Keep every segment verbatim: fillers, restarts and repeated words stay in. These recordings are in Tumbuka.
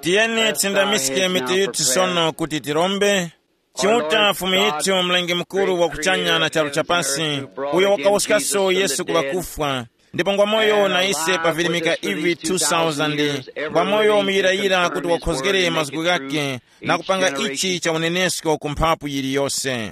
Tiyeni tisindamiske mitu yithu sono kuti tirombe. Chiuta Fumu yithu, Mlengi Mukuru wa kuchanya na charu chapasi, uyo wakawuskaso Yesu ku ŵakufwa, ndipo ngwa moyo na ise pa virimika ivi two thousand, ngwa moyo muyirayira kuti wakhozgere mazgu ghake na kupanga ichi cha unenesko ku mphapu yiliyose.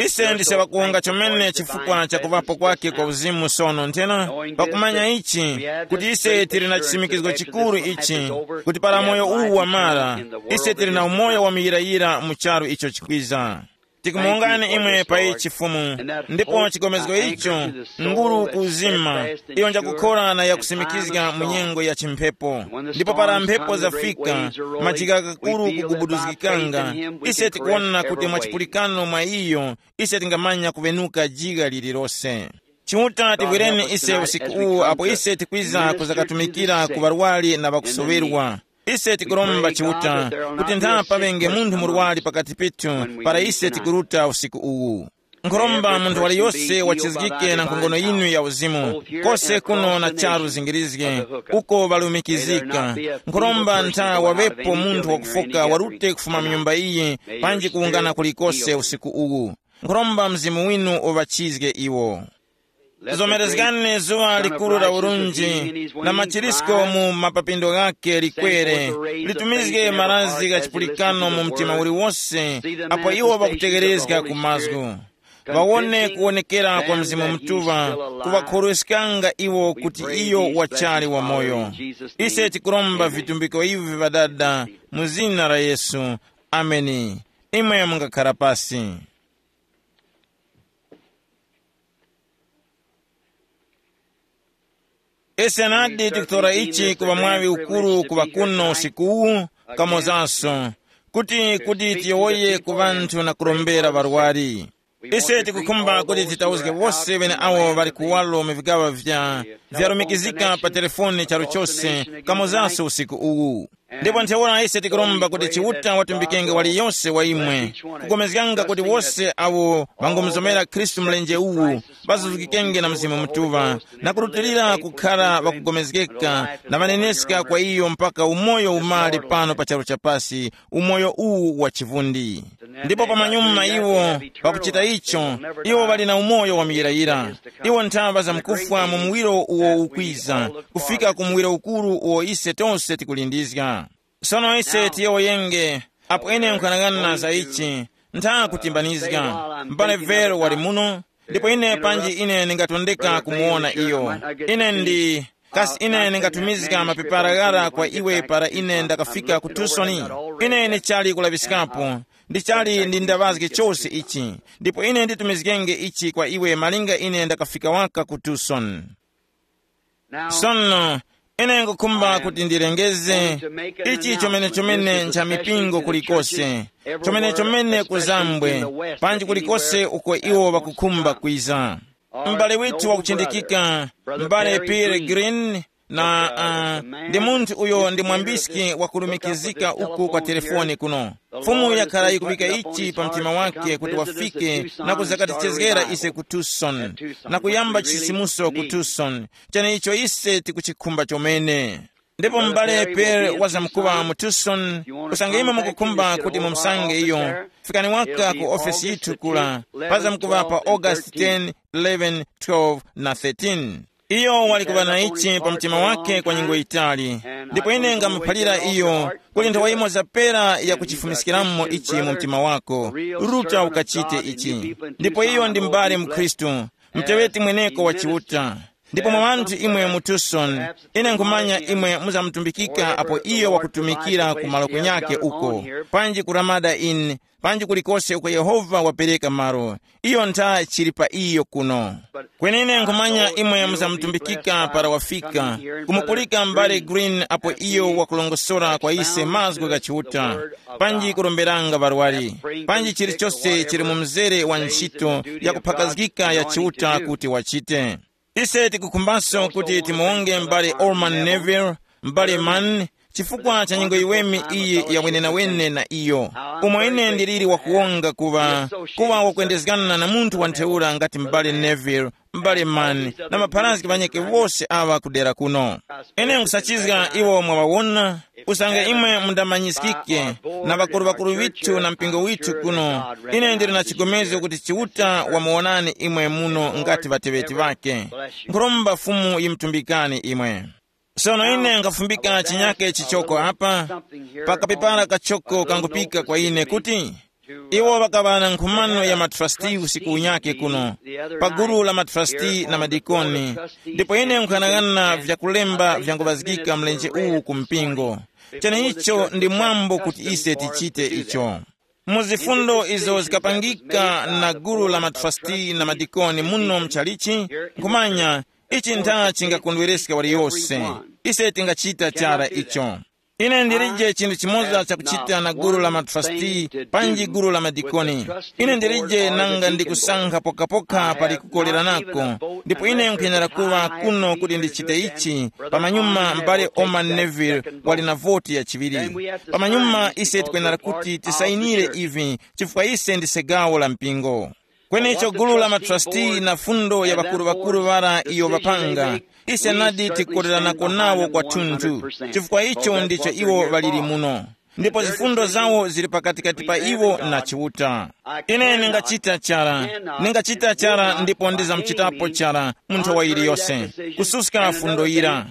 Ise ndise ŵakuwunga chomene chifukwa cha kuŵapo kwake kwa uzimu sono nthena, pakumanya ichi, kuti ise tili na chisimikizgo chikuru ichi, kuti para moyo uwu wamara, ise tili na umoyo wa muyirayira mu charu icho chikwiza. Tikumuwungani imwe pa ichi Fumu, ndipo chigomezgo icho nguru kuzima, iyo njakukhora na yakusimikizga mu nyengo ya chimphepo. Ndipo para mphepo zafika, majika kakuru kugubuduzgikanga, ise tikuwona kuti mwa chipulikano mwa iyo, ise tingamanya kuŵenuka jiga lililose. Chiuta tivwireni ise usiku uwu apo ise tikwiza kuzakatumikira ku ŵarwari na ŵakusoŵerwa. Ise tikuromba Chiuta, kuti ntha paŵenge munthu murwari pakati pethu para ise tikuruta usiku uwu. Nkhuromba munthu waliyose wachizgike na nkhongono yinu ya uzimu, kose kuno na charu zingirizge, uko ŵalumikizika. Nkhuromba ntha waŵepo munthu wakufoka warute kufuma mu nyumba iyi, panji kuwungana kulikose usiku uwu. Nkhuromba Mzimu winu uŵachizge iwo. Zomerezgani zuŵa likuru la urunji, na machirisko mu mapapindo ghake likwere, litumizge marazi gha chipulikano mu mtima uliwose, apo iwo ŵakutegherezga ku mazgu. Ŵawone kuwonekera kwa Mzimu Mutuŵa, kuŵakhorweskanga iwo kuti iyo wachali wamoyo. Ise tikuromba vitumbiko ivi Ŵadada, mu zina la Yesu. Ameni. Imwe mungakhara pasi. Ise nadi tikutora ichi kuŵa mwaŵi ukuru kuŵa kuno usiku uwu, kamozanso, kuti kuti tiyowoye ku ŵanthu na kurombera ŵarwari. Ise tikukhumba kuti titauzge wose ŵene awo ŵali kuwalo mu vigaŵa vya vyalumikizika pa telefoni charu chose, kamozanso usiku uwu. Ndipo ntheura ise tikuromba kuti Chiuta watumbikenge waliyose wa imwe, kugomezganga kuti wose awo ŵangomuzomera Khristu mlenje uwu, ŵazuzgikenge na Mzimu Mutuŵa, na kurutilira kukhara ŵakugomezgeka na ŵaneneska kwa iyo mpaka umoyo umali pano pa charu chapasi, umoyo uwu wa chivundi. Ndipo pamanyuma iwo pakuchita icho, iwo ŵali na umoyo wa muyirayira. Iwo nthaŵa zamkufwa mu muwiro uwo ukwiza, kufika ku muwiro ukuru uwo ise tonse tikulindizga. Sono ise tiyowoyenge, apo ine nkhanang'ana za ichi, ntha kutimbanizga. M'bale Vero wali muno, ndipo ine panji ine ndingatondeka kumuwona iyo. Ine ndi, kasi ine ndingatumizga mapepara ghara kwa iwe para ine ndakafika ku Tucson? Ine ndichali kulaŵiskapo, ndichali ndi ndaŵazge chose ichi, ndipo ine nditumizgenge ichi kwa iwe malinga ine ndakafika waka ku Tucson. Sono, ine ngukhumba kuti ndilengeze ichi chomene chomene ncha mipingo kulikose, chomene chomene kuzambwe, panji kulikose uko iwo ŵakukhumba kwiza. M'bale withu wakuchindikika, m'bale Peregrine, na uh, ndi munthu uyo ndi mwambiski wakulumikizika uku kwa telefoni kuno. Fumu yakhala yikuŵika ichi pa mtima wake kuti wafike na kuzakatichezgera ise ku Tucson, na kuyamba chisisimuso ku Tucson, cheneicho ise tikuchikhumba chomene. Ndipo m'bale Pere wazamkuŵa mu Tucson, usange imwe mukukhumba kuti mumusange iyo, fikani waka ku ofesi yithu kula, pazamkuŵa pa August ten, eleven, twelve na thirteen. Iyo wali kuŵa na ichi pa mtima wake kwa nyengo yitali, ndipo ine ngamuphalira iyo kuti nthawa imo zapera ya kuchifumiskiramo ichi mu mtima wako, ruta ukachite ichi. Ndipo iyo ndi m'bale mkhristu, mteŵeti mweneko wa Chiuta. Ndipo mwa ŵanthu imwe mu Tucson, ine nkhumanya imwe muzamutumbikika apo iyo wakutumikira ku malo kunyake uko, panji ku Ramada Inn, panji kulikose uko Yehova wapereka malo. Iyo ntha chili pa iyo kuno. Kwenene nkhumanya imwe muzamutumbikika para wafika, kumupulika m'bale Green apo iyo wakulongosora kwa ise mazgu gha Chiuta, panji kuromberanga ŵarwari, panji chilichose chili mu mzere wa ntchito yakuphakazgika ya Chiuta kuti wachite. Ise tikukhumbaso kuti timuwonge m'bale Orman Neville, m'bale Mann, Chifukwa cha nyengo yiweme iyi ya wenenawene na iyo, umo ine ndiliri wakuwonga kuŵa kuŵa wakwendezgana na munthu wa ntheura ngati m'bale Neville, m'bale Mann, na mapharazgi ŵanyeke wose aŵa kudera kuno. Ine nkhusachizga iwo mwaŵawona, usange imwe mundamanyiskike na ŵakuru-ŵakuru ŵithu na mpingo withu kuno. Ine ndili na chigomezgo kuti Chiuta wamuwonani imwe muno ngati ŵateŵeti ŵake. Nkhuromba Fumu yimutumbikani imwe. Sono ine nkhafumbika chinyake chichoko apa, pakapepala kachoko kangupika kwa ine kuti iwo ŵakaŵa na nkhumano ya matrasti usiku unyake kuno, pa gulu la matrasti na madikoni, ndipo ine nkhanang'ana vyakulemba vyanguŵazgika mlenje uwu ku mpingo. Cheneicho ndi mwambo kuti ise tichite icho. Mu zifundo izo zikapangika na gulu la matrasti na madikoni muno mchalichi, nkhumanya, ichi ntha chingakondwereska waliyose. Ise tingachita chara icho. Ine ndilije chinthu chimoza chakuchita na gulu la matrasti panji gulu la madikoni. Ine ndilije nanga ndikusankha pokapoka pali kukoleranako, ndipo ine nkwenera kuŵa kuno kuti ndichite ichi. Pamanyuma m'bale Oman Neville wali na voti ya chiŵiri. Pamanyuma ise tikwenera kuti tisayinire ivi, chifukwa ise ndise gawo la mpingo. Kwenecho gulu la matrasti na fundo ya ŵakuru-ŵakuru ŵara iyo ŵapanga, ise nadi tikukoleranako nawo kwathunthu, chifukwa icho ndicho iwo ŵaliri muno. Ndipo zifundo zawo zili pakatikati pa iwo na Chiuta. Ine ningachita chara, ningachita chara ndipo ndizamuchitapo chara mu nthawi yiliyose, kususka fundo yira.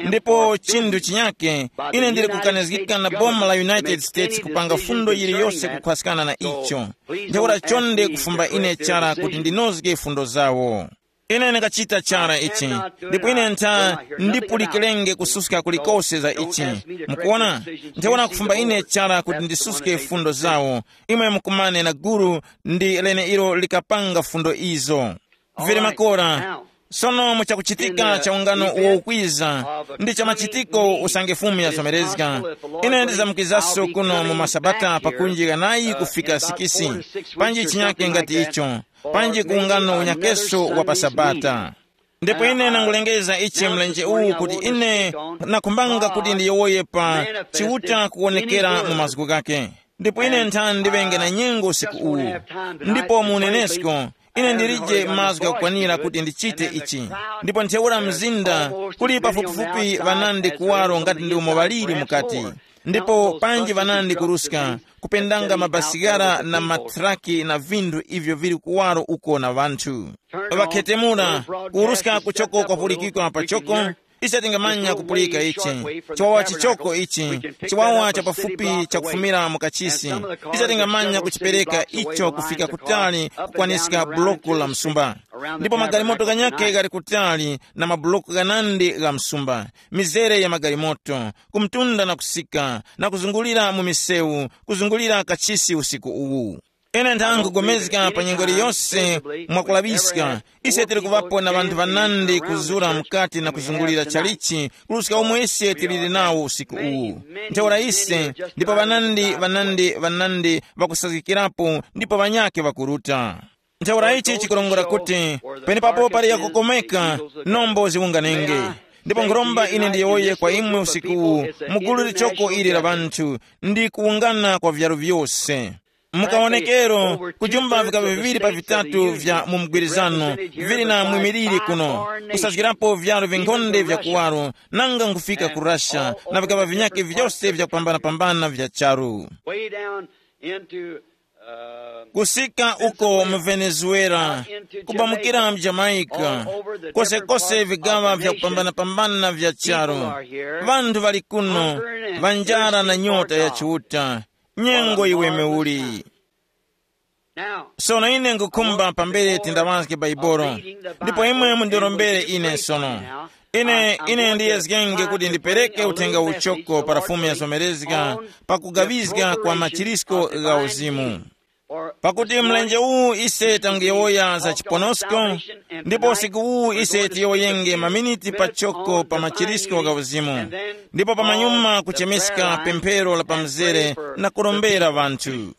Ndipo chinthu chinyake, ine ndili kukanizgika na boma la United States kupanga fundo yiliyose kukhwaskana na icho. Ntheura chonde kufumba ine chara kuti ndinozge fundo zawo. Ine ndingachita chara ichi, ndipo ine ntha ndipulikirenge kususka kulikose za ichi. Mukuona? Ntheura kufumba ine chara kuti ndisuske fundo zawo. Imwe mukumane na guru ndi leneilo likapanga fundo izo. Vili makora. Sono mu chakuchitika cha ungano uwo ukwiza, ndi cha machitiko usange Fumu yazomerezga, ine ndizamkizaso kuno mu masabata pakunji ghanayi kufika sikisi, panji chinyake ngati icho, panji ku ungano unyakeso wa pa sabata. Ndipo ine nangulengeza ichi mlenje uwu kuti ine nakhumbanga kuti ndiyowoye pa Chiuta kuwonekera mu mazgu ghake. Ndipo ine nthani ndiŵenge na nyengo usiku uwu. Ndipo mu unenesko, ine ndilije mazgu ghakukwanira kuti ndichite ichi. Ndipo ntheura mzinda kuli pafupifupi ŵanandi kuwaro ngati ndi umo ŵaliri mukati. Ndipo panji ŵanandi kuruska, kupendanga mabasikara na mathraki na vinthu ivyo vili kuwaro uko na ŵanthu. Ŵakhetemula, kuruska kuchoko kwapulikikwa pachoko. Ise tingamanya kupulika ichi, chiwawa chichoko ichi, chiwawa cha pafupi chakufumira mu kachisi. Ise tingamanya kuchipereka icho kufika kutali kukwaniska buloko la msumba. Ndipo magalimoto ghanyakhe ghali kutali na mabuloko ghanandi gha msumba, mizere ya magalimoto, kumtunda na kusika, na kuzungulira mu misewu, kuzungulira kachisi usiku uwu. Ine nthanga nkugomezga pa nyengo iliyose mwakulaŵiska, ise tili kuŵapo na ŵanthu ŵanandi kuzura mukati na kuzungulira chalichi, kuruska omwe ise tiliri nawo usiku uwu. Ntheura ise, ndipo ŵanandi ŵanandi ŵanandi ŵakusazgikirapo, ndipo ŵanyakhe ŵakuruta. Ntheura ichi chikurongora kuti penepapo pali yakukomeka, nombo ziwunganenge. Ndipo nkhuromba ine ndiyowoye kwa imwe usiku uwu, mu gulu lichoko ili la ŵanthu, ndi kuwungana kwa vyaro vyose. Mukawonekero, kujumba vikaba viŵiri pa vitatu vya mu mgwirizano vili na mwimiliri kuno, kusazgirapo vyaro vinkhonde vya kuwaro, nanga nkufika ku Russia na vikaba vinyakhe vyose vyakupambana-pambana vya charu. Way down into, uh, kusika uko mu Venezuela, kubamukira mu Jamaica, kosekose vigaŵa vyakupambana-pambana vya charu. Vanthu ŵali kuno, ŵanjara na nyota ya Chiuta. Nyengo iwe meuli. Sono ine nkukhumba pambere tindaŵazge Baibolo, ndipo imwe mundirombere ine sono. Ine, ine ndiyezgenge kuti ndipereke uthenga uchoko para Fumu yazomerezga, pakugawizga kwa machirisko gha uzimu. Pakuti mlenje uwu ise tanguyowoya za chiponosko, ndipo usiku uwu ise tiyowoyenge maminiti pachoko pa machirisko gha uzimu, ndipo pamanyuma kuchemeska pemphero la pamzere na kurombera ŵanthu.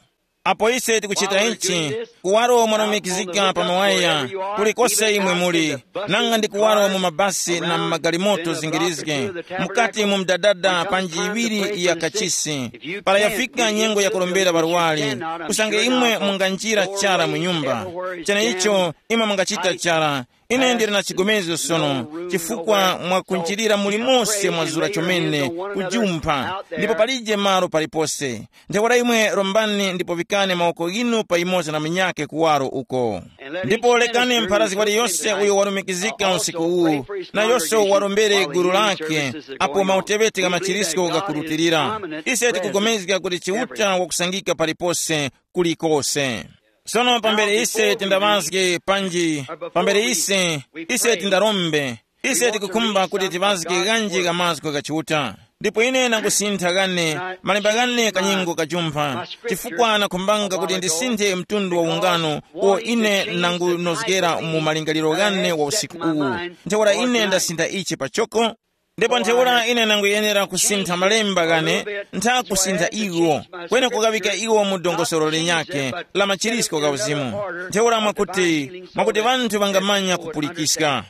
Apo ise tikuchita ichi, kuwaro mwanomekizika pa mawaya, kulikose imwe muli, nanga ndi kuwaro mu mabasi na mu magalimoto zingirizge, mukati mu mdadada panji iwiri ya kachisi, para yafika nyengo ya kurombera ŵarwari, usange imwe munganjira chara mu nyumba, cheneicho imwe mungachita chara. Ine ndili na chigomezgo sono, chifukwa mwakunjirira mulimonse mwazura chomene, kujumpha, ndipo palije malo palipose. Ntheura imwe rombani ndipo vikani mawoko ghinu pa yumoza na munyakhe kuwaro uko. Ndipo lekani mpharazgi waliyose uyo walumikizika usiku uwu, nayose warombere gulu lakhe, apo mauteŵeti gha machirisko ghakurutilira. Ise tikugomezga kuti Chiuta wakusangika palipose, kulikose. Sono pambere ise tindaŵazge panji, pambere ise, ise tindarombe, ise tikukhumba kuti tiŵazge ghanji gha mazgu gha Chiuta. Ndipo ine nangusintha ghane, malemba ghane kanyengo kajumpha, chifukwa nakhumbanga kuti ndisinthe mtundu wa ungano uwo ine nangunozgera mu malingaliro ghane wa usiku uwu. Ntheura ine ndasintha ichi pachoko. Ndipo ntheura ine nanguyenera kusintha malemba ghane, ntha kusintha iwo, kwene kughawika iwo mu dongosolo linyakhe la machirisko gha uzimu. Ntheura mwakuti, mwakuti ŵanthu ŵangamanya kupulikiska.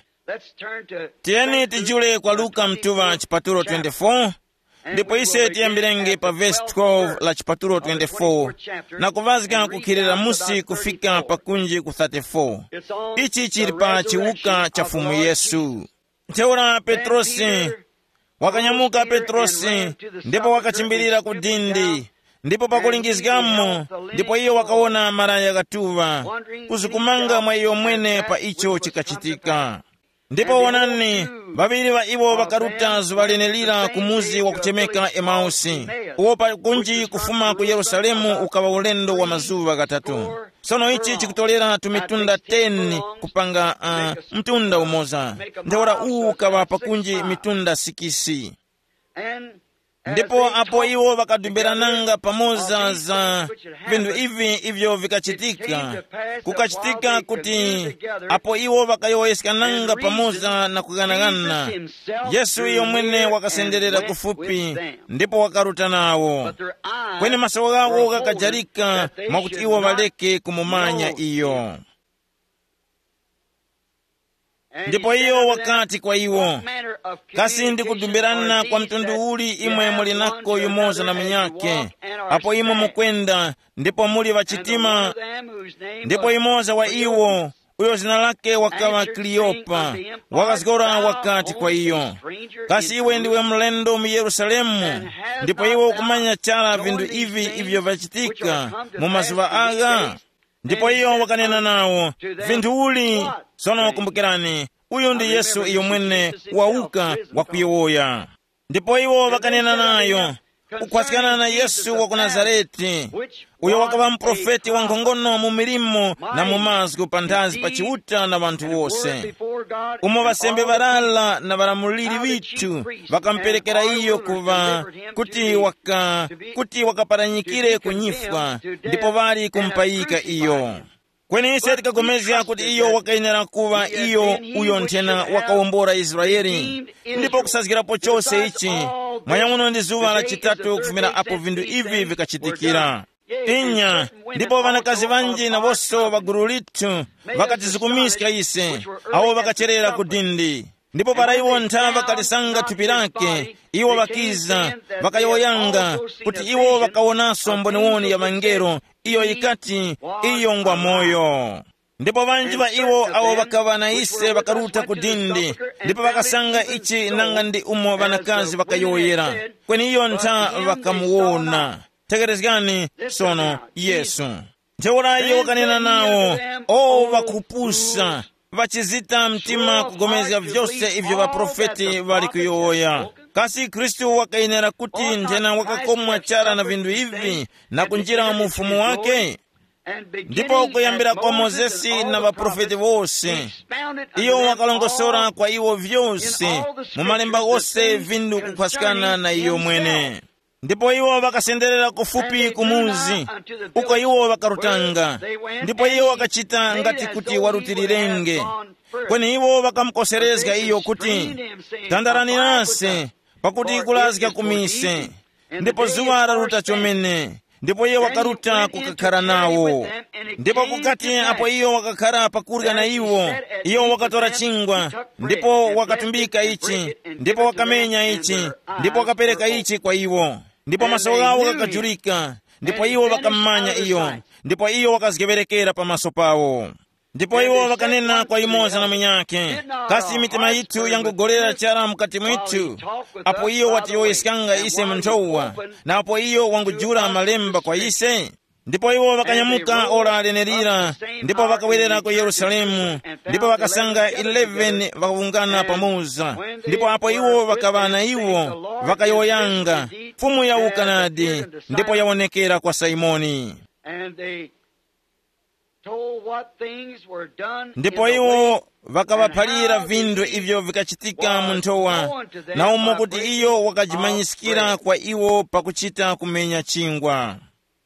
Tiyeni tijule kwa Luka mtuŵa chipatulo twenty-four, ndipo ise tiyambirenge pa vesi twelve la chipatulo twenty-four, na kuvazga kukhilira musi kufika pakunji ku thirty-four. Ichi chili pa chiwuka cha Fumu Yesu. Ntheura Petrosi, wakanyamuka Petrosi, ndipo wakachimbirira ku dindi, ndipo pakulingizgamo, ndipo iyo wakawona maraya ghatuŵa, kuzukumanga mwa iyo mwene pa icho chikachitika. Ndipo wonani, ŵaŵiri ŵa iwo ŵakaruta zuŵa lenelira ku muzi wakuchemeka Emausi, uwo pakunji kufuma ku Yerusalemu ukaŵa ulendo wa mazuŵa ghatatu. Sono ichi chikutorera tumitunda ten kupanga uh, mtunda umoza. Ntheura uwu ukaŵa pakunji mitunda sikisi. Ndipo apo iwo ŵakadumbirananga pamoza za vinthu ivi ivyo vikachitika, kukachitika kuti apo iwo ŵakayowoyeskananga pamoza na kughanaghana, Yesu iyo mwene wakasenderera kufupi ndipo wakaruta nawo. Kweni maso ghawo ghakajarika mwakuti iwo ŵaleke kumumanya iyo. Ndipo iyo wakati kwa iwo, kasi ndikudumbirana kwa mtundu uli imwe muli nako yumoza na munyakhe, apo imwe mukwenda, ndipo muli ŵachitima? Ndipo yumoza wa iwo, uyo zina lake wakaŵa Kleopa, wakazgora wakati kwa iyo, kasi iwe ndiwe mlendo mu Yerusalemu, ndipo iwe ukumanya chara vinthu ivi ivyo vyachitika mu mazuŵa agha? Ndipo iyo wakanena nawo, vinthu uli? Sono kumbukirani, uyu ndi Yesu iyo mwene wawuka wakuyowoya. Ndipo iwo wakanena nayo, kukhwaskana na Yesu wa ku Nazarete, uyo wakaŵa muprofeti wankhongono mu milimo na mu mazgu panthazi pa Chiuta na ŵanthu wose, umo ŵasembe ŵarara na ŵalamuliri ŵithu ŵakamuperekera iyo kuŵa kuti waka kuti wakaparanyikire ku nyifwa, ndipo ŵali kumupayika iyo. Kweni ise tikapulikana kuti iyo wakayenera kuŵa iyo uyo nthena wakawombora Israele, ndipo kusazgirapo chose ichi, mwanyamuno ndi zuŵa la chitatu kufumira apo vinthu ivi vikachitikira. Inya, ndipo ŵanakazi ŵanji nawonso ŵa gulu lithu ŵakatizukumiska ise, awo ŵakacherera ku dindi. Ndipo para iwo ntha ŵakalisanga thupi lake, iwo ŵakiza, ŵakayowoyanga kuti iwo ŵakawonanso mboniwoni ya ŵangelo iyo yikati, iyo ngwa moyo. Ndipo ŵanji ŵa iwo awo ŵakaŵa na ise ŵakaruta ku dindi, ndipo ŵakasanga ichi nanga ndi umo ŵanakazi ŵakayowoyera, kweni iyo ntha ŵakamuwona. Tekerezgani sono Yesu. Ntheura iyo wakanena nawo, o ŵakupusa, ŵachizita mtima kugomezga vyose ivyo ŵaprofeti ŵali kuyowoya. Kasi Khristu wakayenera kuti nthena wakakomwa chara na vinthu ivi na kunjira mu ufumu wake? Ndipo kuyambira kwa Mozesi na ŵaprofeti wose, iyo wakalongosora kwa iwo vyose mu malemba ghose vinthu kukhwaskana na iyo mwene. Ndipo iwo ŵakasenderera kufupi ku muzi uko iwo ŵakarutanga, ndipo iwo ŵakachita ngati kuti warutilirenge. Kweni iwo ŵakamukoserezga iyo kuti, tandarani nase, pakuti kulazga ku mise, ndipo zuŵa laruta chomene, Ndipo iye wakaruta kukakhara nawo. Ndipo kukati apo iyo wakakhara pakurya na iwo, iyo wakatora chingwa, ndipo wakatumbika ichi, ndipo wakamenya ichi, ndipo wakapereka ichi kwa iwo. Ndipo maso ghawo ghakajurika, ndipo iwo ŵakammanya iyo, ndipo iyo wakazgeŵerekera pamaso pawo. Ndipo iwo ŵakanena kwa yumoza na munyakhe, kasi mitima yithu yangugolera chara mukati mwithu, apo iyo watiyowoyeskanga ise mu nthowa, na apo iyo wangujula malemba kwa ise? Ndipo iwo ŵakanyamuka ora lenelira, ndipo ŵakawerera ku Yerusalemu, ndipo ŵakasanga eleven ŵakawungana pamoza. Ndipo apo iwo ŵakaŵa na iwo, ŵakayowoyanga, Fumu yawuka nadi, ndipo yawonekera kwa Simoni. And they told what things were done in ndipo the iwo way, ŵakaŵaphalira and how vinthu the ivyo vikachitika mu nthowa, na umo kuti iyo wakajimanyiskira kwa iwo pakuchita kumenya chingwa.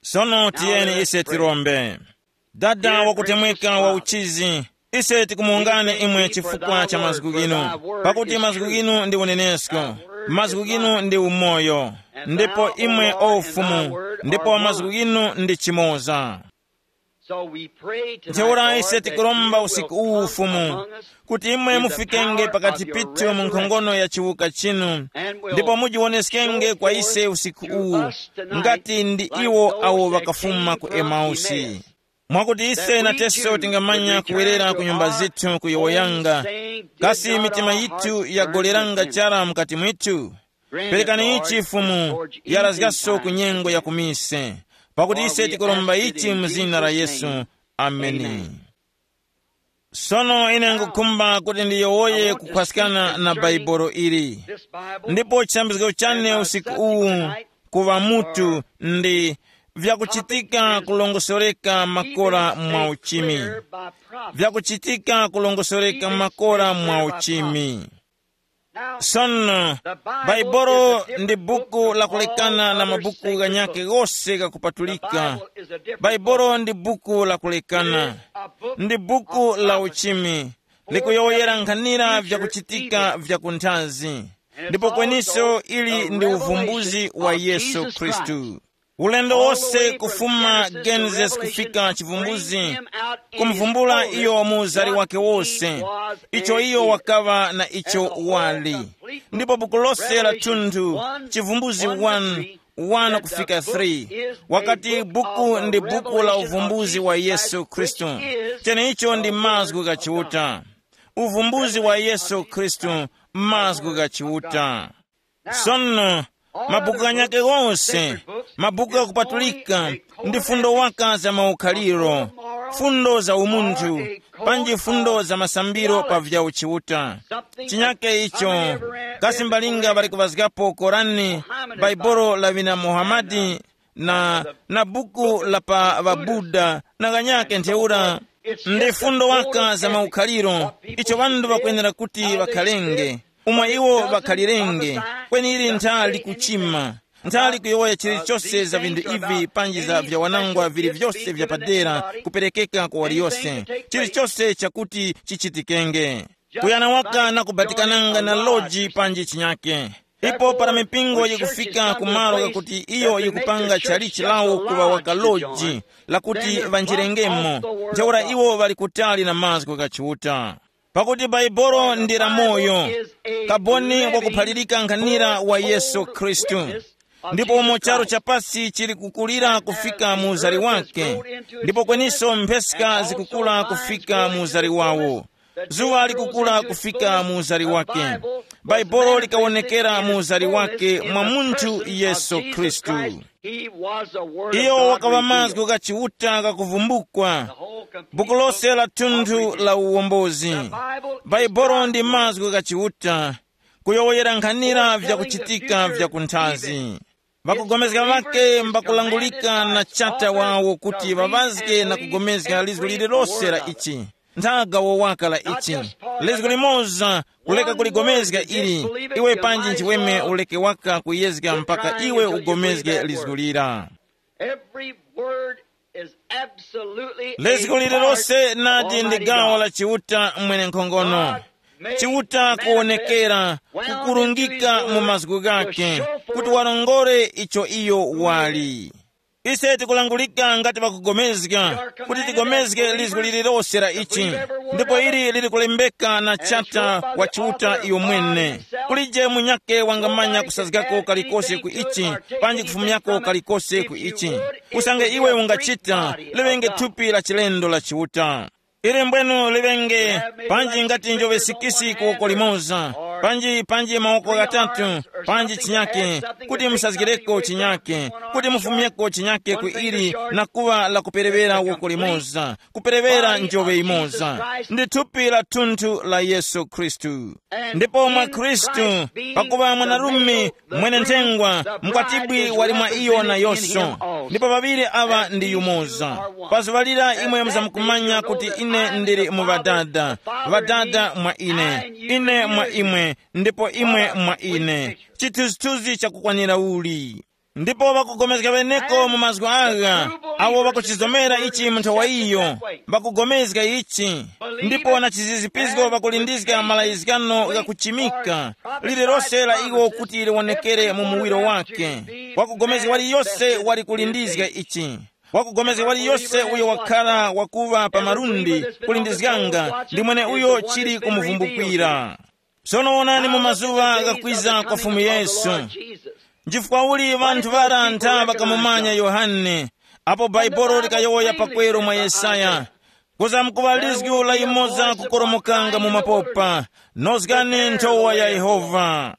Sono tiyeni ise tirombe. Dada wakutemweka wa uchizi, ise tikumuwungani imwe chifukwa cha mazgu ghinu, pakuti mazgu ghinu ndi unenesko, mazgu ghinu ndi umoyo, ndipo imwe o ufumu, ndipo mazgu ghinu ndi chimoza. So we pray tonight, ntheura ise Lord, that tikuromba you will usiku uwu come ufumu, among us kuti imwe in the mufikenge power pakati of your pithu mu nkhongono ya chiwuka chinu, and will ndipo mujiwoneskenge show kwa ise forth usiku to uwu us tonight ngati ndi like iwo those awo that vakafuma came ku from Emausi. Emmaus. Mwakuti ise that we nateso too tingamanya would return kuwerera to ku nyumba our zithu kuyowoyanga, own saying, did kasi not mitima our yithu hearts burn yagolelanga within us? Chara mukati mwithu? Grant it, perekani Lord, ichi Fumu, before it's yarasgaso ku even nyengo ya time. Kumise, pakuti for ise we tikuromba ask it ichi in mu zina la Jesus' Yesu. Name. Ameni. Amen. Sono ine ngukhumba kuti ndiyowoye kukhwaskana na bhaibolo ili. This Bible ndipo chiyambizgo chane and my usiku subject uwu tonight kuva mutu ndi vyakuchitika kulongosoreka makora mwa uchimi. Vyakuchitika kulongosoreka makora mwa uchimi. Sono, Bhaibolo ndi buku lakulekana na mabuku ghanyakhe ghose ghakupatulika. Bhaibolo ndi buku lakulekana. Ndi buku la uchimi, likuyowoyera nkhanira vyakuchitika vya kunthazi. Ndipo kweniso ili ndi uvumbuzi wa Yesu Khristu. Ulendo wose kufuma Genesis kufika Chivumbuzi, kumvumbula iyo mu uzari wake wose, icho iyo wakaŵa na icho wali. Ndipo buku lose la thunthu, Chivumbuzi one, one kufika three, wakati buku ndi buku la uvumbuzi wa Yesu Khristu. Cheneicho ndi mazgu gha Chiuta. Uvumbuzi wa Yesu Khristu, mazgu gha Chiuta. Sono, mabuku ghanyakhe ghose, mabuku ghakupatulika, ndi fundo waka za maukhaliro, fundo za umunthu, panji fundo za masambiro pa vya uchiuta. Chinyakhe icho, kasi mbalinga ŵali kuvazgapo Korani, Baibolo la ŵina Muhamadi, na, na buku la pa ŵaBuda, na ghanyakhe ntheura. Ndi fundo waka za maukhaliro, icho ŵanthu ŵakwenera kuti ŵakhalenge, umo iwo ŵakhalirenge, kweni ili ntha likuchima, ntha likuyowoya chilichose za vinthu ivi panji za vyawanangwa vili vyose vya padera kuperekeka kwa waliyose, chilichose chakuti chichitikenge. Kuyana waka na kubatikananga na loji panji chinyake. Ipo para mipingo yikufika ku malo ghakuti iyo yikupanga chalichi lawo kuŵa waka loji, lakuti ŵanjirengemo, ntheura iwo ŵali kutali na mazgu gha Chiuta. Pakuti Baibolo ndi lamoyo, kaboni wakuphalirika nkhanira wa Yesu Khristu. Ndipo umo charu cha pasi chili kukulira kufika mu uzari wake, ndipo kweniso mpheska zikukula kufika mu uzari wawo. Zuŵa likukula kufika mu uzari wake. Baibulo likawonekera mu uzari wake mwa munthu Yesu Khristu. Iyo wakaŵa mazgu gha Chiuta ghakuvumbukwa. Buku lose la thunthu la uwombozi. Baibulo ndi mazgu gha Chiuta, kuyowoyera nkhanira vyakuchitika vya kunthazi. Ŵakugomezga ŵake mbakulangulika na chata wawo kuti ŵaŵazge na kugomezga lizgu lililose la ichi. Nthaga wowaka la ichi. Lizgu limoza kuleka kuligomezga ili, iwe panji nchiweme uleke waka kuyezga mpaka iwe ugomezge lizgu lira. Every word is absolutely a lizgu lililose part nadi on ndi Almighty gawo God. La Chiuta mwenenkhongono. God made Chiuta manifest kuwonekera well kukurungika into mu mazgu gake to show forth kuti walongore icho iyo wali. Ise tikulangulika ngati pakugomezga, kuti tigomezge lizgu lililose la ichi, ndipo ili lili kulembeka na chata wa Chiuta iyo mwene. Kulije munyake wangamanya kusazgako kalikose ku ichi, panji kufumyako kalikose ku ichi. Usange iwe ungachita, liŵenge thupi la chilendo la Chiuta. Ili mbwenu liŵenge, panji ngati njoŵe sikisi ku woko limoza, panji panji mawoko ghatatu, panji chinyake, kuti musazgireko chinyake, kuti mufumyeko chinyake ku ili, na kuŵa la kuperewera woko limoza, kuperewera njoŵe imoza. Ndi thupi la thunthu la Yesu Khristu. Ndipo mwa Khristu, pakuŵa mwanarume, mwene nthengwa, mkwatibwi wali mwa iyo nayonso. Ndipo ŵaŵiri aŵa ndi yumoza. Pa zuŵa lira imwe muzamkumanya kuti ine ndili mu Ŵadada, Ŵadada mwa ine, ine mwa imwe, ndipo imwe mwa ine. Chithunzithunzi chakukwanira uli. Ndipo ŵakugomezga ŵeneko mu mazgu agha, awo ŵakuchizomera ichi mu nthawi iyo, ŵakugomezga ichi. Ndipo na chizizipizgo ŵakulindizga malayizgano ghakuchimika, lililose la iwo kuti liwonekere mu muwiro wake. Wakugomezga waliyose wali kulindizga ichi. Wakugomezga waliyose uyo wakhala wakuŵa pa malundi kulindizganga ndi mwene uyo chili kumuvumbukira. Sono wonani mu mazuŵa ghakwiza kwa Fumu Yesu. Nchifukwa uli ŵanthu ŵara ntha ŵakamumanya Yohane, apo Bhaibuli likayowoya pakweru mwa Yesaya, kuza mkuŵa lizgu la yumoza kukoromokanga mu mapopa, nozgani nthowa ya Yehova.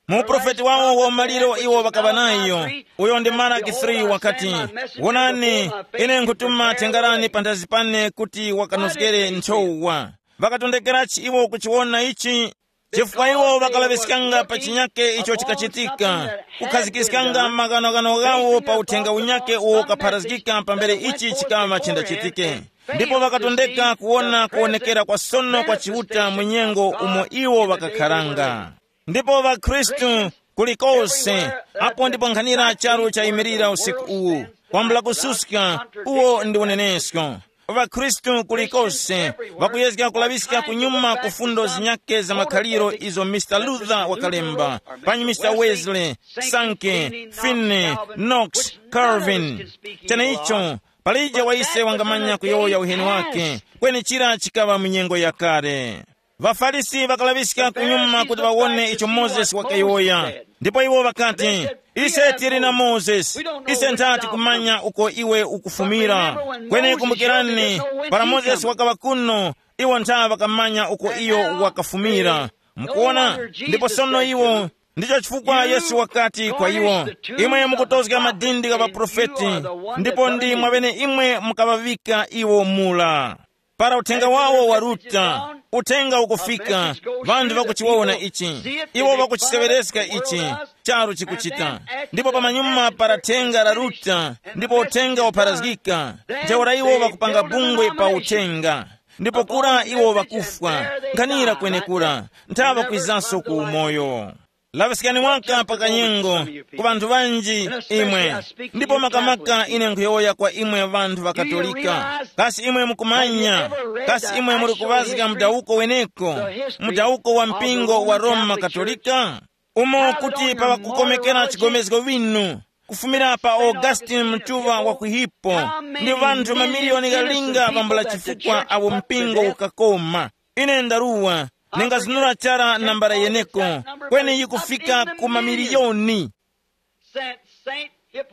Mu uprofeti wawo wa maliro iwo ŵakaŵa nayo, uyo ndi Malaki three wakati, wonani, ine nkhutuma thengarani panthazi pane kuti wakanozgere nthowa. Ŵakatondekerachi iwo kuchiwona ichi? Chifukwa iwo ŵakalaŵiskanga pa chinyake icho chikachitika, kukhazikiskanga maghanoghano ghawo pa uthenga unyake uwo ukapharazgika pambere ichi chikaŵa chindachitike. Ndipo ŵakatondeka kuwona kuwonekera kwa sono kwa Chiuta mu nyengo umo iwo ŵakakharanga. Ndipo ŵakhristu kulikose, apo ndipo nkhanira charu chayimirira usiku uwu, kwambula kususka, uwo ndi unenesko. ۊakhristu kulikose ŵakuyezga kulaŵiska kunyuma ku fundo zinyakhe za makhaliro izo Mister Luther wakalemba, panyi Mister Wesley, Sankey, Finney, Knox, Calvin. Cheneicho, palije wa ise wangamanya kuyowoya uheni wake, kweni chira chikaŵa mu nyengo yakale. ۊaFarisi ŵakalaŵiska kunyuma kuti ŵawone icho Mozesi wakayowoya. Ndipo iwo ŵakati, ise tili na Mozesi, ise nthati kumanya uko iwe ukufumira. Kweni kumbukirani, para Mozesi wakaŵa kuno, iwo ntha ŵakamanya uko iyo wakafumira. Mukuona? Ndipo sono iwo, ndicho chifukwa Yesu wakati kwa iwo, imwe mukutozga madindi gha ŵaprofeti, ndipo ndi mwaŵene imwe mukaŵaŵika iwo mula. Para uthenga wawo waruta, uthenga ukufika, ŵanthu ŵakuchiwona ichi, iwo ŵakuchiseŵereska ichi, charu chikuchita. Ndipo pamanyuma para thenga laruta, ndipo uthenga wapharazgika, ntheura iwo ŵakupanga bungwe pa uthenga. Ndipo kura iwo ŵakufwa, nkhanira kwenekura, nthaŵa kwizanso ku umoyo. Laŵiskani waka pa kanyengo ku ŵanthu ŵanji imwe, ndipo makamaka ine nkhuyowoya kwa imwe ŵanthu ŵa Katolika. Kasi imwe mukumanya, kasi imwe muli kuŵazga mudawuko weneko, mudawuko wa mpingo wa Roma Katolika? Umo kuti paŵakukomekera chigomezgo winu, kufumira pa Augustine mtuŵa wa ku Hippo, ndi ŵanthu mamiliyoni ghalinga ŵambula chifukwa awo mpingo ukakoma. Ine ndaruwa, ningazunura chara nambala yeneko, kweni yikufika ku mamiliyoni.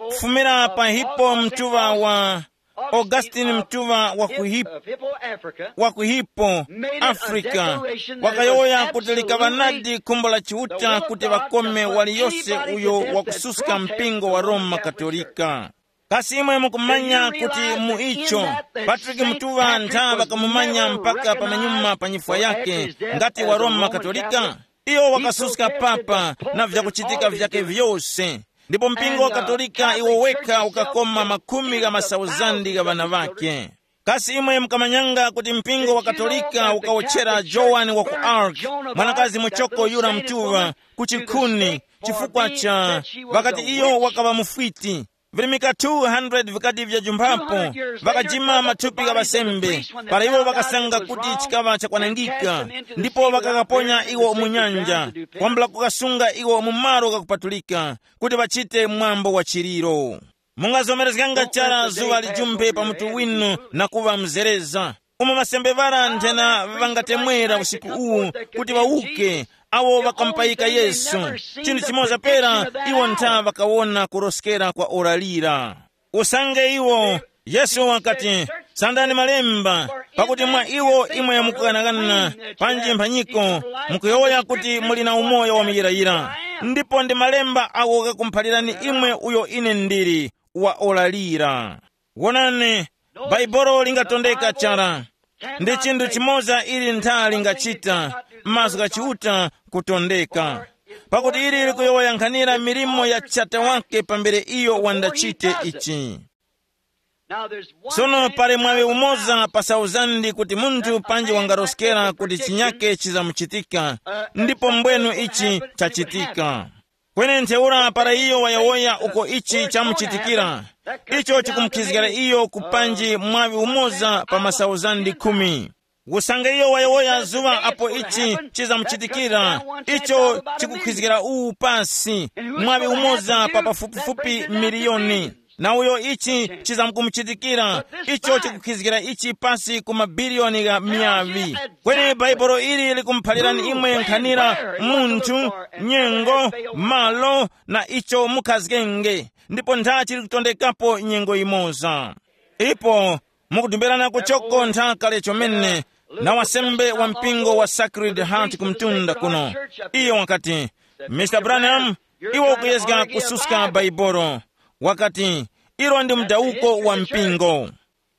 Kufumira pa Hippo mtuŵa wa Augustine mtuŵa wa ku Hip-, wa ku Hippo, Africa, wakayowoya kuti likaŵa nadi khumbo la Chiuta kuti ŵakome waliyose uyo wakususka mpingo wa Roma Katolika. Kasi imwe mukumanya kuti mu icho, Patrick Mtuŵa ntha ŵakamumanya mpaka pamanyuma pa nyifwa yakhe ngati wa Roma Katolika? Iyo wakasuska papa na vyakuchitika vyakhe vyose, ndipo mpingo wa Katolika iwo wekha ukakoma makhumi gha masauzandi gha ŵana ŵakhe. Kasi imwe mukamanyanga kuti mpingo wa Katolika ukawotchera Joan wa ku Arc, mwanakazi muchoko yura mtuŵa, ku chikhuni, chifukwa cha, ŵakati iyo wakaŵa mufwiti? Virimika two hundred vikati vyajumphapo, ŵakajima mathupi gha ŵasembe, para iwo ŵakasanga kuti chikaŵa chakwanangika, ndipo ŵakaghaponya iwo mu nyanja, kwambula kukasunga iwo mu malo ghakupatulika, kuti ŵachite mwambo wa chiliro. Mungazomerezganga chara zuŵa lijumbe pa mutu winu na kuŵa mzereza. Umo masembe ŵara nthena ŵangatemwera usiku uwu kuti ŵawuke, awo ŵakamupayika Yesu. Chinthu chimoza pera, iwo ntha ŵakawona kuroskera kwa ora lira. Usange iwo, Yesu wakati, sandani malemba, pakuti mwa iwo imwe mukughanaghana, panji mphanyiko, mukuyowoya kuti muli na umoyo wa muyirayira. Ndipo ndi malemba agho ghakumuphalirani imwe uyo ine ndili, wa ora lira. Wonani, Baibolo lingatondeka chara. Ndi chinthu chimoza ili ntha lingachita, mazgu gha Chiuta kutondeka. Pakuti ili likuyowoyankhanira milimo ya Chata wake pambere iyo wandachite ichi. Sono pali mwaŵi umoza pa sauzandi kuti munthu panji wangaroskera kuti chinyake chizamuchitika, ndipo mbwenu ichi chachitika. Kweni ntheura para iyo wayowoya uko ichi chamuchitikira, icho chikumukhizgikira iyo kupanji mwaŵi umoza pa masauzandi khumi. Usange iyo wayowoya zuŵa apo ichi chizamuchitikira, icho chikukhizgikira uwu pasi, mwaŵi umoza pa pafupifupi miliyoni. Na uyo ichi chizamkumuchitikira, icho chikukhizgikira ichi pasi ku mabiliyoni gha miyaŵi. Kweni Bhaibuli ili likumuphalirani imwe nkhanira munthu, nyengo, malo, na icho mukhazgenge, ndipo nthachi likutondekapo nyengo yimoza. Ipo mukudumbirana kuchoko ntha kale chomene na wasembe wa mpingo wa Sacred Heart ku mtunda kuno. Iyo wakati, Mister Branham, iwe ukuyezga kususka Baibolo. Wakati, ilo ndi mdawuko wa mpingo.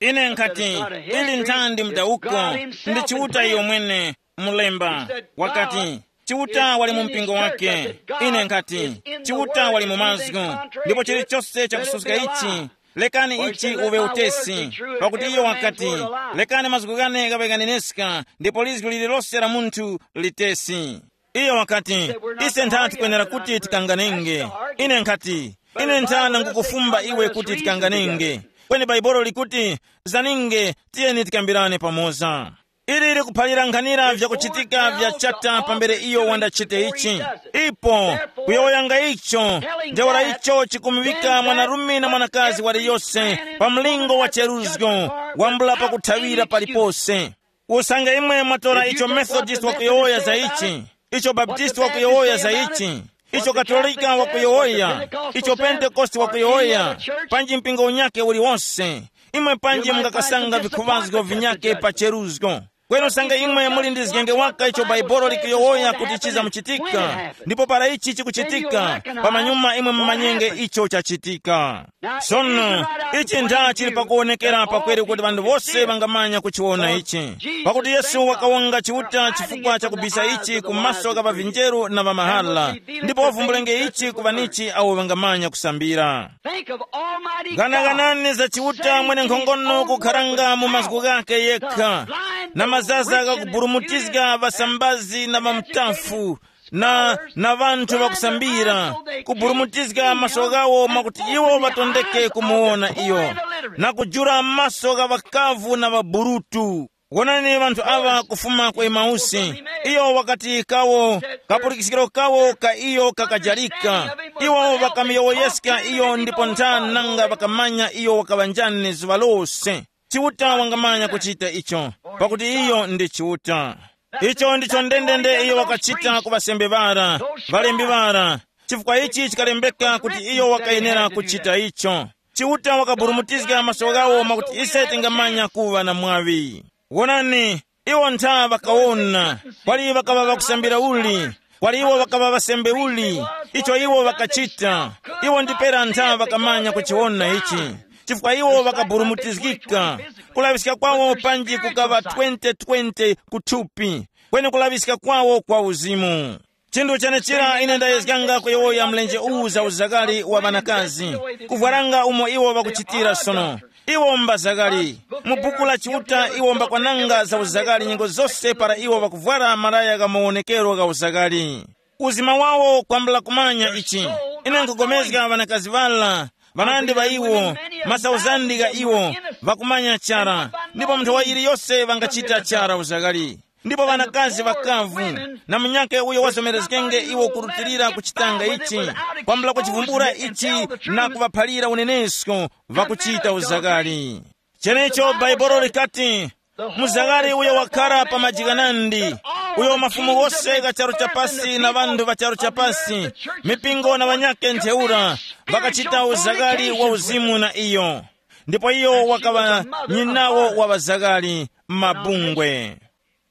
Ine nkhati, ili nthandi mdawuko, ndi Chiuta iyo mwene, mulemba. Wakati, Chiuta wali mu mpingo wake. Ine nkhati, Chiuta wali mu mazgu. Ndipo chilichose chakususka ichi, lekani ichi uwe utesi. Pakuti iyo wakati, lekani mazgu ghane ghaŵe ghaneneska, ndipo lizgu lililose la munthu litesi. Iyo wakati, ise ntha tikwenera kuti tikanganenge. Ine nkhati, ine nthana ngukufumba iwe kuti tikanganenge. Kweni Baibolo likuti, zaninge, tiyeni tikambirane pamoza. Ili likuphalira nkhanira vyakuchitika vya Chata pambere iyo wandachite ichi. Ipo, kuyowoyanga icho, ntheura icho chikumuŵika mwanarume na mwanakazi waliyose pa mlingo wa cheruzgo, wambula pakuthawira palipose. Usange imwe mwatora icho Methodist wakuyowoya za ichi, icho Baptist wakuyowoya za ichi, icho Katolika wakuyowoya, icho Pentekoste wakuyowoya, panji mpingo unyake uliwose, imwe panji mungakasanga vikhuŵazgo vinyake pa cheruzgo. Kweni usange imwe muli ndi zgenge waka icho Baibolo likuyowoya kuti chizamuchitika, ndipo para ichi chikuchitika, pamanyuma imwe mumanyenge icho chachitika. Sono, ichi nda chili pakuwonekera pakweru kuti ŵanthu wose ŵangamanya kuchiwona ichi. Pakuti Yesu wakawonga Chiuta chifukwa cha kubisa ichi ku maso gha ŵavinjeru na ŵamahala, ndipo wavumbulenge ichi ku ŵanichi awo ŵangamanya kusambira. Think of Almighty God. Ghanaghanani za Chiuta mwene nkhongono kukharanga mu mazgu ghake yekha, na mazaza ghakuburumutizga ŵasambazi na ŵamtafu, na, na ŵanthu ŵakusambira, kuburumutizga maso ghawo mwakuti iwo ŵatondeke kumuwona iyo, na kujula maso gha ŵakavu na ŵaburutu. Wonani ŵanthu aŵa kufuma ku Emausi. Iyo wakati kawo, kapulikiskiro kawo ka iyo kakajalika. Iwo ŵakamuyowoyeska iyo ndipo nthani nanga ŵakamanya iyo wakaŵa njani zuŵa lose. Chiuta wangamanya kuchita icho, pakuti iyo ndi Chiuta. Icho ndicho ndendende iyo wakachita ku ŵasembe ŵara, ŵalembi ŵara, chifukwa ichi chikalembeka kuti iyo wakayenera kuchita icho. Chiuta wakaburumutizga maso ghawo mwakuti ise tingamanya kuŵa na mwaŵi. Wonani, iwo ntha ŵakawona, kwali ŵakaŵa ŵakusambira uli, kwali iwo ŵakaŵa ŵasembe uli, icho iwo ŵakachita. Iwo ndipera ntha ŵakamanya kuchiwona ichi, chifukwa iwo ŵakaburumutizgika. Kulaŵiska kwawo panji kukaŵa twenty twenty kuthupi, kweni kulaŵiska kwawo kwa uzimu. Chinthu chenechira ine ndayezganga kuyowoya mlenje uwu za uzakali wa ŵanakazi, kuvwaranga umo iwo ŵakuchitira sono. Iwo mbazakali. Mu buku la Chiuta iwo mbakwananga za uzakali nyengo zose para iwo ŵakuvwara malaya gha mawonekero gha uzakali. Uzima wawo kwambula kumanya ichi. Ine nkugomezga ŵanakazi ŵala, ŵanandi ŵa iwo, masauzandi gha iwo, ŵakumanya chara, ndipo munthu wa iliyose ŵangachita chara uzakali. Ndipo ŵanakazi ŵakavu na munyakhe uyo wazomerezgenge iwo kurutilira kuchitanga ichi, kwambula kuchivumbula ichi na kuŵaphalira unenesko, ŵakuchita uzakali. Chenecho Bhaibuli likati, muzakali uyo wakhara pa majikanandi, uyo mafumu wose gha charu chapasi na ŵanthu ŵa charu chapasi, mipingo na ŵanyakhe ntheura, ŵakachita uzakali wa uzimu na iyo. Ndipo iyo wakaŵa nyinawo wa ŵazakali m'mabungwe.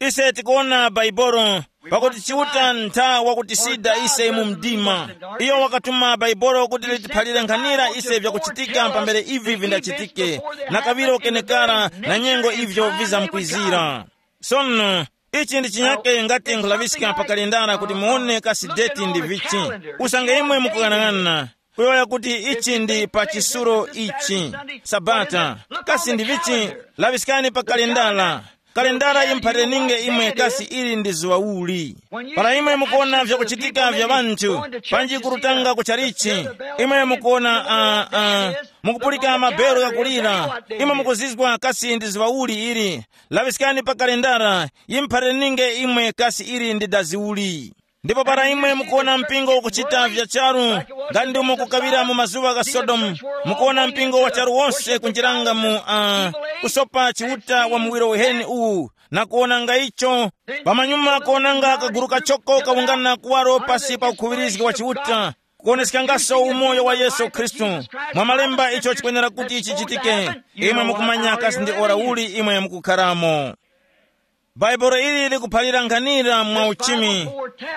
Ise tikuwona Baibolo, pakuti Chiuta ntha wakutisida ise mu mdima. Iyo wakatuma Baibolo kuti litiphalire nkhanira ise vyakuchitika pambere ivi vindachitike, na kaŵiro kenekara na nyengo ivyo vizamkwizira. Sono, ichi ndi chinyake ngati nkhulaŵiska pa kalendara kuti muone kasi deti ndi vichi. Usange imwe mukuyang'ana, kuyowoya kuti ichi ndi pa chisuro ichi, Sabata, kasi ndi vichi? Laŵiskani pa kalendara. Kalendara yimuphareninge imwe kasi ili ndi zuŵa uli. Para imwe mukuona vyakuchitika vya ŵanthu, panji kurutanga kuchalichi, imwe mukuona, uh, uh, mukupulika mabero ghakulira, imwe mukuzizwa kasi ndi zuŵa uli ili. Laŵiskani pa kalendara, yimuphareninge imwe kasi ili ndi dazi uli. Ndipo para imwe mukuwona mpingo ukuchita vya charu, nga ndi umo kukaŵira mu mazuŵa gha Sodomu, mukuwona mpingo wa charu wose kunjiranga mu, uh, kusopa Chiuta wa muwiro uheni uwu, na kuwonanga icho, pamanyuma kuwonanga kaguru kachoko kawungana kuwaro pasi pa ukhuŵirizgi wa Chiuta, kuwoneskangaso umoyo wa Yesu Khristu. Mwa malemba icho chikwenera kuti chichitike, imwe mukumanya kasi ndi ora uli imwe mukukharamo. Bhaibuli ili likuphalira nkhanira mwa uchimi.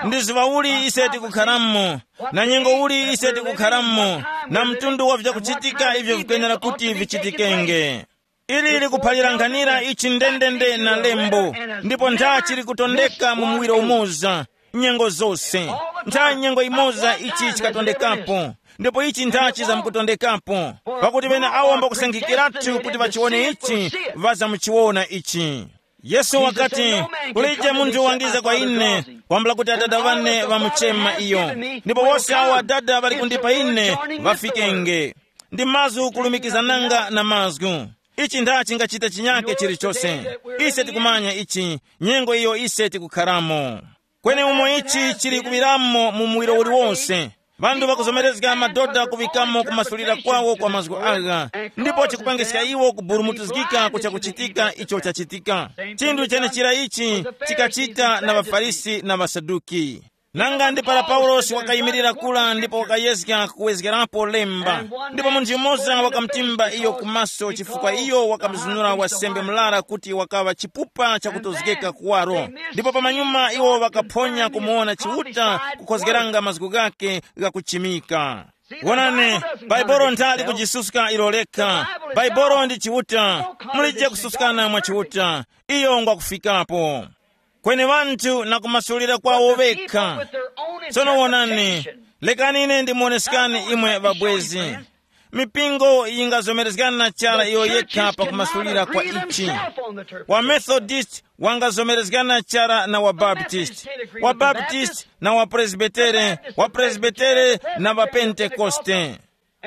Ndi zuŵa uli ise tikukharamo, na nyengo uli ise tikukharamo, na mtundu wa vyakuchitika ivyo vikwenera kuti vichitikenge. Ili likuphalira nkhanira ichi ndendende na lembo, ndipo nthachi likutondeka mu muwiro umoza, nyengo zose. Ntha nyengo imoza ichi chikatondekapo, ndipo ichi nthachi zamkutondekapo, pakuti ŵene awo mbakusankhikiratu kuti ŵachiwone ichi, ŵazamuchiwona ichi. Yesu wakati, kulije munthu wangiza kwa ine, kwambula kuti Atate wane ŵamuchema iyo. Ndipo wose awo Atate ŵali kundipa ine, ŵafikenge. Ndi mazgu kulumikizananga na mazgu. Ichi nda chingachita chinyake chilichose. Ise tikumanya ichi, nyengo iyo ise tikukharamo. Kweni umo ichi chili kuŵiramo mu muwiro uliwonse, ŵanthu ŵakuzomerezga madoda kuŵikamo kumasulira kwawo kwa mazgu agha, ndipo chikupangiska iwo kuburumutizgika ku chakuchitika icho chachitika. Chinthu chenechira ichi chikachita na ŵaFarisi na ŵaSaduki. Nanga ndi para Paulosi wakayimirira kula ndipo wakayezga kuwezgerapo lemba, ndipo munthu yumoza wakamutimba iyo kumaso chifukwa iyo wakamuzunura wasembe murara kuti wakaŵa chipupa chakutozgeka kuwaro. Ndipo pamanyuma iwo ŵakaphonya kumuwona Chiuta kukhozgeranga mazgu ghakhe ghakuchimika. Wonani, Baibolo nthali kujisuska ilo lekha. Baibolo ndi Chiuta. Mulije kususkana mwa Chiuta. Iyo ngwakufikapo. Kweni ŵanthu na kumasulira kwawo ŵekha. Tsono wonani, lekani ine ndimuoneskani imwe ŵabwezi. Mipingo yingazomerezgana chara iyo yekha pa kumasulira kwa ichi. Wa Methodist wangazomerezgana chara na wa Baptist, wa Baptist na wa Presbitere, wa Presbitere na wa Pentekoste.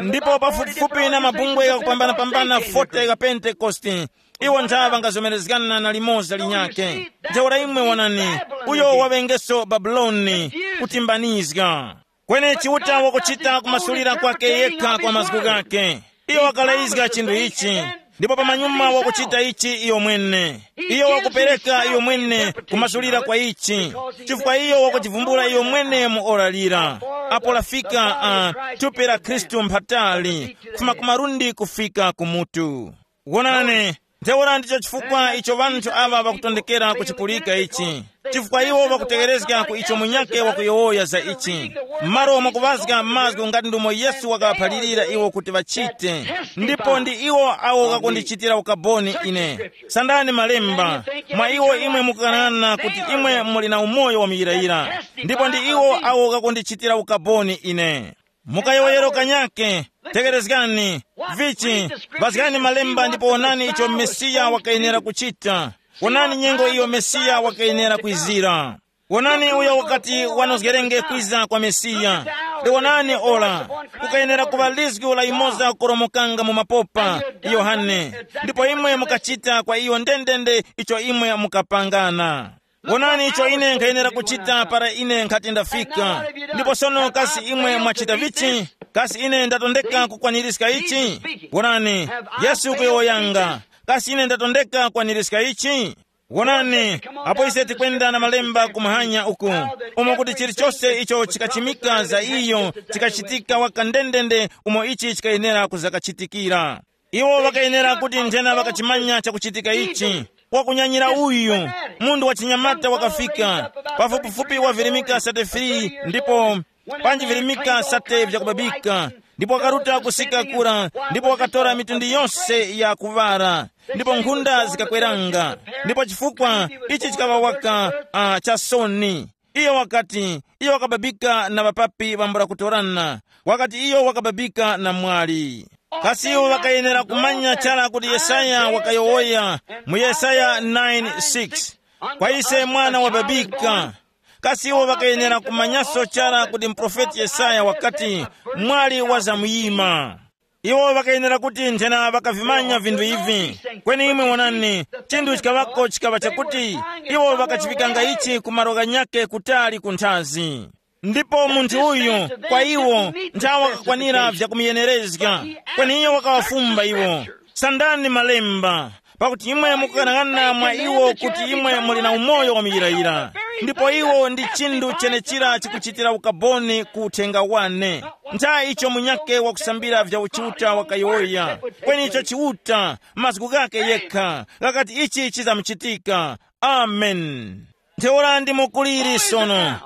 Ndipo pafupifupi na mabungwe ghakupambanapambana forty gha Pentekoste, iwo ntha ŵangazomerezgana na limoza linyakhe. Ntheura imwe wonani, uyo waŵengeso Babuloni, kutimbanizga. Kweni Chiuta wakuchita kumasulira kwake yekha kwa mazgu ghakhe. Iyo wakalayizga chinthu ichi, ndipo pamanyuma wakuchita ichi iyo mwene. Iyo wakupereka iyo mwene kumasulira kwa ichi, chifukwa iyo wakuchivumbula iyo mwene mu ora lira. Apo lafika, uh, thupi la Khristu mphatali, kufuma ku malundi kufika ku mutu. Wonani, ntheura ndicho chifukwa icho ŵanthu aŵa ŵakutondekera kuchipulika ichi, chifukwa iwo ŵakutegherezga ku icho munyakhe wakuyowoya za ichi. M'malo mwakuŵazga mazgu ngati ndumo Yesu wakaŵaphalirira iwo kuti ŵachite, ndipo ndi iwo awo ghakundichitira ukaboni ine. Sandani malemba, mwa iwo imwe mukukanana kuti imwe muli na umoyo wa muyirayira, ndipo ndi iwo awo ghakundichitira ukaboni ine. Mukayowoyero kanyake, tegherezgani, vichi, ŵazgani malemba ndipo wonani icho Mesiya wakayenera kuchita. Wonani nyengo iyo Mesiya wakayenera kwizira. Wonani uyo wakati wanozgerenge kwiza kwa Mesiya. Liwonani ora, kukayenera kuŵa lizgu la yimoza kukoromokanga mu mapopa, Yohane. Ndipo imwe mukachita kwa iyo ndendende icho imwe mukapangana. Wonani icho ine nkhayenera kuchita para ine nkhati ndafika. Ndipo sono kasi imwe mwachita vichi? Kasi ine ndatondeka kukwanirizga ichi? Wonani, Yesu kuyowoyanga. Kasi ine ndatondeka kukwanirizga ichi? Wonani, apo ise tikwenda na malemba ku muhanya uku, umo kuti chilichonse icho chikachimika za iyo chikachitika waka ndendende umo ichi chikayenera kuzakachitikira. Iwo ŵakayenera kuti nthena ŵakachimanya chakuchitika ichi. Wakunyanyira uyu, munthu wa chinyamata wakafika, pafupifupi wavirimika sate free, ndipo panji virimika sate vyakubabika, ndipo wakaruta kusika kura, ndipo wakatora mitundu yonse ya kuŵara, ndipo nkhunda zikakweranga, ndipo chifukwa ichi chikaŵa waka uh, cha soni. Iyo wakati, iyo wakababika na ŵapapi ŵambula kutorana, wakati iyo wakababika na mwali. Kasi iwo ŵakayenera kumanya chara kuti Yesaya wakayowoya mu Yesaya nine six, kwa ise mwana wababika? Kasi iwo ŵakayenera kumanyaso chara kuti muprofeti Yesaya wakati, mwali wazamuyima? Iwo ŵakayenera kuti nthena ŵakavimanya vinthu ivi. Kweni imwe wonani, chinthu chikaŵako chikaŵa chakuti iwo ŵakachivikanga ichi ku malo ghanyakhe kutali ku nthazi. Ndipo munthu uyu, kwa iwo, nthawi wakakwanira vyakumuyenerezga. Kweni iyo wakawafumba iwo, sandani malemba, pakuti imwe mukughanagana mwa iwo kuti imwe muli na umoyo wa muyirayira. Ndipo iwo ndi chinthu chenechira chikuchitira ukaboni ku uthenga wane. Ntha icho munyakhe wakusambira vya uchiuta wakayowoya, kweni icho chiuta, mazgu ghakhe yekha ghakati ichi chizamuchitika. Amen. Ntheura ndi mukuliri sono.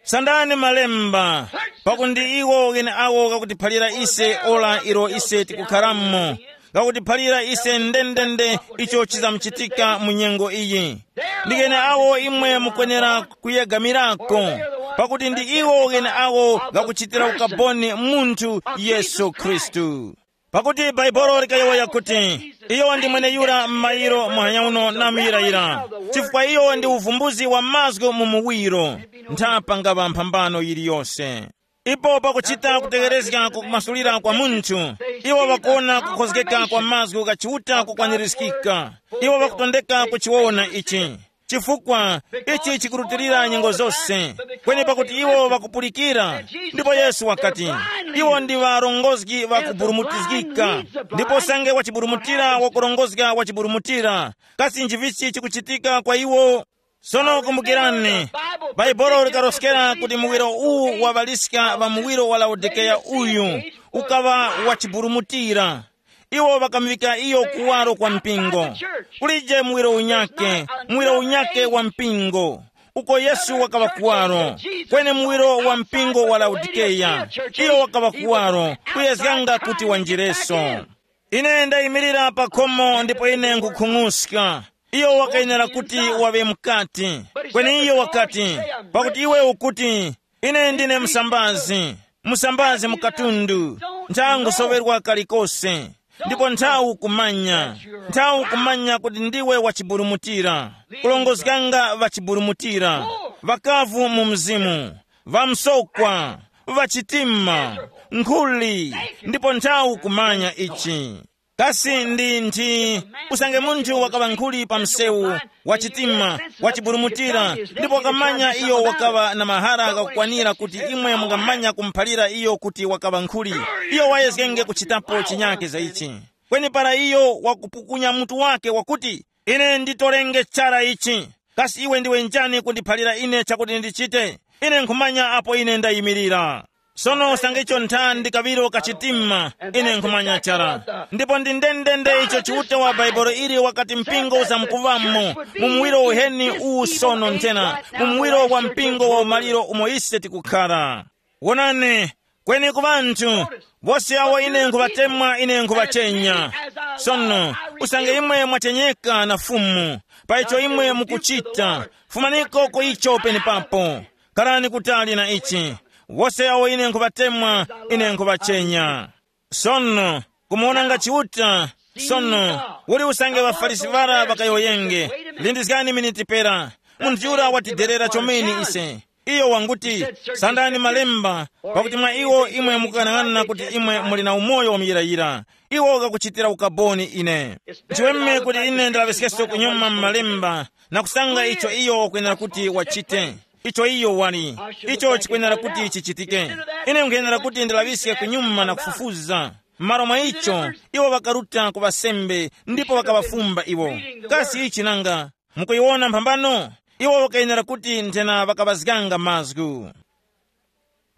Sandani malemba, pakuti ndi iwo gheneawo ghakutiphalira ise ora ilo ise tikukharamo, ghakutiphalira ise ndendende icho chizamuchitika mu nyengo iyi. Ndi gheneawo imwe mukwenera kuyegamirako, pakuti ndi iwo gheneawo ghakuchitira ukaboni munthu Yesu Khristu. Pakuti Bhaibuli likayowoya kuti, iyo ndi mweneyura m'mayiro muhanya uno na muyirayira, chifukwa iyo ndi uvumbuzi wa mazgu mu muwiro, ntha pangaŵa mphambano yiliyose. Ipo pakuchita kutegherezga kwa kumasulira kwa munthu, iwo ŵakuwona kukhozgeka kwa mazgu gha Chiuta kukwanirizgika. Iwo ŵakutondeka kuchiwona ichi. Chifukwa ichi chikurutilira nyengo zose, kweni pakuti iwo ŵakupulikira. Ndipo Yesu wakati, iwo ndi ŵarongozgi ŵakuburumutizgika. Ndipo usange wachiburumutira wakurongozga wachiburumutira, kasi nchivichi chikuchitika kwa iwo? Sono kumbukirani, Bhaibuli likaroskera kuti muwiro uwu waŵaliska ŵa muwiro wa Laodikeya uyu, ukaŵa wachiburumutira. Iwo ŵakamuŵika iyo kuwaro kwa mpingo. Kulije muwiro unyake, muwiro unyake wa mpingo, uko Yesu wakaŵa kuwaro. Kweni muwiro wa mpingo wa Laodikeya, iyo wakaŵa kuwaro, kuyezganga kuti wanjireso. Ine ndayimirira pa khomo ndipo ine nkukhung'uska. Iyo wakayenera kuti waŵe mukati. Kweni iyo wakati, pakuti iwe ukuti, ine ndine msambazi, msambazi mu katundu, ntha ngusoŵerwa kalikose. Ndipo nthawu kumanya, nthawu kumanya kuti ndiwe wachiburumutira, kulongozganga ŵachiburumutira, ŵakavu mu mzimu, ŵamsokwa, ŵachitima, nkhuli, ndipo nthawu kumanya ichi. Kasi ndi nthi usange munthu wakaŵa nkhuli pa msewu, wachitima, wachiburumutira, ndipo wakamanya iyo wakaŵa na mahara ghakukwanira kuti imwe mungamanya kumuphalira iyo kuti wakaŵa nkhuli, iyo wayezgenge kuchitapo chinyake za ichi. Kweni para iyo wakupukunya mutu wake wakuti, ine nditorenge chara ichi, kasi iwe ndiwe njani kundiphalira ine chakuti ndichite? Ine nkhumanya apo ine ndayimirira. Sono usange icho ntha ndi kaŵiro kachitima, ine nkhumanya chara. Ndipo ndi ndendende icho Chiuta wa Bhaibuli ili wakati mpingo uzamkuŵamo, mu muwiro uheni uwu sono nthena, mu muwiro wa mpingo wa umaliro umo ise tikukhara. Wonani, kweni ku ŵanthu, wose awo ine nkhuŵatemwa ine nkhuŵachenya. Sono, usange imwe mwachenyeka na Fumu, pa icho imwe mukuchita, fumaniko ku icho penepapo. Kharani kutali na ichi. Wose awo ine nkhuŵatemwa, ine nkhuŵachenya. Sono, kumuwonanga Chiuta, sono, uli usange ŵaFarisi ŵara ŵakayowoyenge, lindizgani miniti pera, munthu yura watiderera chomene ise. Iyo wanguti, sandani malemba, pakuti mwa iwo imwe mukughanaghana kuti imwe muli na umoyo wamuyirayira. Iwo ghakuchitira ukaboni ine. Nchiweme kuti ine ndilaŵiskeso kunyuma mu malemba na kusanga icho iyo wakwenera kuti wachite. Icho iyo wali, icho chikwenera kuti chichitike. Ine nkwenera kuti ndilaŵiske kunyuma na kufufuza. M'malo mwa icho, iwo ŵakaruta ku ŵasembe ndipo ŵakaŵafumba iwo. Kasi ichi nanga? Mukuyiwona mphambano? Iwo ŵakayenera kuti nthena ŵakaŵazganga mazgu.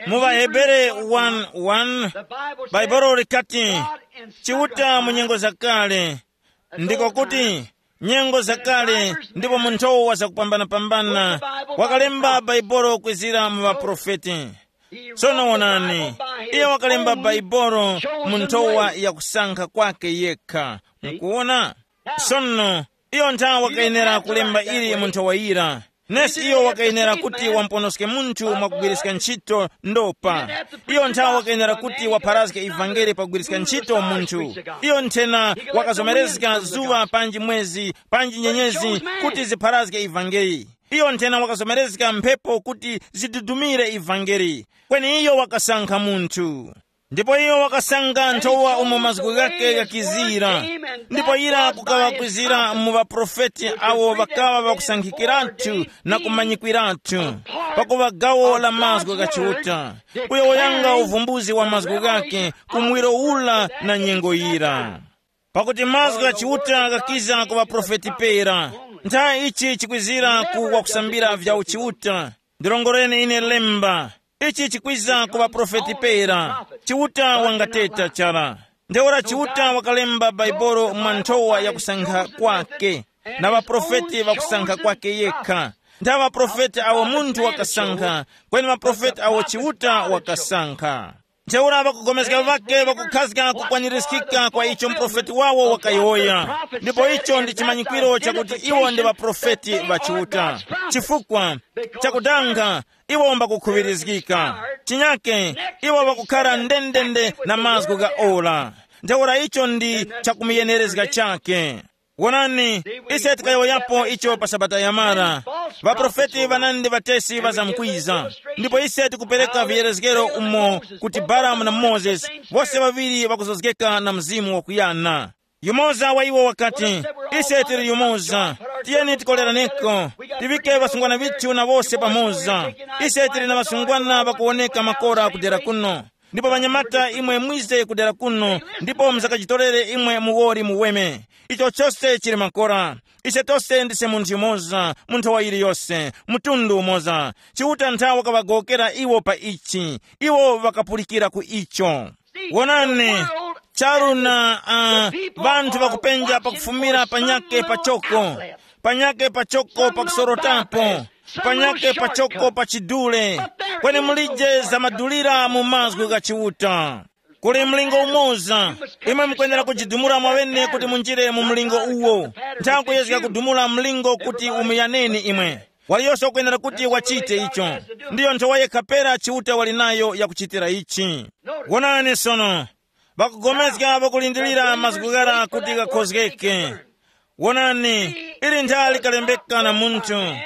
Mu ŵaHebere one one, Bhaibuli likati, Chiuta mu nyengo zakale, ndiko kuti nyengo zakale ndipo mu nthowa zakupambanapambana, wakalemba Bhaibuli kwizira mu ŵaprofeti. Sono wonani, iye wakalemba Bhaibuli mu nthowa ya kusankha kwake yekha. Mukuwona? Sono, iyo nthawe wakayenera kulemba ili mu nthowa yira. Nesi iyo wakayenera kuti wamponoske munthu mwakugwiriska ntchito ndopa. Iyo nthawe wakayenera kuti wapharazge ivangeli pakugwiriska ntchito munthu. Iyo nthena wakazomerezga zuŵa panji mwezi panji nyenyezi kuti zipharazge ivangeli. Iyo nthena wakazomerezga mphepo kuti zidudumire ivangeli. Kweni iyo wakasankha munthu. Ndipo iyo wakasanga nthowa umo mazgu ghake ghakizira. Ndipo ira kukaŵa kwizira mu ŵaprofeti awo ŵakaŵa ŵakusankhikiratu na kumanyikwiratu, pakuŵa gawo la mazgu gha Chiuta, kuyowoyanga uvumbuzi wa mazgu ghake ku muwiro ura na nyengo yira. Pakuti mazgu gha Chiuta ghakiza ku ŵaprofeti pera. Ntha ichi chikwizira ku wakusambira vya uchiuta. Ndirongoreni ine lemba. Ichi chikwiza ku ŵaprofeti pera. Chiuta wangateta chara. Ntheura Chiuta wakalemba Baibolo mwa nthowa ya kusankha kwake, na ŵaprofeti ŵakusankha kwake yekha. Ntha ŵaprofeti awo munthu wakasankha, kweni ŵaprofeti awo Chiuta wakasankha. Ntheura ŵakugomezga ŵake ŵakukhazga kukwanirizgika kwa icho muprofeti wawo wakayowoya. Ndipo icho ndi chimanyikwiro chakuti iwo ndi ŵaprofeti ŵa Chiuta. Chifukwa chakudanga, iwo mbakukhuŵirizgika. Chinyake, iwo ŵakukhara ndendende na mazgu gha ora. Ntheura icho ndi chakumuyenerezga chake. Wonani, ise tikayowoyapo icho pa Sabata yamara. Ŵaprofeti ŵanandi ŵatesi ŵazamkwiza. Ndipo ise tikupereka viyerezgero umo kuti Balamu na Mozesi, wose ŵaŵiri ŵakuzozgeka na mzimu wakuyana. Yumoza wa iwo wakati, ise tili yumoza, tiyeni tikoleraneko, tiŵike ŵasungwana ŵithu na wose pamoza. Ise tili na ŵasungwana ŵakuwoneka makora kudera kuno. Ndipo ŵanyamata imwe mwize kudera kuno, ndipo muzakajitorere imwe muwoli muweme. Icho chose chili makora. Ise tose ndise munthu yumoza, mu nthowa yiliyose, mtundu umoza. Chiuta nthawe wakaŵagowokera iwo pa ichi. Iwo ŵakapulikira ku icho. Wonani, charu na uh, vanthu vakupenja pakufumira panyake pachoko, panyake pachoko pakusorotapo, panyake pachoko pa chidule, kweni mulije zamadulira mu mazgu gha Chiuta. Kuli mlingo umoza. Imwe mukwenera kujidumula mwawene kuti munjire mu mlingo uwo. Nthawe kuyezga kudumula mlingo kuti umuyaneni imwe. Waliyose ukwenera kuti wachite icho. Ndiyo nthowa yekha pera Chiuta wali nayo yakuchitira ichi. Wonani sono, ŵakugomezga ŵakulindirira mazgu ghara kuti ghakhozgeke. Wonani, ili ntha likalembeka na munthu,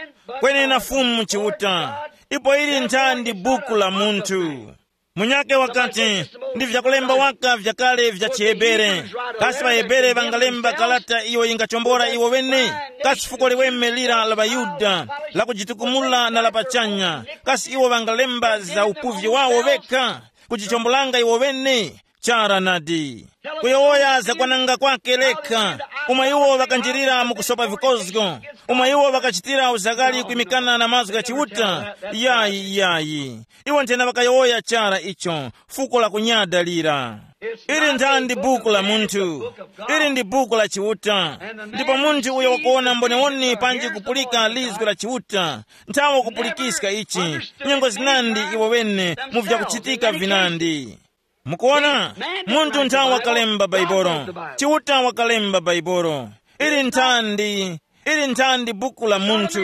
kweni na Fumu Chiuta, ipo ili ntha ndi buku la munthu. Munyake wakati, ndi vyakulemba waka vyakale vya chiHebere. Kasi ŵaHebere ŵangalemba kalata iyo yingachombora iwo ŵene? Kasi fuko liweme lira la ŵaYuda, lakujitukumula na la pachanya, kasi iwo ŵangalemba za upuvyi wawo ŵekha, kujichombolanga iwo ŵene? Chara nadi. Kuyowoya zakwananga kwake lekha, umo iwo ŵakanjirira mu kusopa vikozgo, umo iwo ŵakachitira uzaghali kwimikana na mazgu gha Chiuta. Yayi, yayi. Iwo nthena ŵakayowoya chara icho, fuko la kunyada lira. Ili ntha ndi buku la munthu. Ili ndi buku la Chiuta. Ndipo munthu uyo wakuwona mboniwoni panji kupulika lizgu la Chiuta, nthawe kupulikiska ichi, nyengo zinandi iwo ŵene mu vyakuchitika vinandi. Mukuona, munthu ntha wakalemba Baibolo. Chiuta wakalemba Baibolo. Ili nthandi, ili nthandi buku la munthu.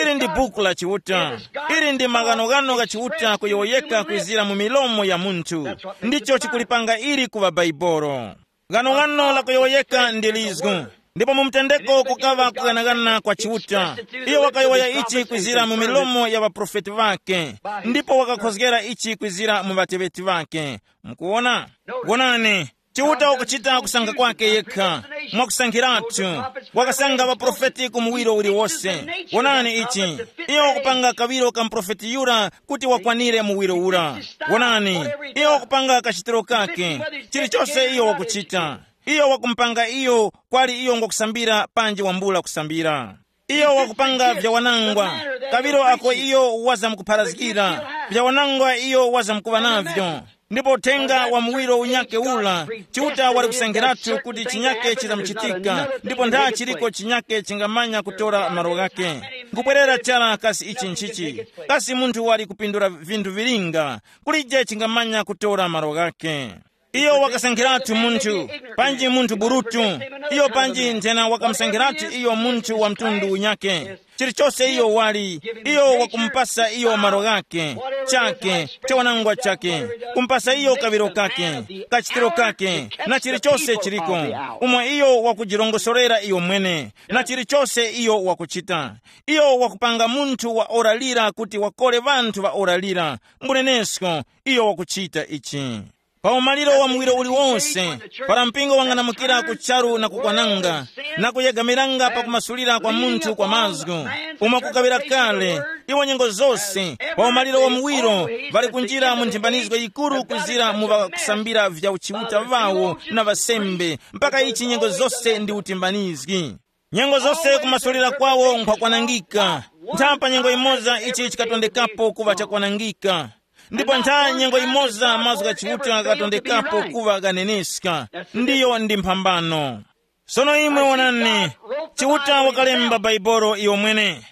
Ili ndi buku la Chiuta. Ili ndi maghanoghano gha Chiuta kuyowoyeka kwizira mu milomo ya munthu. Ndicho chikulipanga ili kuŵa Baibolo. Ghanoghano la kuyowoyeka ndi lizgu. Ndipo mu mtendeko kukaŵa kughanagana kwa Chiuta. Iyo wakayowoya ichi kwizira mu milomo ya ŵaprofeti ŵakhe, ndipo wakakhozgera ichi kwizira mu ŵateŵeti ŵakhe. Mukuwona? Wonani, Chiuta wakuchita kusankha kwake yekha, mwakusankhiratu. Wakasankha ŵaprofeti ku muwiro uliwose. Wonani ichi, iyo wakupanga kaŵiro ka muprofeti yura kuti wakwanire muwiro ura. Wonani, iyo wakupanga kachitiro kake, chilichonse iyo wakuchita. Iyo wakumupanga iyo kwali iyo ngwakusambira panji wambula kusambira. Iyo wakupanga vyawanangwa, kaŵiro ako iyo wazamkupharazgira, vyawanangwa iyo wazamkuŵa navyo. Ndipo uthenga wa muwiro unyake ula, Chiuta wali kusankhiratu kuti chinyake chizamuchitika, ndipo ntha chiliko chinyake chingamanya kutora malo ghake. Nkubwerera chara kasi ichi nchichi, kasi munthu wali kupindula vinthu vilinga, kulije chingamanya kutora malo ghake. Iyo wakasankhiratu munthu, panji munthu burutu, iyo panji nthena wakamusankhiratu iyo munthu wa mtundu unyake. Chilichose iyo wali, iyo wakumupasa iyo malo ghake, chake, chawanangwa chake, kumupasa iyo kaŵiro kake, kachitiro kake, na chilichose chiliko, umo iyo wakujirongosorera iyo mwene, na chilichose iyo wakuchita. Iyo wakupanga munthu wa ora lira kuti wakole ŵanthu ŵa ora lira, mbunenesko, iyo wakuchita ichi. Pa umaliro wa muwiro uliwonse, para mpingo wang'anamukira ku charu na kukwananga, na kuyegamiranga pa kumasulira kwa munthu kwa mazgu, umo kukaŵira kale, iwo nyengo zose, pa umaliro wa muwiro, ŵali kunjira mu nthimbanizgo yikuru kuzira mu ŵakusambira vya uchiuta ŵawo na ŵasembe, mpaka ichi nyengo zose ndi utimbanizgi. Nyengo zose kumasulira kwawo nkhwakwanangika. Ntha pa nyengo imoza ichi chikatondekapo kuŵa chakwanangika. Ndipo ntha nyengo imoza mazgu gha Chiuta ghakatondekapo kuŵa ghaneneska. Ndiyo ndi mphambano. Sono imwe wonani, Chiuta wakalemba Baibolo iyo mwene.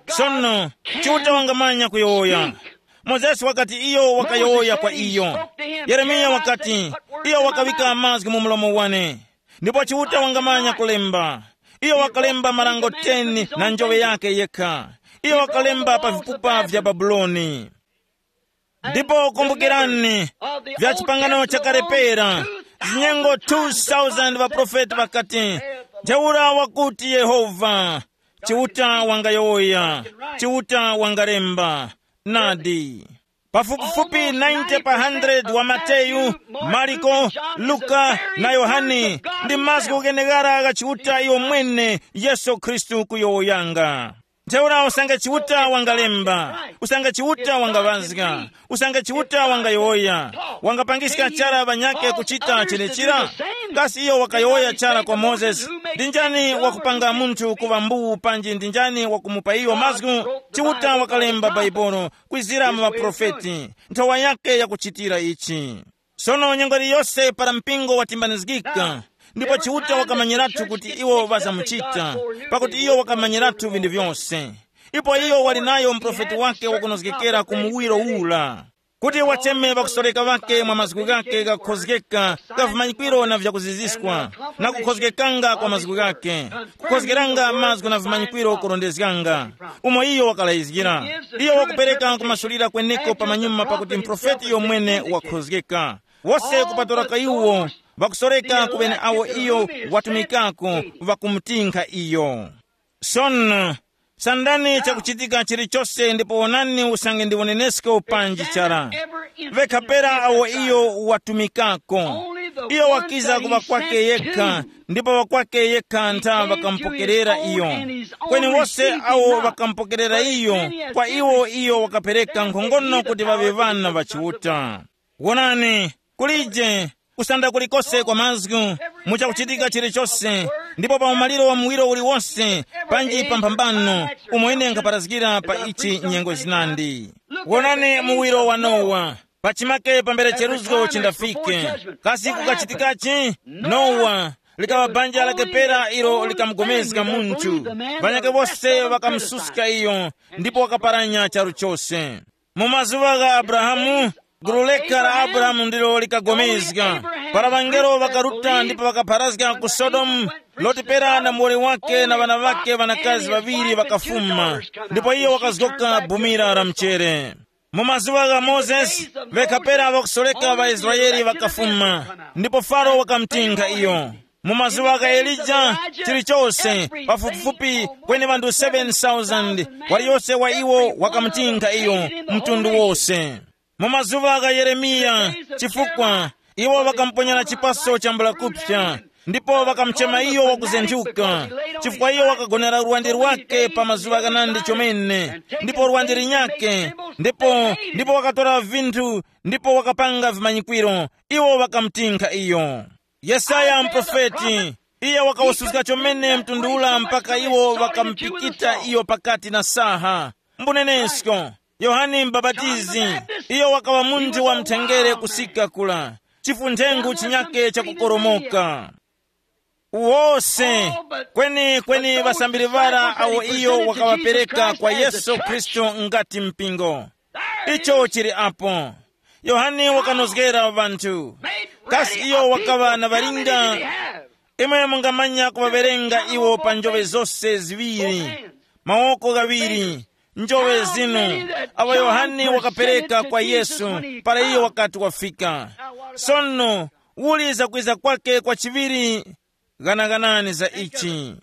Sono, Chiuta wangamanya kuyowoya. Mozesi wakati iyo wakayowoya kwa iyo. Yeremiya wakati, iyo wakawika mazgu mu mlomo wane. Ndipo Chiuta wangamanya kulemba. Iyo wakalemba marango ten na njoŵe yake yekha. Iyo wakalemba pa vipupa vya Babuloni. Ndipo kumbukirani, vya chipangano chakale pera, zinyengo two thousand ŵaprofeti ŵakati, ntheura wakuti Yehova, Chiuta wangayowoya, Chiuta wangalemba. Nadi. Pafupifupi ninety pa hundred wa Mateyu, Mariko, Luka, na Yohane ndi mazgu gheneghara gha Chiuta iyo mwene Yesu Khristu kuyowoyanga. Ntheura usange Chiuta wangalemba, usange Chiuta wangaŵazga, usange Chiuta wangayowoya, wangapangiska chara ŵanyakhe kuchita chenechira? Kasi iyo wakayowoya chara kwa Mozesi? Ndi njani wakupanga munthu kuŵa mbuwu panji ndi njani wakumupa iyo mazgu? Chiuta wakalemba Bhaibuli kwizira mu ŵaprofeti, nthowa yakhe yakuchitira ichi. Sono nyengo iliyose para mpingo watimbanizgika, ndipo Chiuta wakamanyiratu kuti iwo ŵazamuchita, pakuti iyo wakamanyiratu vinthu vyose. Ipo iyo wali nayo muprofeti wake wakunozgekera ku muwiro ura, kuti wacheme ŵakusoreka ŵake mwa mazgu ghake ghakukhozgeka gha vimanyikwiro na vyakuziziskwa, na kukhozgekanga kwa mazgu ghake, kukhozgeranga mazgu na vimanyikwiro kurondezganga, umo iyo wakalayizgira. Iyo wakupereka kumasulira kweneko pamanyuma pakuti muprofeti iyo mwene wakhozgeka. Wose kupatulako iwo ŵakusoreka ku ŵeneawo iyo watumikako, ŵakumutinkha iyo. Sono, sandani chakuchitika chilichose ndipo wonani usange ndi unenesko panji chara. Vekha pera awo iyo watumikako. Iyo wakiza ku ŵakwake yekha, ndipo ŵakwake yekha ntha ŵakamupokerera iyo. Kweni wose awo ŵakamupokerera iyo, kwa iwo iyo wakapereka nkhongono kuti ŵaŵe ŵana ŵa Chiuta. Wonani, kulije kusanda kulikose kwa mazgu, mu chakuchitika chilichose, ndipo pa umaliro wa muwiro uliwose, panji pa mphambano, umo ine nkhaparazgira pa ichi nyengo zinandi. Wonani muwiro wa Nowa, pachimake pambere cheruzgo chindafike. Kasi kukachitikachi? Nowa, likaŵa banja lake pera ilo likamugomezga munthu. Ŵanyakhe wose ŵakamususka iyo, ndipo wakaparanya charu chose. Mu mazuŵa gha Abrahamu, gulu lekha la Abrahamu ndilo likagomezga. Para ŵangelo ŵakaruta ndipo ŵakapharazga ku Sodomu, Loti pera na muwoli wake na ŵana ŵake ŵanakazi ŵaŵiri ŵakafuma, ndipo iyo wakazgoka bumira la mchere. Mu mazuŵa gha Mozesi, ŵekha pera ŵakusoreka ŵaIsraele ŵakafuma, ndipo Faro wakamutinkha iyo. Mu mazuŵa gha Elija, chilichose pafupifupi kweni ŵanthu seven thousand, waliyose wa iwo wakamutinkha iyo, mtundu wose. Mu mazuŵa gha Yeremiya, chifukwa iwo ŵakamuponyera chipaso chambula kupsa, ndipo ŵakamuchema iyo wakuzenthuka, chifukwa iyo wakagonera lwande lwake pa mazuŵa ghanandi chomene, ndipo lwande linyake, ndipo ndipo wakatora vinthu, ndipo wakapanga vimanyikwiro. Iwo ŵakamutinkha iyo. Yesaya muprofeti, iye wakawususka chomene mtundu ula mpaka iwo ŵakamupikita iyo pakati na saha. Mbunenesko, Yohane Mubapatizi, iyo wakaŵa munthu wa mthengere kusika kula, chifunthengu chinyake chakukoromoka. Wose, kweni kweni ŵasambiri ŵara awo iyo wakaŵapereka kwa Yesu Khristu ngati mpingo. Icho chili apo. Yohane wakanozgera ŵanthu. Kasi iyo wakaŵa na ŵalinga? Imwe mungamanya kuŵawerenga iwo pa njoŵe zose ziŵiri, mawoko ghaŵiri, njoŵe zinu, awo Yohane wakapereka kwa Yesu para iyo wakati wafika. Sono, uli zakwiza kwake kwa chiŵiri? Ghanaghanani za ichi.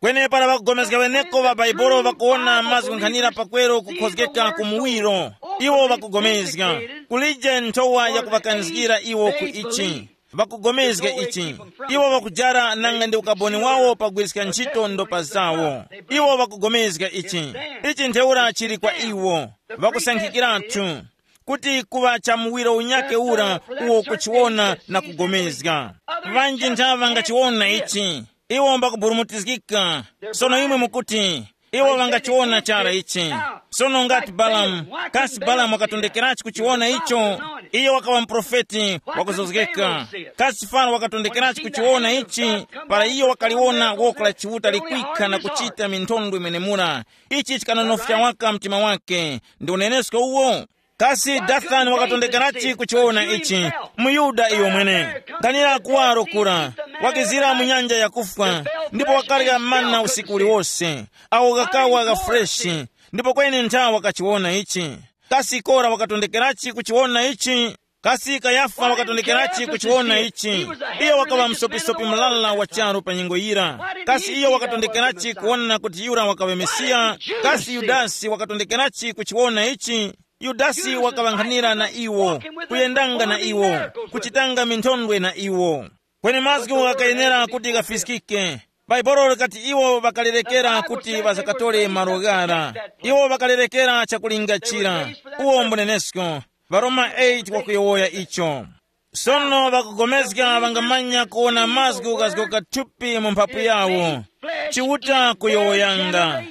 Kweni para ŵakugomezga ŵeneko ŵa Bhaibuli ŵakuwona mazgu nkhanira pakweru kukhozgeka ku muwiro, iwo ŵakugomezga. Kulije nthowa yakuŵakanizgira iwo ku ichi. Ŵakugomezga ichi. Iwo ŵakujara nanga ndi ukaboni wawo pagwiriska ntchito ndopa zawo. Iwo ŵakugomezga ichi. Ichi ntheura chili kwa iwo. Ŵakusankhikiratu kuti kuŵa cha muwiro unyake ura uwo kuchiwona na kugomezga. Ŵanji ntha ŵangachiwona ichi. Iwo mbakuburumutizgika. Sono imwe mukuti, iwo ŵangachiwona chara ichi. Sono ngati Balamu, kasi Balamu wakatondekerachi kuchiwona icho? Iyo wakaŵa muprofeti wakuzozgeka. Kasi Faro wakatondekerachi kuchiwona ichi? Para iyo wakaliwona woko la Chiuta likwikha na kuchita minthondwe mwenemura, ichi chikanonofya waka mtima wake. Ndi unenesko uwo. Kasi Dathani wakatondekerachi kuchiwona ichi? MuYuda iyo mwene. Nkhanira kuwaro kura, wakizira mu nyanja yakufwa, ndipo wakarya mana usiku uliwose, awo ghakawa gha freshi, ndipo kweni ntha wakachiwona ichi. Kasi Kora wakatondekerachi kuchiwona ichi? Kasi Kayafa wakatondekerachi kuchiwona ichi? Iyo wakaŵa msopisopi mulala wa charu pa nyengo yira. Kasi iyo wakatondekerachi kuwona kuti yura wakaŵa Mesiya? Kasi Yudasi wakatondekerachi kuchiwona ichi? Yudasi wakaŵankhanira na iwo, kuyendanga na iwo, kuchitanga minthondwe na iwo. Kweni mazgu ghakayenera kuti ghafiskike. Bhaibuli likati iwo ŵakalerekera kuti ŵasakatore malo ghara. Iwo ŵakalerekera chakulingachira. Uwo mbunenesko. Varoma eight wakuyowoya icho. Sono ŵakugomezga ŵangamanya kuwona mazgu ghazgoka thupi mu mphapu yawo. Chiuta kuyowoyanga.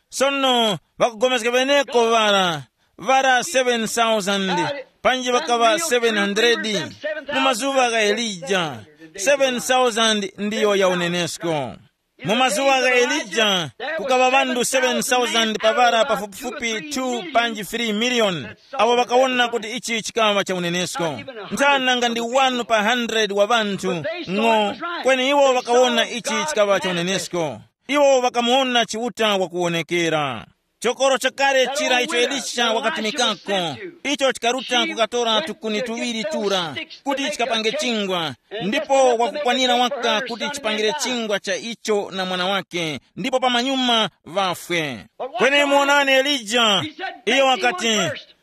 Sono ŵakugomezga ŵeneko ŵara, ŵara seven thousand, panji ŵakaŵa seven hundred. Mu mazuŵa gha Elija, seven thousand ndiyo ya unenesko. Mu mazuŵa gha Elija, kukaŵa ŵanthu seven thousand pa ŵara pafupifupi two panji three million, awo ŵakawona kuti ichi chikaŵa cha unenesko. Nthana nga ndi one pa hundred wa ŵanthu ng'o, kweni iwo ŵakawona ichi chikaŵa cha unenesko. Iwo ŵakamuwona Chiuta wakuwonekera. Chokoro chakale chira icho Elisha wakatumikako, icho chikaruta kukatora tukuni tuŵiri tura, kuti chikapange chingwa, ndipo wakukwanira waka kuti chipangire chingwa cha icho na mwana wake, ndipo pamanyuma ŵafwe. Kweni muwonani Elija, iyo wakati,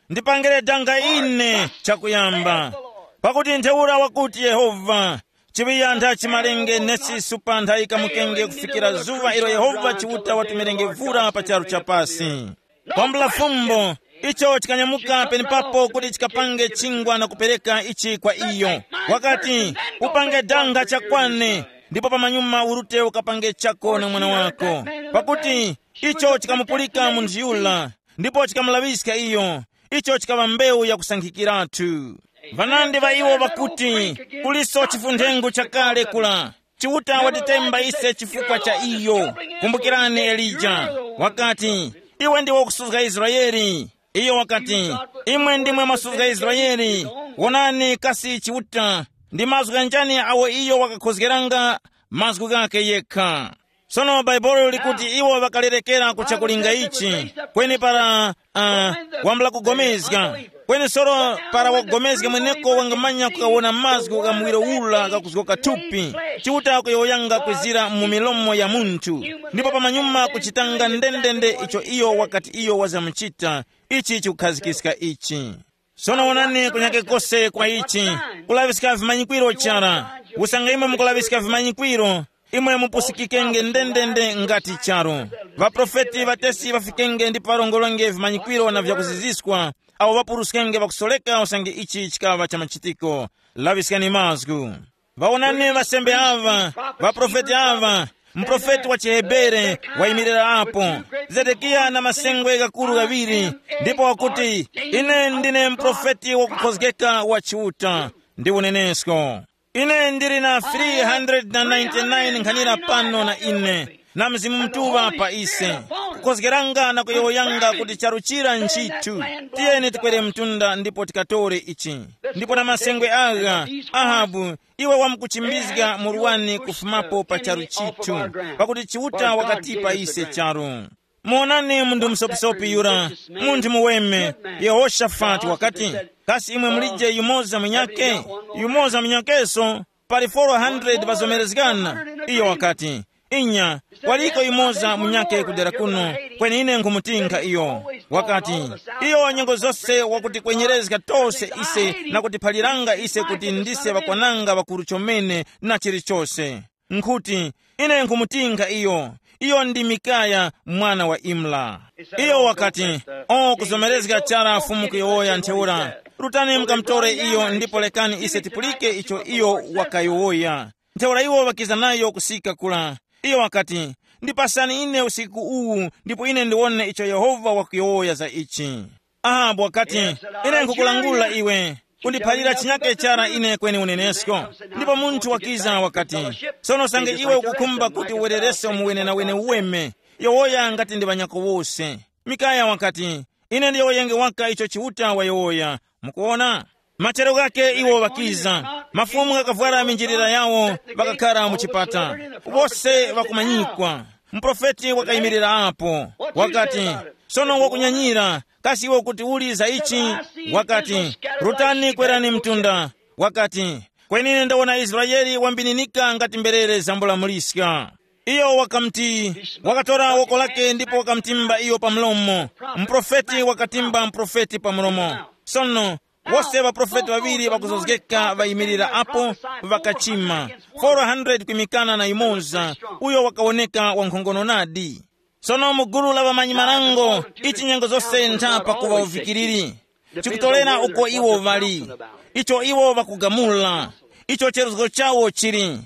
ndipangire danga ine chakuyamba, pakuti ntheura wakuti Yehova, chiŵiyantha chimalenge nesi supantha yikamukenge kufikira zuŵa ilo Yehova Chiuta watumirenge vura pa charu cha pasi. Kwambula fumbo, icho chikanyamuka penepapo kuti chikapange chingwa na kupereka ichi kwa iyo. Wakati, upange danga chakwane, ndipo pamanyuma urute ukapange chako na mwana wako. Pakuti icho chikamupulika munthu yura, ndipo chikamulaŵiska iyo. Icho chikaŵa mbewu yakusankhikiratu. Vanandi ŵa iwo ŵakuti, kuliso chifunthengo chakale kula. Chiuta watitemba ise chifukwa cha iyo. Kumbukirani Elija. Wakati, iwe ndiwe wakusuzga Israeli. Iyo wakati, imwe ndimwe mwasuzga Israeli. Wonani kasi Chiuta, ndi mazgu ghanjani awo iyo wakakhozgeranga? Mazgu ghakhe yekha. Sono Bhaibuli likuti iwo ŵakalerekera ku chakulinga ichi, kweni para uh, wambula kugomezga, Kweni soro para wakugomezga mweneko wangamanya kukawona mazgu gha muwiro ura ghakuzgoka thupi, Chiuta kuyowoyanga kwizira mu milomo ya munthu, ndipo pamanyuma kuchitanga ndendende icho iyo wakati iyo wazamuchita. Ichi chikukhazikiska ichi. Sono wonani kunyake kose kwa ichi, kulaŵiska vimanyikwiro chara, usanga imwe mukulaŵiska vimanyikwiro, imwe mupusikikenge ndendende ngati charu. Ŵaprofeti ŵatesi ŵafikenge ndipo ŵarongolenge vimanyikwiro na vyakuziziskwa, awo ŵapuruskenge ŵakusoreka usange ichi chikaŵa cha machitiko. Laŵiskani mazgu. Ŵawonani ŵasembe aŵa, ŵaprofeti aŵa, muprofeti wa chiHebere wayimirira apo, Zedekiya na masengwe ghakuru ghaŵiri, ndipo wakuti, ine ndine muprofeti wakukhozgeka wa Chiuta ndi unenesko. Ine ndili na three hundred ninety-nine nkhanira pano na ine, na Mzimu Mutuŵa pa ise, kukhozgeranga na kuyowoyanga kuti charu chira nchithu. Tiyeni tikwere mtunda ndipo tikatore ichi. Ndipo na masengwe agha, Ahabu, iwe wamkuchimbizga murwani kufumapo pa charu chithu, pakuti Chiuta wakatipa ise charu. Muonani munthu musopisopi yura, munthu muweme, Yehoshafati wakati, kasi imwe mulije yumoza munyake? Yumoza munyakeso, pali four hundred ŵazomerezgana. Iyo wakati, inya, kwaliko yumoza munyake kudera kuno, kweni ine nkhumutinkha iyo. Wakati, iyo nyengo zose wakutikwenyerezga tose ise na kutiphaliranga ise kuti ndise ŵakwananga ŵakuru chomene na chilichose. Nkhuti, ine nkhumutinkha iyo. Iyo ndi Mikaya mwana wa Imla. Iyo wakati, o kuzomerezga chara Fumu kuyowoya ntheura, rutani mukamutore iyo ndipo lekani ise tipulike icho iyo wakayowoya. Ntheura iwo ŵakiza nayo kusika kula. Iyo wakati, ndipasani ine usiku uwu ndipo ine ndiwone icho Yehova wakuyowoya za ichi. Ahabu wakati, ine nkhukulangula iwe, kundiphalira chinyake chara ine kweni unenesko. Ndipo munthu wakiza wakati, sono sange iwe ukukhumba kuti uwererese umuwenenawene uweme, yowoya ngati ndi ŵanyako wose. Mikaya wakati, ine ndiyowoyenge waka icho Chiuta wayowoya. Mukuona? Machero ghake iwo ŵakiza, mafumu ghakavwara minjilira yawo, ŵakakhara mu chipata, wose ŵakumanyikwa. Muprofeti wakayimirira apo, wakati, sono wakunyanyira, kasi iwe kuti uli za ichi? Wakati, rutani kwerani mtunda. Wakati, kweni ine ndawona Israele wambininika ngati mberere zambulamuliska. Iyo wakamuti, wakatora woko lake ndipo wakamutimba iyo pa mlomo. Muprofeti wakatimba muprofeti pa mlomo. Sono, wose ŵaprofeti ŵaŵiri ŵakuzozgeka ŵayimirira apo, ŵakachima. Four hundred kwimikana na yumoza, uyo wakawoneka wankhongono nadi. Sono mu gulu la ŵamanyi-marango, ichi nyengo zose ntha pakuŵa uvikiriri. Chikutorera uko iwo ŵali, icho iwo ŵakugamula, icho cheruzgo chawo chili.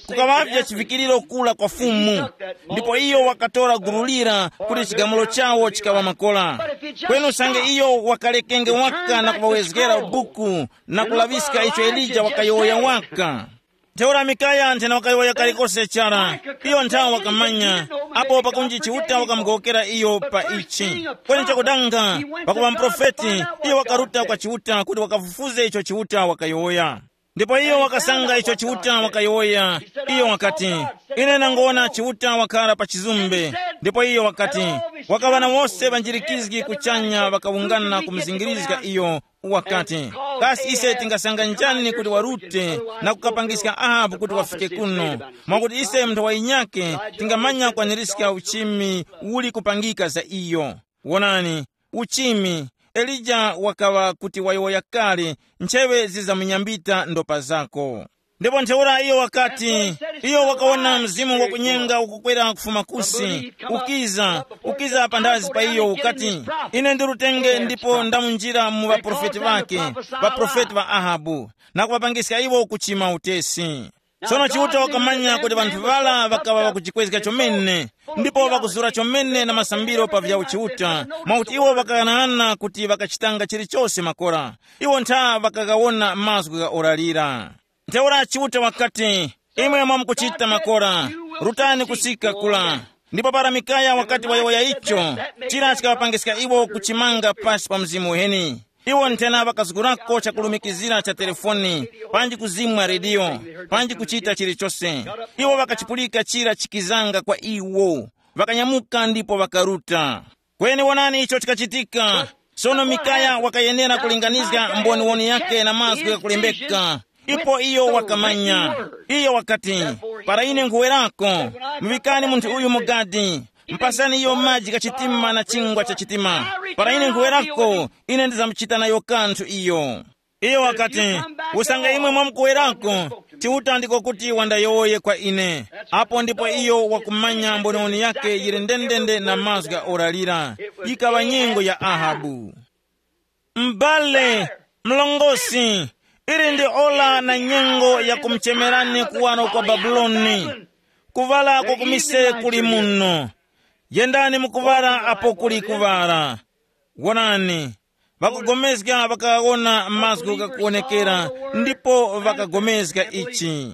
Kukaŵavye chivikiriro kula kwa Fumu, ndipo iyo wakatora gulu lira kuti chigamulo chawo chikaŵa makora. Kweni usange iyo wakalekenge waka na kuŵawezgera buku na kulaŵiska icho Elija wakayowoya waka. Ntheura Mikaya nthena wakayowoya kalikose chara, iyo nthawe wakamanya, apo pakunji Chiuta wakamugowokera iyo pa ichi. Kweni chakudanga, pakuŵa muprofeti, iyo wakaruta kwa Chiuta kuti wakafufuze icho Chiuta wakayowoya. Ndipo iyo wakasanga icho Chiuta wakayowoya. Iyo wakati, ine nangowona Chiuta wakhala pa chizumbe. Ndipo iyo wakati, wakaŵa na wose ŵanjirikizgi kuchanya ŵakawungana kumuzingirizga iyo, wakati, kasi ise tingasanga njani kuti warute na kukapangiska Ahabu kuti wafike kuno? Mwakuti ise munthu wa yinyake tingamanya kwanirizga uchimi uli kupangika za iyo. Wonani, uchimi, Elija wakaŵa kuti wayowoya kale, ncheŵe zizamunyambita ndopa zako. Ndipo ntheura iyo wakati, iyo wakawona mzimu wakunyenga ukukwera kufuma kusi, ukiza, ukiza panthazi pa iyo ukati, ine ndi lutenge ndipo ndamunjira mu ŵaprofeti ŵake, ŵaprofeti ŵa Ahabu, na kuŵapangiska iwo kuchima utesi. Sono Chiuta wakamanya kuti ŵanthu ŵara ŵakaŵa ŵakujikwezga chomene, ndipo ŵakuzura chomene na masambiro pa vya uchiuta, mwakuti iwo ŵakaghanaghananga kuti ŵakachitanga chilichose makora. Iwo ntha ŵakaghawona mazgu gha ora lira. Ntheura Chiuta wakati, imwe mwamukuchita makora, rutani kusika kula. Ndipo para Mikaya wakati wayowoya icho, chira chikaŵapangiska iwo kuchimanga pasi pa mzimu uheni. Iwo nthena ŵakazgurako chakulumikizira cha telefoni, panji kuzimwa rediyo, panji kuchita chilichose. Iwo ŵakachipulika chira chikizanga kwa iwo, ŵakanyamuka ndipo ŵakaruta. Kweni wonani icho chikachitika. Sono Mikaya wakayenera kulinganizga mboniwoni yake na mazgu ghakulembeka. Ipo iyo wakamanya. Iyo wakati, para ine nkhuwerako, muŵikani munthu uyu mu gadi, mpasani iyo maji gha chitima na chingwa cha chitima. Para ine nkhuwerako, ine ndizamchita nayo kanthu iyo. Iyo wakati, usanga imwe mwamkuwerako, Chiuta ndiko kuti wandayowoye kwa ine. Apo ndipo iyo wakumanya mboniwoni yake yili ndendende na mazgu gha ora lira. Yikaŵa nyengo ya Ahabu. M'bale, mlongosi, ili ndi ora na nyengo ya kumuchemerani kuwaro kwa Babuloni, kuŵala kwa kumise kuli muno. Yendani mu kuŵala apo kuli kuŵala. Wonani, ŵakugomezga ŵakawona mazgu ghakuwonekera, ndipo ŵakagomezga ichi.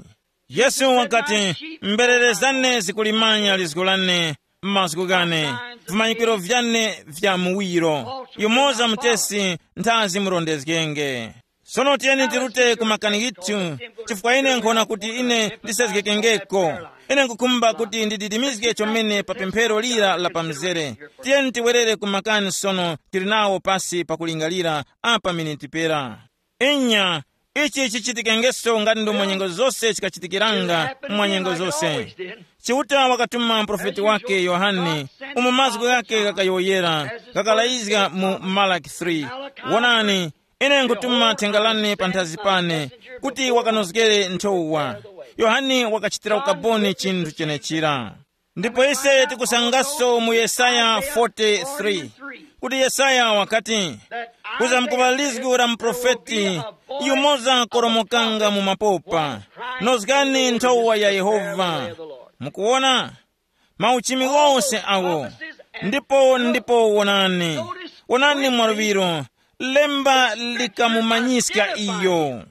Yesu wakati, mberere zane zikulimanya lizgu lane, mazgu ghane, vimanyikiro vyane vya muwiro, yumoza mutesi nthazi murondezgenge. Sono tiyeni tirute ku makani ghithu, chifukwa ine nkhona kuti ine ndisezgekengeko. Ine nkukhumba kuti ndididimizge chomene pa pemphero lira la pamzere. Tiyeni tiwerere ku makani sono, tili nawo pasi pakulingalira apa miniti pera. Inya, ichi chichitikengeso ngati ndomwe nyengo zose chikachitikiranga mwa nyengo zose. Chiuta wakatuma muprofeti wake Yohane, umo mazgu ghake ghakayowoyera, ghakalayizga mu Malaki three. Wonani, ine nkutuma thenga lane panthazi pane, kuti wakanozgere nthowa. Yohane wakachitira ukaboni chinthu chenechira. Ndipo ise tikusangaso mu Yesaya forty-three, kuti Yesaya wakati, kuzamkuŵa lizgu la muprofeti, yumoza koromokanga mu mapopa, nozgani nthowa ya Yehova. Mukuwona? Mauchimi wose awo. Ndipo ndipo wonani, wonani mwaluŵiro, lemba likamumanyiska iyo.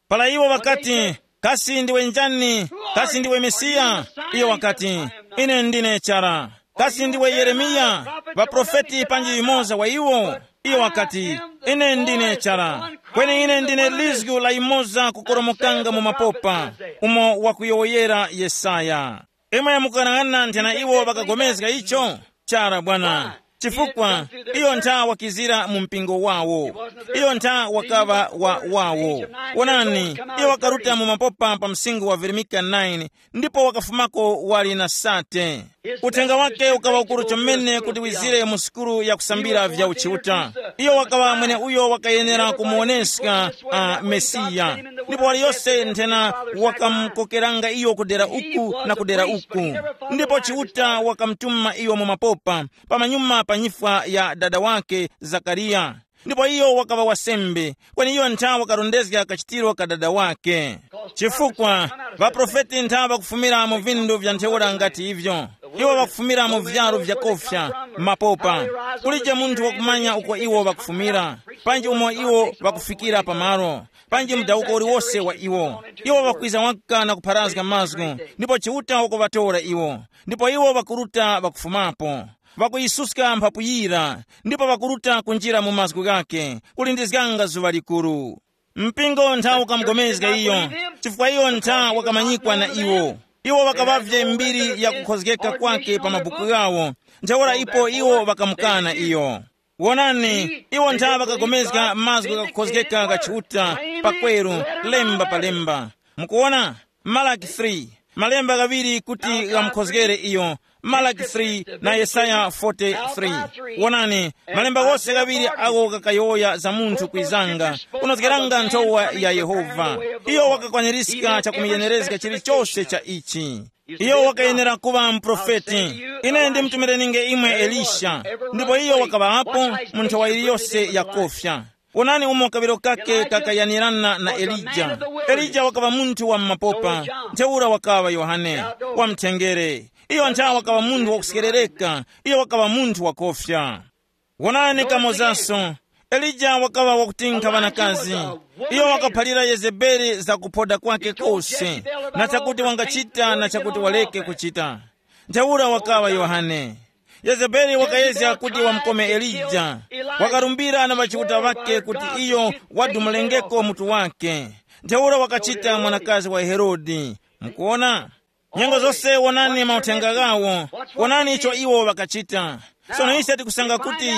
Para iwo ŵakati, kasi ndiwe njani? Kasi ndiwe Mesiya? Iyo wakati, ine ndine chara. Kasi ndiwe Yeremiya, ŵaprofeti panji yumoza wa iwo? Iyo wakati, ine ndine chara. Kweni ine ndine lizgu la yumoza kukoromokanga mu mapopa, umo wakuyowoyera Yesaya. Imwe mukughanaghana nthena iwo ŵakagomezga icho? Chara bwana. Chifukwa iyo ntha wakizira mu mpingo wawo. Iyo ntha wakaŵa wa wawo. Wonani, iyo wakaruta mu mapopa pa msinkhu wa Veronika nine, ndipo wakafumako wali na sate. Uthenga wake ukaŵa ukuru chomene kuti wizire mu sukulu ya kusambira vya uchiuta. Iyo wakaŵa mwene uyo wakayenera kumuwoneska a Mesiya. Ndipo waliyose nthena wakamukokeranga iyo kudera uku na kudera uku. Ndipo Chiuta wakamutuma iyo mu mapopa, pamanyuma pa nyifwa ya dada wake Zakariya. Ndipo iyo wakaŵa wasembe, kweni iyo ntha wakarondezga kachitiro ka dada wake. Chifukwa ŵaprofeti ntha ŵakufumira mu vindu vya ntheura ngati ivyo. Iwo ŵakufumira mu vyaru vyakofya, mapopa. Kulije munthu wakumanya uko iwo ŵakufumira, panji umo iwo ŵakufikira pamalo, panji mudawuko uliwose wa iwo. Iwo ŵakwiza waka na kupharazga mazgu, ndipo Chiuta wakuŵatora iwo, ndipo iwo ŵakuruta ŵakufumapo. Ŵakuyisuska mphapu yira, ndipo ŵakuruta kunjira mu mazgu ghakhe, kulindizganga zuŵa likuru. Mpingo ntha ukamugomezga iyo, chifukwa iyo ntha wakamanyikwa na iwo. Iwo ŵakaŵavye mbiri ya kukhozgeka kwake pa mabuku ghawo, ntheura ipo iwo ŵakamukana iyo. Wonani, iwo ntha ŵakagomezga mazgu ghakukhozgeka gha Chiuta pakweru, lemba pa lemba. Mukuwona? Malaki three, malemba ghaŵiri kuti ghamukhozgere iyo, Malaki three na Yesaya forty-three. Wonani, malemba ghose ghaŵiri agho ghakayowoya za munthu kwizanga, unozgeranga nthowa ya Yehova. Iyo wakakwanirizga chakumuyenerezga chilichose cha ichi. Iyo wakayenera kuŵa muprofeti. Ine ndimtumireninge imwe Elisha, ndipo iyo wakaŵapo mu nthowa yiliyose yakofya. Wonani umo kaŵiro kake kakayanirana na Elija. Elija wakaŵa munthu wa mumapopa, ntheura wakaŵa Yohane, wa mthengere. Iyo ntha wakaŵa munthu wakusekerereka, iyo wakaŵa munthu wakofya. Wonani kamozaso, Elija wakaŵa wakutinkha ŵanakazi. Iyo wakaphalira Yezebeli za kuphoda kwake kose, na chakuti wangachita na chakuti waleke kuchita. Ntheura wakaŵa Yohane. Yezebeli wakayezga kuti wamukome Elija. Wakarumbira na ŵachiuta ŵakhe kuti iyo wadumulengeko mutu wakhe. Ntheura wakachita mwanakazi wa Herode. Mukuwona? Nyengo zose wonani mauthenga ghawo. Wonani icho iwo ŵakachita. Sono ise tikusanga kuti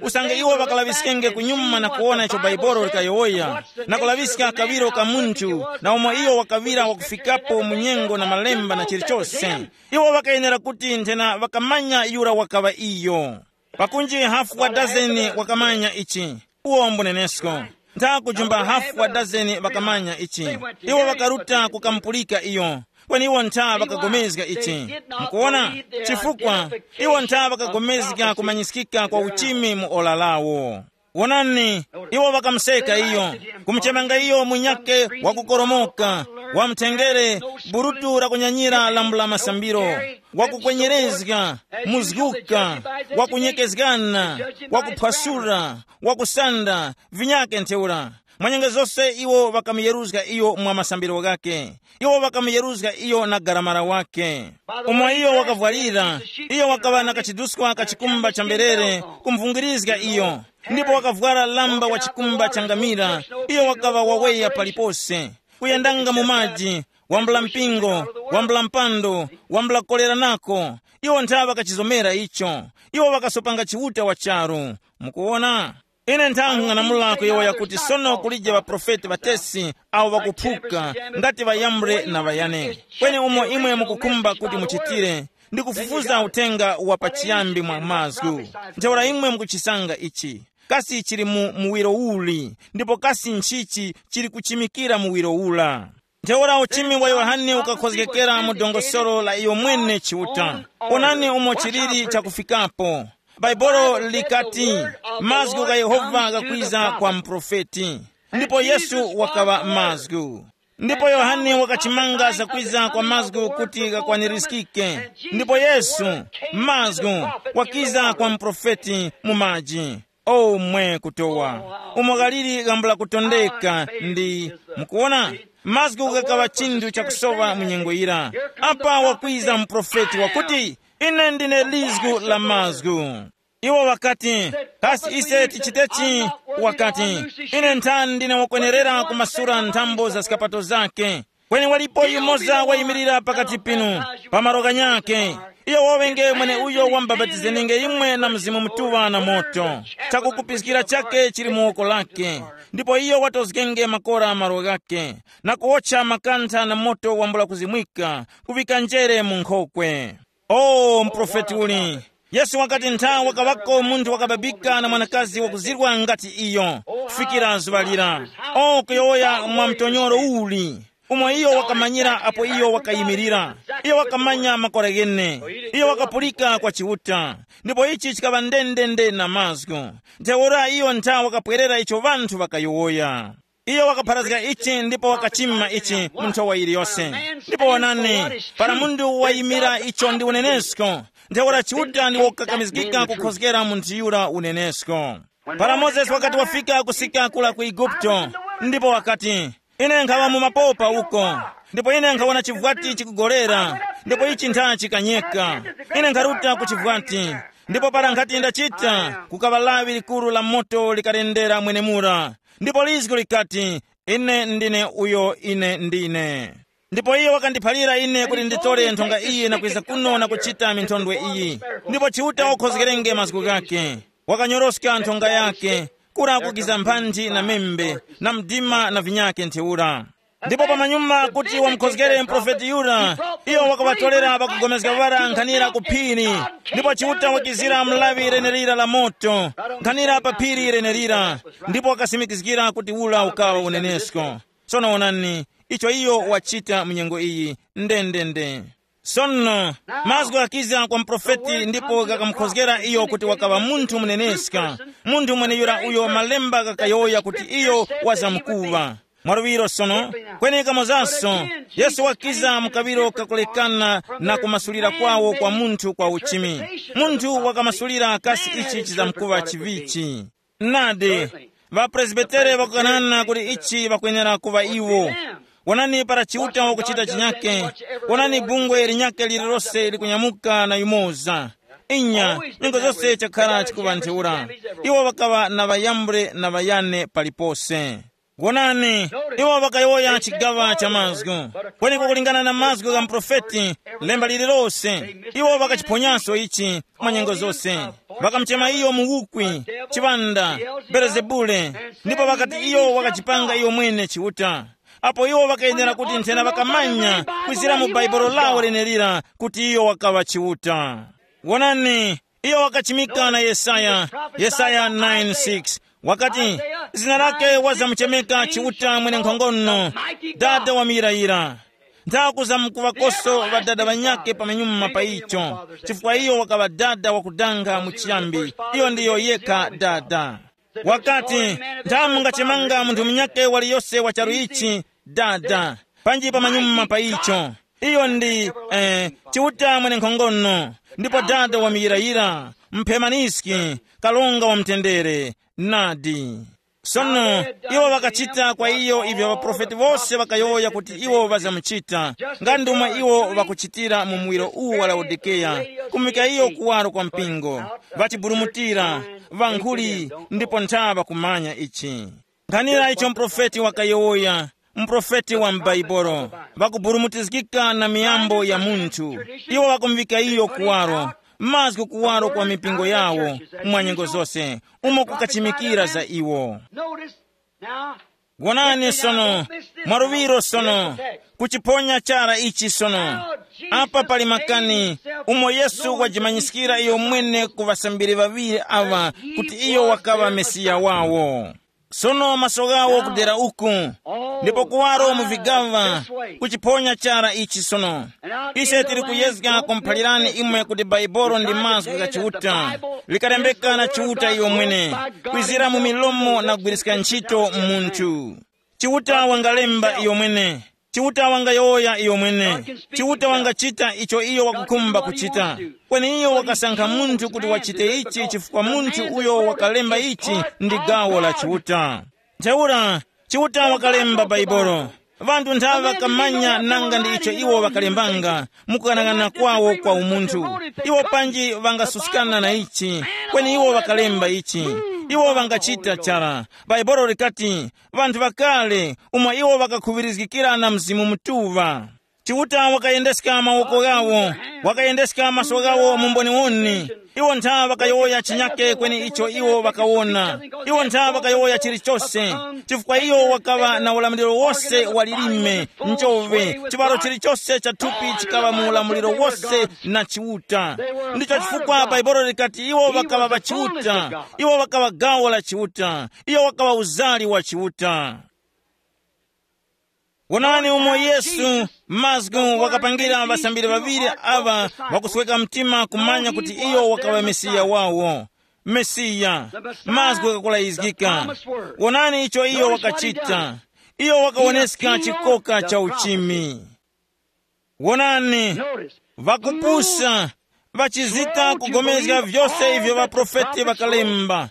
usange iwo ŵakalaŵiskenge kunyuma na kuwona icho Baibolo likayowoya, na kulaŵiska kaŵiro ka munthu, na umo iyo wakaŵira wakufikapo mu nyengo na malemba na chilichose, iwo ŵakayenera kuti nthena ŵakamanya yura wakaŵa iyo. Pakunji hafu wa dazeni wakamanya ichi. Uwo mbunenesko. Ntha kujumba hafu wa dazeni ŵakamanya ichi. Iwo ŵakaruta kukamupulika iyo. Kweni iwo ntha ŵakagomezga ichi. Mukuwona? Chifukwa iwo ntha ŵakagomezga kumanyiskika kwa uchimi mu ora lawo. Wonani, iwo ŵakamuseka iyo, kumuchemanga iyo munyake wakukoromoka, wamutengere, burutu la kunyanyira lambula masambiro, wakukwenyerezga, muzguka, wakunyekezgana, wakuphwasura, wakusanda, vinyake ntheura. Mwa nyengo zose iwo ŵakamuyeruzga iyo mwa masambiro ghakhe. Iwo ŵakamuyeruzga iyo na garamara wakhe. Umo iyo wakavwarira, iyo wakaŵa na kachiduskwa ka chikumba cha mberere kumvungirizga iyo, ndipo wakavwara lamba wa chikumba cha ngamira. Iyo wakaŵa waweya palipose, kuyendanga mu maji, wambula mpingo, wambula mpando, wambula kolera nako. Iwo ntha ŵakachizomera icho. Iwo ŵakasopanga Chiuta wa charu. Mukuwona? Ine nthang'anamula kuyowoya kuti sono kulije ŵaprofeti ŵatesi awo ŵakuphuka ngati ŵayambre na ŵayane. Kweni umo imwe mukukhumba kuti muchitire, ndi kufufuza uthenga wa pachiyambi mwa mazgu. Ntheura imwe mukuchisanga ichi. Kasi chili mu muwiro uli, ndipo kasi nchichi chili kuchimikira muwiro ula? Ntheura uchimi wa Yohane ukakhozgekera mu dongosolo la iyo mwene Chiuta. Onani umo chiliri chakufikapo. Baibulo likati, mazgu gha Yehova ghakwiza kwa muprofeti. Ndipo Yesu wakaŵa mazgu. Ndipo Yohane wakachimanga zakwiza kwa mazgu kuti ghakwanirizgike. Ndipo Yesu, mazgu, wakiza kwa muprofeti mu maji. O mwe kutowa, umo ghaliri gambula kutondeka ndi, mukuwona, mazgu ghakaŵa chinthu chakusowa mu nyengo yira. Apa wakwiza muprofeti wakuti, ine ndine lizgu la mazgu. Iwo ŵakati, kasi ise tichitechi? Wakati, ine nthani ndine wakwenerera kumasula nthambo za zikapato zake. Kweni walipo yumoza wayimirira pakati pinu, pa malo ghanyakhe. Iyo wowenge mweneuyo wamubapatizeninge imwe na Mzimu Mutuŵa na moto. Chakukupiskira chakhe chili mu woko lakhe, ndipo iyo watozgenge makora malo ghakhe, na kuwotcha makantha na moto wambula kuzimwika, kuŵika njere mu nkhokwe. O muprofeti uli! Yesu wakati ntha wakaŵako munthu wakababika na mwanakazi wakuzirwa ngati iyo, kufikira zuŵa lira. O kuyowoya mwa mtonyoro uli, umo iyo wakamanyira apo iyo wakayimirira. Iyo wakamanya makora ghene. Iyo wakapulika kwa Chiuta. Ndipo ichi chikaŵa ndendende na mazgu. Ntheura iyo ntha wakapwerera icho ŵanthu ŵakayowoya. Iyo wakapharazga ichi ndipo wakachima ichi mu nthowa yiliyose. Ndipo wonani, para munthu wayimira icho ndi unenesko, ntheura Chiuta ndi wokakamizgika kukhozgera munthu yura unenesko. Para Mozesi wakati wafika kusika kula ku Eguputo, ndipo wakati, ine nkhaŵa mu mapopa uko, ndipo ine nkhawona chivwati chikugolera, ndipo ichi ntha chikanyeka. Ine nkharuta ku chivwati, ndipo para nkhati ndachita, kukaŵa lawi likuru la moto likalendera mwenemura. Ndipo lizgu likati, ine ndine uyo ine ndine. Ndipo iyo wakandiphalira ine kuti nditore nthonga iyi na kwiza kuno na kuchita minthondwe iyi. Ndipo Chiuta wakhozgerenge mazgu ghakhe, wakanyoroska nthonga yakhe, kura kugiza mphanthi na membe, na mdima na vinyakhe ntheura. Ndipo pamanyuma kuti wamukhozgere muprofeti yura, iyo wakaŵatorera pakugomezga ŵara nkhanira ku phiri. Ndipo Chiuta wakizira mlaŵi lenelira la moto nkhanira pa phiri lenelira, ndipo wakasimikizgira kuti ula ukaŵa unenesko. Sono wonani, icho iyo wachita mu nyengo iyi, ndendende. Sono, mazgu ghakiza kwa muprofeti ndipo ghakamukhozgera iyo kuti wakaŵa munthu muneneska, munthu mweneyura uyo malemba ghakayowoya kuti iyo wazamkuŵa. Mwaluŵiro sono, kweni kamozaso, Yesu wakiza mu kaŵiro kakulekana na kumasulira kwawo kwa munthu kwa uchimi. Munthu wakamasulira kasi ichi chizamkuŵa chivichi. Nadi, ŵapresbitere ŵakukanana kuti ichi ŵakwenera kuŵa iwo. Wonani para Chiuta wakuchita chinyake, wonani bungwe linyake lililose likunyamuka na yumoza. Inya, nyengo zose chakhala chikuŵa ntheura. Iwo ŵakaŵa na ŵayambre na ŵayane palipose. Wonani, iwo ŵakayowoya chigaŵa cha mazgu, kweni kukulingana na mazgu gha muprofeti, lemba lililose, iwo ŵakachiphonyaso ichi mwa nyengo zose. Ŵakamuchema iyo muwukwi, chiŵanda, Belezebule, ndipo ŵakati iyo wakachipanga iyo mwene Chiuta. Apo iwo ŵakayenera kuti nthena ŵakamanya kwizira mu Bhaibuli lawo lenelira kuti iyo wakaŵa Chiuta. Wonani, iyo wakachimika na Yesaya, Yesaya nine six, wakati, zina lake wazamuchemeka Chiuta mwenenkhongono, Dada wa muyirayira. Nthakuzamkuŵakoso ŵadada ŵanyakhe pamanyuma pa icho, chifukwa iyo wakaŵa dada wakudanga mu chiyambi. Iyo ndiyo yekha dada. Wakati, nthamu ngachemanga munthu munyakhe waliyose wa charu ichi, dada, panji pamanyuma pa icho. Iyo ndi, eh, Chiuta mwenenkhongono, ndipo dada wa muyirayira, mphemaniski, kalonga wa mtendere. Nadi. Sono, iwo ŵakachita kwa iyo ivyo ŵaprofeti wose ŵakayowoya kuti iwo ŵazamuchita, nga ndomwe iwo ŵakuchitira mu muwiro uwu wa Laodikeya, kumika iyo kuwaro kwa mpingo, ŵachiburumutira, ŵankhuli, ndipo ntha ŵakumanya ichi. Nkhanira icho muprofeti wakayowoya, muprofeti wa m'Baibulo, ŵakuburumutizgika na miyambo ya munthu, iwo ŵakumuŵika iyo kuwaro, mazgu kuwaro kwa mipingo yawo, mwa nyengo zose, umo kukachimikira za iwo. Notice now. Wonani sono, mwaluŵiro sono, kuchiphonya chara ichi sono. Apa pali makani, umo Yesu wajimanyiskira iyo mwene ku ŵasambiri ŵaŵiri aŵa, kuti iyo wakaŵa Mesiya wawo. Sono maso ghawo kudera uku, ndipo kuwaro mu vigaŵa, kuchiphonya chara ichi sono. Ise tili kuyezga kumuphalirani imwe kuti Bhaibuli ndi mazgu gha Chiuta, likalembeka na Chiuta iyo mwene, kwizira mu milomo na kugwiriska ntchito munthu. Chiuta wangalemba iyo mwene. Chiuta wangayowoya iyo mwene. Chiuta wangachita icho iyo wakukhumba kuchita. Kweni iyo wakasankha munthu kuti wachite ichi chifukwa munthu uyo wakalemba ichi ndi gawo la Chiuta. Ntheura, Chiuta wakalemba Bhaibuli. Ŵanthu nthawe ŵakamanya nanga ndi icho iwo ŵakalembanga, mukughanaghanana kwawo kwa umunthu. Iwo panji ŵangasuskana na ichi, kweni iwo ŵakalemba ichi. Iwo ŵangachita chara. Bhaibuli likati, ŵanthu ŵakale, umo iwo ŵakakhuŵirizgikira na Mzimu Mutuŵa. Chiuta wakayendeska mawoko ghawo, wakayendeska maso ghawo mu mboniwoni. Iwo ntha ŵakayowoya chinyake kweni icho iwo ŵakawona. Iwo ntha ŵakayowoya chilichose, chifukwa iyo wakaŵa na ulamuliro wose wa lilime, njove, chiŵaro chilichose cha thupi chikaŵa mu ulamuliro wose na Chiuta. Ndicho chifukwa Bhaibuli likati iwo ŵakaŵa ŵa Chiuta, iwo ŵakaŵa gawo la Chiuta, iyo wakaŵa uzali wa Chiuta. Wonani umo Yesu mazgu wakapangira ŵasambiri ŵaŵiri aŵa ŵakusweka mtima kumanya kuti iyo wakaŵa Mesiya wawo. Mesiya, mazgu ghakulayizgika. Wonani icho iyo wakachita. Iyo wakawoneska chikoka cha uchimi. Wonani, ŵakupusa, ŵachizita kugomezga vyose ivyo ŵaprofeti ŵakalemba.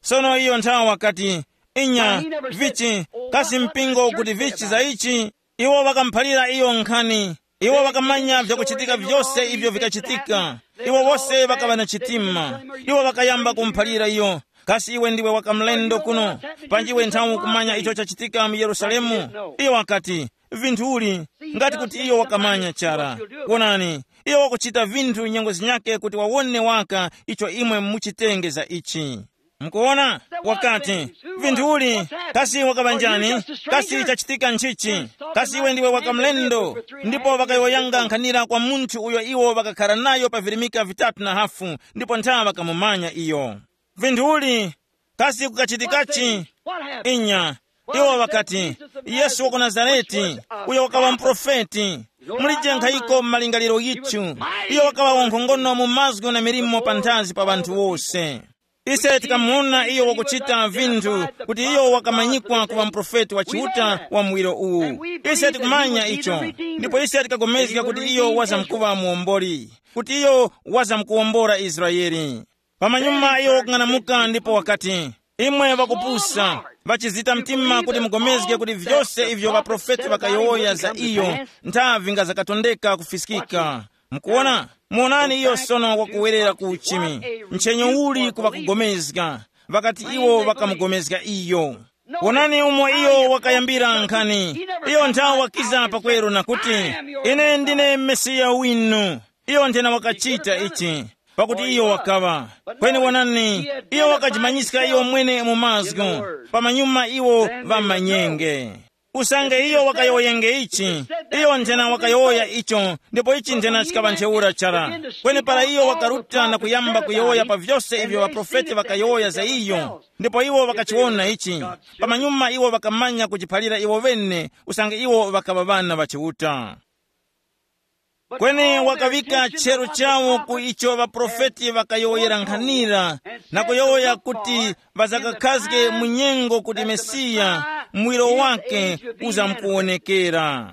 Sono iyo nthawe wakati, inya, vichi, kasi mpingo kuti vichi za ichi? Iwo ŵakamuphalira iyo nkhani. Iwo ŵakamanya vyakuchitika vyose ivyo vikachitika. Iwo wose ŵakaŵa na chitima. Iwo ŵakayamba kumuphalira iyo, kasi iwe ndiwe wakamlendo kuno? Panji iwe nthawe ukumanya icho chachitika mu Yerusalemu? Iyo wakati, vinthu uli, ngati kuti iyo wakamanya chara. Wonani, iyo wakuchita vinthu nyengo zinyake kuti wawone waka icho imwe muchitenge za ichi. Mukuwona? Wakati, vinthu uli, kasi wakaŵa njani? Kasi chachitika nchichi? Kasi iwe ndiwe wakamlendo? Ndipo ŵakayowoyanga nkhanira kwa munthu uyo iwo ŵakakhara nayo pa virimika vitatu na hafu, ndipo ntha ŵakamumanya iyo. Vinthu uli, kasi kukachitikachi? Inya, iwo ŵakati, Yesu wa ku Nazarete, uyo wakaŵa muprofeti. Mulije nkhayiko mu malingaliro yithu. Iyo wakaŵa wankhongono mu mazgu na milimo panthazi pa ŵanthu wose. Ise tikamuwona iyo wakuchita vinthu kuti iyo wakamanyikwa kuŵa muprofeti wa Chiuta wa muwiro uwu. Ise tikumanya icho, ndipo ise tikagomezga kuti iyo wazamkuŵa muwomboli, kuti iyo wazamkuwombora Israele. Pamanyuma iyo wakung'anamuka ndipo wakati, imwe ŵakupusa, ŵachizita mtima kuti mugomezge kuti vyose ivyo ŵaprofeti ŵakayowoya za iyo nthavi nga zakatondeka kufiskika. Mukuwona? Muwonani iyo sono wakuwerera ku uchimi. Nchenyo uli kuŵakugomezga? Ŵakati iwo ŵakamugomezga iyo. Wonani umo iyo wakayambira nkhani. Iyo nthawe wakiza pakweru na kuti, "Ine ndine Mesiya winu." Iyo nthena wakachita ichi, pakuti iyo wakaŵa. Kweni wonani, iyo wakajimanyiska iyo mwene mu mazgu, pamanyuma iwo ŵamanyenge. Usange iyo wakayowoyenge ichi, iyo nthena wakayowoya icho, ndipo ichi nthena chikaŵa ntheura chara. Kweni para iyo wakaruta na kuyamba kuyowoya pa vyose ivyo ŵaprofeti ŵakayowoya za iyo, ndipo iwo ŵakachiwona ichi, pamanyuma iwo ŵakamanya kuchiphalira iwo ŵene, usange iwo ŵakaŵa ŵana ŵa Chiuta. Kweni wakaŵika chero chawo ku icho ŵaprofeti ŵakayowoyera nkhanira, na kuyowoya kuti ŵazakakhazge mu nyengo kuti Mesiya, muwiro wake, uzamkuwonekera.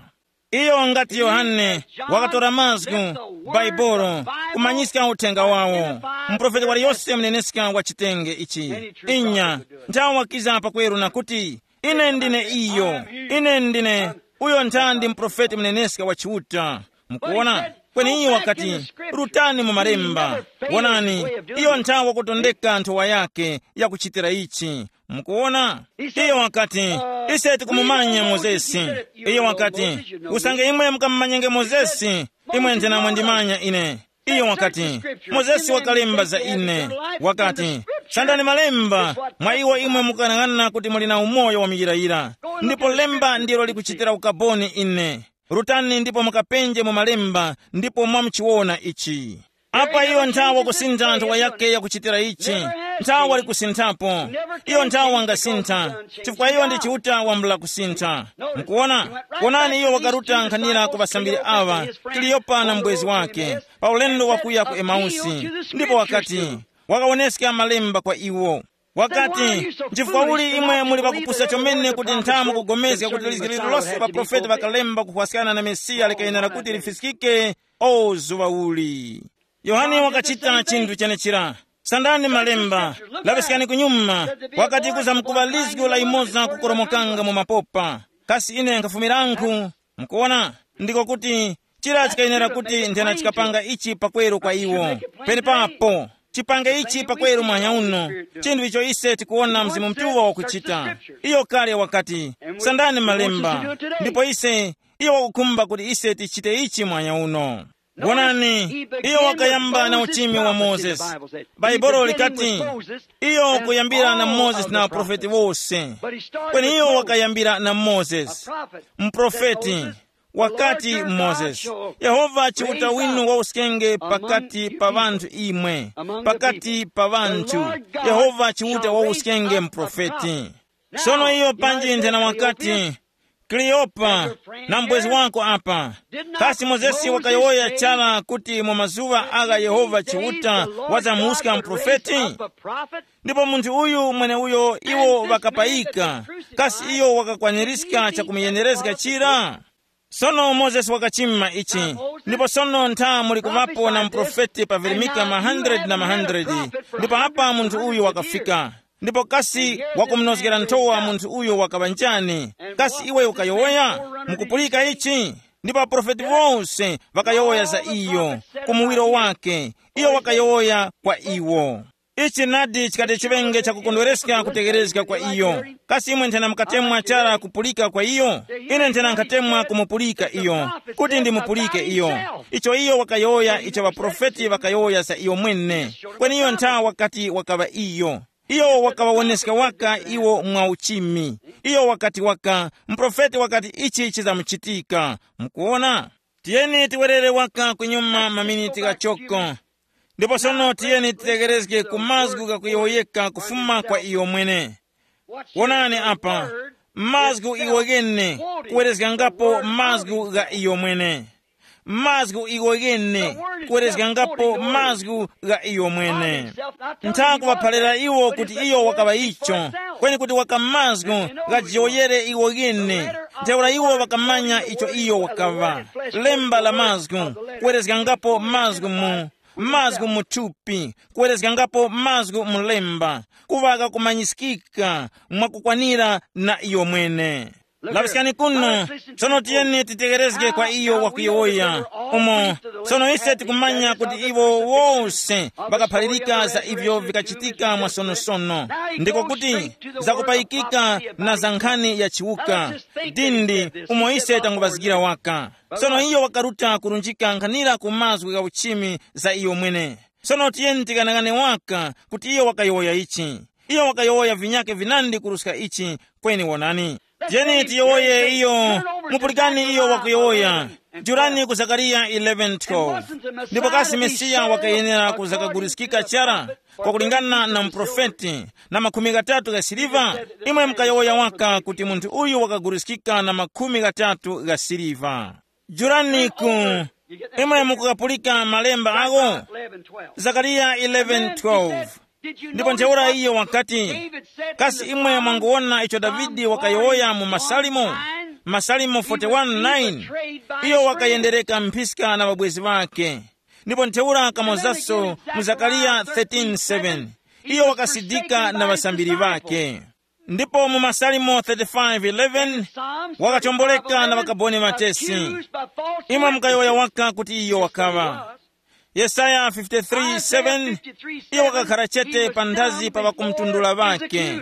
Iyo ngati Yohane wakatora mazgu, Baibolo, kumanyiska uthenga wawo. Muprofeti waliyose muneneska wa chitenge ichi. Inya, nthawe wakiza pakweru na kuti, "Ine ndine iyo, ine ndine uyo nthandi muprofeti muneneska wa Chiuta." Mukuwona? Kweni iyo wakati, "Rutani mu malemba. Wonani, iyo nthawe wakutondeka nthowa yake yakuchitira ichi." Mukuwona? Iyo wakati, "Ise tikumumanya Mozesi." Iyo wakati, "Usange imwe mukamumanyenge Mozesi, imwe nthena mwandimanya ine." Iyo wakati, "Mozesi wakalemba za ine. Wakati, 'Sandani malemba, mwa iwo imwe mukanang'ana kuti muli na umoyo wa muyirayira. Ndipo lemba ndilo likuchitira ukaboni ine. Rutani ndipo mukapenje mu malemba, ndipo mwamuchiwona ichi.'" Apa iyo nthawe wakusintha nthowa yake yakuchitira ichi. Nthawe wali kusinthapo. Iyo nthawe wangasintha, chifukwa iyo ndi Chiuta wambula kusintha. Mukuwona? Wonani, iyo wakaruta nkhanira ku ŵasambiri aŵa, Kaliyopa na mbwezi wake, pa ulendo wakuya ku Emausi, ndipo wakati, wakawoneska malemba kwa iwo. Wakati, "Nchifukwa uli imwe muli pakupusa chomene kuti nthamu kugomezga kuti lizgi lililose ŵaprofeti ŵakalemba kuhwaskana na Mesiya likayenera kuti lifiskike? O zuŵa uli!" Yohane wakachita chinthu chenechira. Sandani malemba, laŵiskani kunyuma, wakati kuza mukuŵa lizgu la yimoza kukoromokanga mu mapopa. Kasi ine nkhafumiranku? Mukuwona, ndiko kuti chira chikayenera kuti nthena chikapanga ichi pakweru kwa iwo. Penepapo, chipange ichi pakweru mwanya uno, chinthu icho ise tikuwona Mzimu Mutuŵa wakuchita. Iyo kale wakati, sandani malemba, ndipo ise, iyo wakukhumba kuti ise tichite ichi mwanya uno. Wonani, iyo wakayamba na uchimi wa Mozesi. Bhaibuli likati, iyo kuyambira na Mozesi na aprofeti wose. Kweni iyo wakayambira na Mozesi, muprofeti, wakati Mozesi, Yehova Chiuta winu wawuskenge pakati pa ŵanthu imwe, pakati pa ŵanthu, Yehova Chiuta wawuskenge muprofeti. Sono iyo panji nthena wakati, Kleopa, na mbwezi wako apa. Kasi Mozesi wakayowoya chara kuti mu mazuŵa agha Yehova Chiuta wazamuwuska muprofeti? Ndipo munthu uyu mweneuyo iwo ŵakapayika, kasi iyo wakakwanirizga chakumuyenerezga chira? Sono Mozesi wakachima ichi, ndipo sono ntha muli kuŵapo na muprofeti pavirimika ma hundred na ma hundred, ndipo apa munthu uyu wakafika. Ndipo kasi wakumunozgera nthowa munthu uyo wakaŵa njani? Kasi iwe ukayowoya? Mukupulika ichi? Ndipo aprofeti wose ŵakayowoya za iyo, ku muwiro wake, iyo wakayowoya kwa iwo. Ichi nadi chikati chiŵenge chakukondwereska kutegherezga kwa iyo. Kasi imwe nthena mukatemwa chara kupulika kwa iyo? Ine nthena nkhatemwa kumupulika iyo, kuti ndimupulike iyo. Icho iyo wakayowoya icho ŵaprofeti ŵakayowoya za iyo mwene. Kweni iyo ntha wakati wakaŵa iyo. Iyo wakaŵawoneska waka iwo mwa uchimi. Iyo wakati waka, muprofeti wakati ichi chizamuchitika. Mukuwona? Tiyeni tiwerere waka kunyuma maminiti ghachoko. Ndipo sono tiyeni titegherezge ku mazgu ghakuyowoyeka kufuma kwa iyo mwene. Wonani apa, mazgu iwo ghene, kuwerezgangapo mazgu gha iyo mwene. Mazgu iwo ghene, kuwerezgangapo mazgu gha iyo mwene. Ntha kuŵaphalira iwo kuti iyo wakaŵa icho, kweni kuti waka mazgu ghajiyowoyere iwo ghene. Ntheura iwo ŵakamanya icho iyo wakaŵa. Lemba la mazgu, kuwerezgangapo mazgu mu, mazgu mu thupi, kuwerezgangapo mazgu mu lemba, kuŵa ghakumanyiskika mwakukwanira na iyo mwene. Laŵiskani kuno. Sono tiyeni titegerezge kwa iyo wakuyowoya. Umo sono ise tikumanya kuti iwo wose ŵakaphalirika za ivyo vikachitika mwasonosono, ndiko kuti zakupayikika na za nkhani ya chiwuka. Dindi umo ise tanguvazgira waka. Sono iyo wakaruta kurunjika nkhanira ku mazgu gha uchimi za iyo mwene. Sono tiyeni tikanang'ane waka kuti iyo wakayowoya ichi. Iyo wakayowoya vinyake vinandi kuruska ichi. Kweni wonani, tiyeni tiyowoye iyo. Mupulikani iyo wakuyowoya. Jurani ku Zakariya eleven twelve. Ndipo kasi Mesiya wakayenera kuzakaguliskika chara kwakulingana na muprofeti na makhumi ghatatu gha siliva? Imwe mukayowoya waka kuti munthu uyu wakaguliskika na makhumi ghatatu gha siliva. Juraniku, imwe mukukapulika malemba agho? Zakariya eleven twelve. Ndipo ntheura iyo wakati, kasi imwe mwanguwona icho Davide wakayowoya mu Masalimo? Masalimo forty-one nine. Iyo wakayendereka mphiska na ŵabwezi ŵakhe. Ndipo ntheura kamozaso mu Zakariya thirteen seven, iyo wakasidika na ŵasambiri ŵakhe. Ndipo mu Masalimo thirty-five eleven, wakachomboleka na ŵakaboni ŵatesi. Imwe mukayowoya waka kuti iyo wakaŵa. Yesaya fifty-three seven, iyo wakakhara chete panthazi pa ŵakumtundula ŵakhe.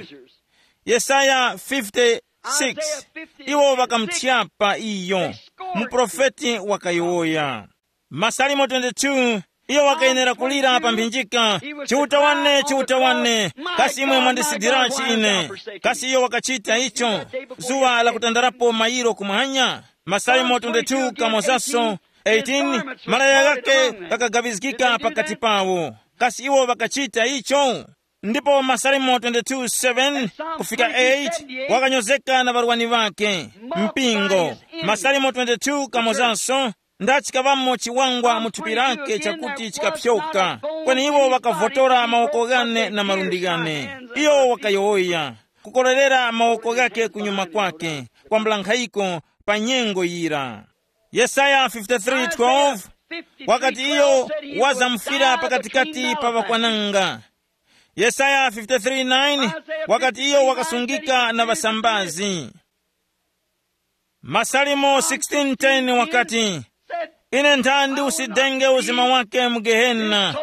Yesaya fifty-six, iwo ŵakamuthyapa iyo. Muprofeti wakayowoya. Masalimo twenty-two, iyo wakayenera kulira pa mphinjika, "Chiuta wane, Chiuta wane, kasi imwe mwandisidirachi ine?" Kasi iyo wakachita icho? Zuwa lakutandarapo mayiro kumwanya. Masalimo twenty-two kamozaso eighteen, malaya ghake ghakagabizgika pakati pawo. Kasi iwo ŵakachita icho? Ndipo Masalimo twenty-two seven kufika eight, wakanyozeka na ŵarwani ŵakhe, mpingo. Masalimo twenty-two kamozanso, ndachikaŵamo chiwangwa mu thupi lake chakuti chikapyoka, kweni iwo ŵakavotora mawoko ghane na malundi ghane. Iyo wakayowoya, kukorerera mawoko ghake kunyuma kwake, kwambula nkhayiko pa nyengo yira. Yesaya fifty-three twelve, wakati iyo wazamufira pakatikati pa ŵakwananga. Yesaya fifty-three nine, wakati iyo wakasungika na ŵasambazi. Masalimo sixteen ten wakati, "Ine nthandi usidenge uzima wake mu Gehena,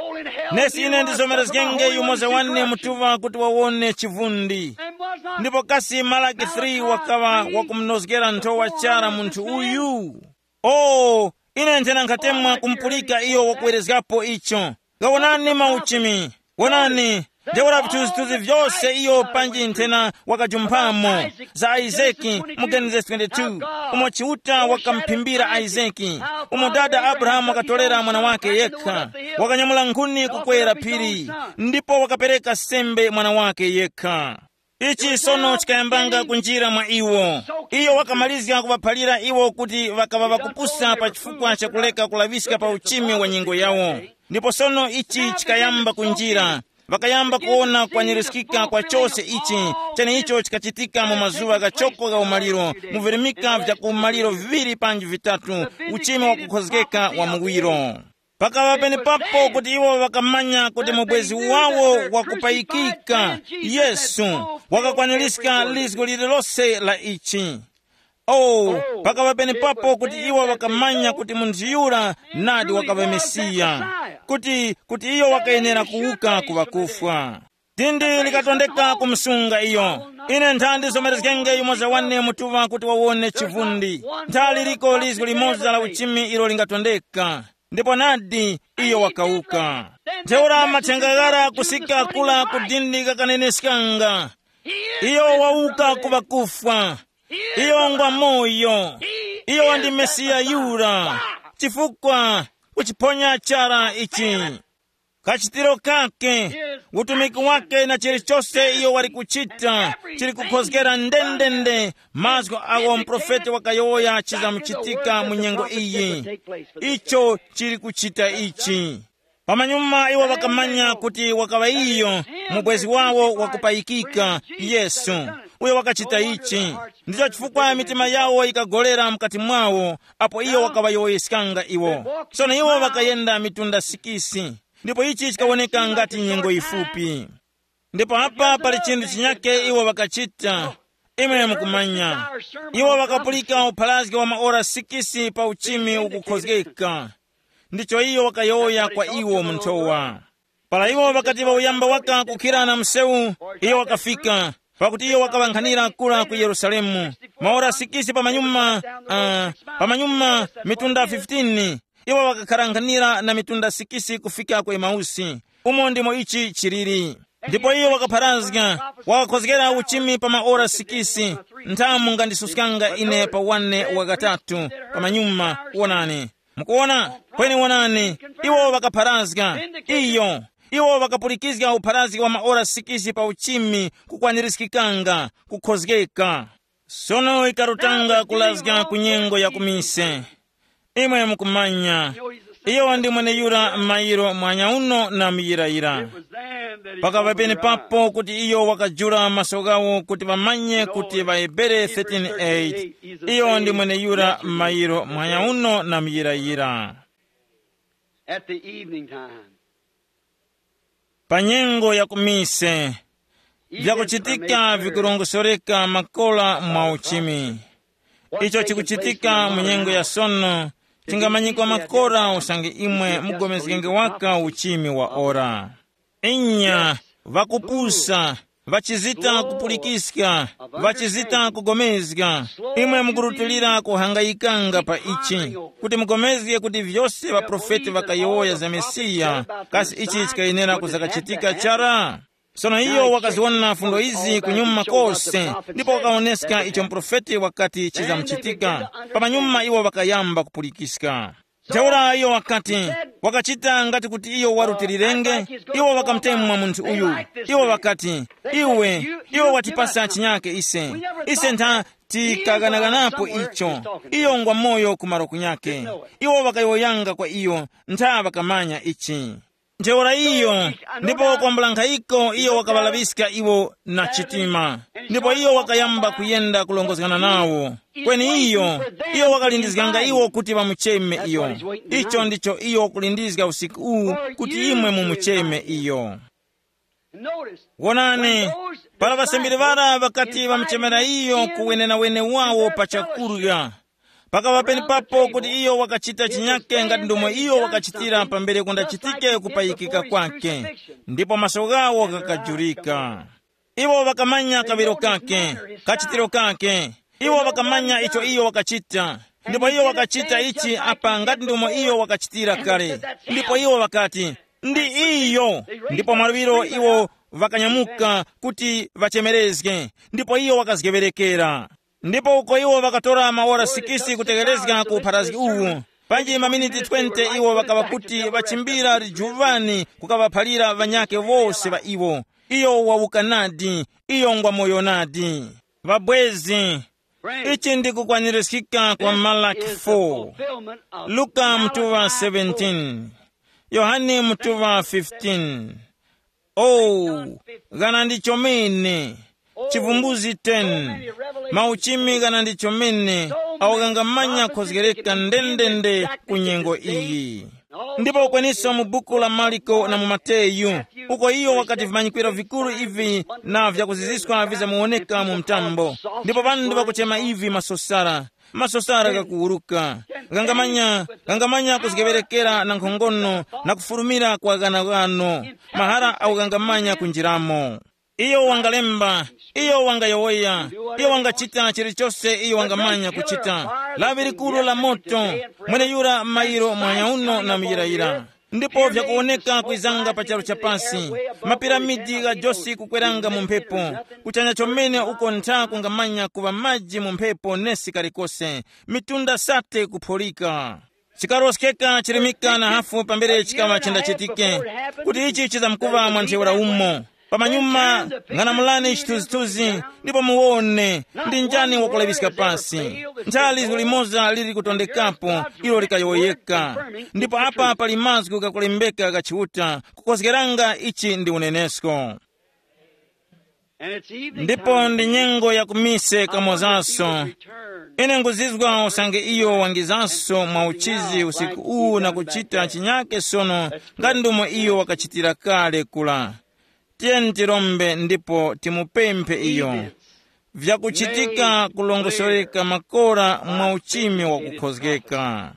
nesi ine ndizomerezgenge yumoza wane mutuŵa kuti wawone chivundi." Ndipo kasi Malaki three wakaŵa wakumunozgera nthowa chara munthu uyu? O, ine nthena nkhatemwa kumupulika iyo wakuwerezgapo icho. Gawonani mauchimi. Wonani, ntheura vithunzithunzi vyose iyo panji nthena wakajumphamo, za Isaki mu Genesis twenty-two, umo Chiuta wakamphimbira Isaki, umo dada Abrahamu wakatorera mwana wake yekha, wakanyamula nkhuni kukwera phiri, ndipo wakapereka sembe mwana wake yekha. Ichi sono chikayambanga kunjira mwa iwo. Iyo wakamalizga kuŵaphalira iwo kuti ŵakaŵa ŵakupusa pa chifukwa cha kuleka kulaŵiska pa uchimi wa nyengo yawo. Ndipo sono ichi chikayamba kunjira. Ŵakayamba kuwona kwaniriskika kwa chose ichi, cheneicho chikachitika mu mazuŵa ghachoko gha umaliro, mu virimika vya ku umaliro viŵiri panji vitatu, uchimi wakukhozgeka wa muwiro. Pakaŵa penepapo kuti iwo ŵakamanya kuti mubwezi wawo wakupayikika, Yesu, wakakwaniska lizgo lililose la ichi. Oh, pakaŵa penepapo kuti iwo ŵakamanya kuti munthu yura nadi wakaŵa Mesiya, kuti, kuti iyo wakayenera kuwuka ku ŵakufwa. Dindi likatondeka kumusunga iyo. Ine nthandi zomerezgenge yumoza wane mutuŵa kuti wawone chivundi. Nthali liko lizgo limoza la uchimi ilo lingatondeka. Ndipo nadi, iyo wakawuka. Ntheura mathenga ghara kusika kula ku dindi ghakaneneskanga. Iyo wawuka ku ŵakufwa. Iyo ngwa moyo. Iyo ndi Mesiya yura. Chifukwa kuchiphonya chara ichi. Kachitiro kake, utumiki wake na chilichose iyo wali kuchita, chili kukhozgera ndendende mazgu agho muprofeti wakayowoya chizamuchitika mu nyengo iyi. Icho chili kuchita ichi. Pamanyuma iwo ŵakamanya kuti wakaŵa iyo, mubwezi wawo wakupayikika, Yesu, uyo wakachita ichi. Ndicho chifukwa mitima yawo yikagolera mukati mwawo, apo iyo wakaŵayowoyeskanga iwo. Sono iwo ŵakayenda mitunda sikisi. Ndipo ichi chikawoneka ngati nyengo yifupi. Ndipo apa pali chinthu chinyake iwo ŵakachita. Imwe mukumanya, iwo wakapulika upharazgi wa maora sikisi pa uchimi ukukhozgeka. Ndicho iyo wakayowoya kwa iwo munthowa. Para iwo wakati ŵauyamba waka kukhira na msewu, iyo wakafika, pakuti iyo wakaŵankhanira kura ku Yerusalemu. Maora sikisi pamanyuma, uh, pamanyuma mitunda fifteen, iwo wakakharankhanira na mitunda sikisi kufika ku Emausi. Umo ndimo ichi chiliri. Ndipo iyo wakapharazga, wakakhozgera uchimi pa maora sikisi. Nthamu ngandisuskanga ine pa wane wakatatu pamanyuma. Wonani. Mukuwona? Kweni wonani, iwo ŵakapharazga. Iyo, iwo ŵakapulikizga upharazgi wa maora sikisi pa uchimi, kukwanirizgikanga, kukhozgeka. Sono ikarutanga kulazga ku nyengo ya kumise. Imwe mukumanya, iyo ndi mweneyura m'mayiro mwanyauno na muyirayira. Pakava penepapo kuti iyo wakajula maso ghawo kuti ŵamanye kuti ŵaHebere thirteen eight, iyo ndi mweneyura m'mayiro mwanyauno na muyirayira. At the evening time, pa nyengo ya kumise, vyakuchitika vikurongosoreka makola mwa uchimi. Icho chikuchitika mu nyengo ya sono chingamanyikwa makora usange imwe mugomezgenge waka uchimi wa ora. Inya, ŵakupusa, ŵachizita kupulikiska, ŵachizita kugomezga. Imwe mukurutilira kuhangayikanga pa ichi, kuti mugomezge kuti vyose ŵaprofeti ŵakayowoya za Mesiya, kasi ichi chikayenera kuzakachitika chara? Sono iyo wakaziwona fundo izi kunyuma kose, ndipo wakawoneska icho muprofeti wakati chizamuchitika. Pamanyuma iwo ŵakayamba kupulikiska. Ntheura iyo wakati, wakachita ngati kuti iyo warutilirenge. Iwo ŵakamutemwa munthu uyu. Iwo ŵakati, iwe, iwe watipasa chinyake ise. Ise ntha tikaghanaganapo icho. Iyo ngwa moyo ku malo kunyake. Iwo ŵakayowoyanga kwa iyo, ntha ŵakamanya ichi. Ntheura iyo, ndipo kwambula nkhayiko iyo wakaŵalaŵiska iwo na chitima. Ndipo iyo wakayamba kuyenda kulongozgana nawo. Kweni iyo, iyo wakalindizganga iwo kuti ŵamucheme iyo. Icho ndicho iyo wakulindizga usiku uwu, kuti imwe mumucheme iyo. Wonani, para ŵasambiri ŵara ŵakati ŵamuchemera iyo ku wenenawene wawo pa chakurya, pakaŵa penepapo kuti iyo wakachita chinyake ngati ndomwe iyo wakachitira pambere kundachitike kupayikika kwake, ndipo maso ghawo ghakajurika. Iwo ŵakamanya kaŵiro kake, kachitiro kake. Iwo ŵakamanya icho iyo wakachita. Ndipo iyo wakachita ichi apa ngati ndomwe iyo wakachitira kale. Ndipo iwo ŵakati, ndi iyo. Ndipo mwaluŵiro iwo ŵakanyamuka kuti ŵachemerezge. Ndipo iyo wakazgeŵerekera. Ndipo uko iwo ŵakatora maora sikisi kutegherezga ku upharazgi uwu, panji maminiti twenty iwo ŵakaŵa kuti ŵachimbira lijuŵani kukaŵaphalira ŵanyakhe wose ŵa iwo. Iyo wawuka nadi. Iyo ngwa moyo nadi. Ŵabwezi, ichi ndi kukwanirizgika kwa Malaki four, Luka mutuŵa seventeen, Yohane mutuŵa fifteen. Oh, ghana ndi chomene. Chivumbuzi ten. Mauchimi ghana ndi chomene, awo ghangamanya khozgereka ndendende ku nyengo iyi. Ndipo kweninso mu buku la Mariko na mu Mateyu, uko iyo wakati vimanyikwiro vikuru ivi na vyakuziziska vizamuwoneka mu mtambo. Ndipo ŵanthu ŵakuchema ivi masosara. Masosara ghakuwuruka. Ghangamanya, ghangamanya kuzgeŵerekera na nkhongono na kufurumira kwa ghanaghano. Mahara awo ghangamanya kunjiramo. Iyo wangalemba, iyo wangayowoya, iyo wangachita chilichose iyo wangamanya kuchita. Lawi likuru la moto, mweneyura mayiro mwanyauno na muyirayira. Ndipo vyakuwoneka kwizanga pa charu cha pasi, mapiramidi gha josi kukweranga mu mphepo, kuchanya chomene uko ntha kungamanya kuŵa maji mu mphepo nesi kalikose, mitunda sate kuphulika. Chikaroskeka chirimika na hafu pambere chikaŵa chendachitike, kuti ichi chizamkuŵa mwa ntheura umo. Pamanyuma, ng'anamulani chithunzithunzi, ndipo muwone ndi njani wakulaŵiska pasi. Ntha lizgu limoza lili kutondekapo, ilo likayowoyeka. Ndipo apa pali mazgu ghakulembeka gha Chiuta kukozgeranga ichi ndi unenesko. Ndipo ndi nyengo ya kumise kamozaso. Ine nguzizwa usange iyo wangizanso mwa uchizi usiku uwu na kuchita chinyake sono, ngati ndomwe iyo wakachitira kale kula. Tiyeni tirombe ndipo timupemphe iyo. Vyakuchitika kulongosoreka makora mwa uchimi wakukhozgeka.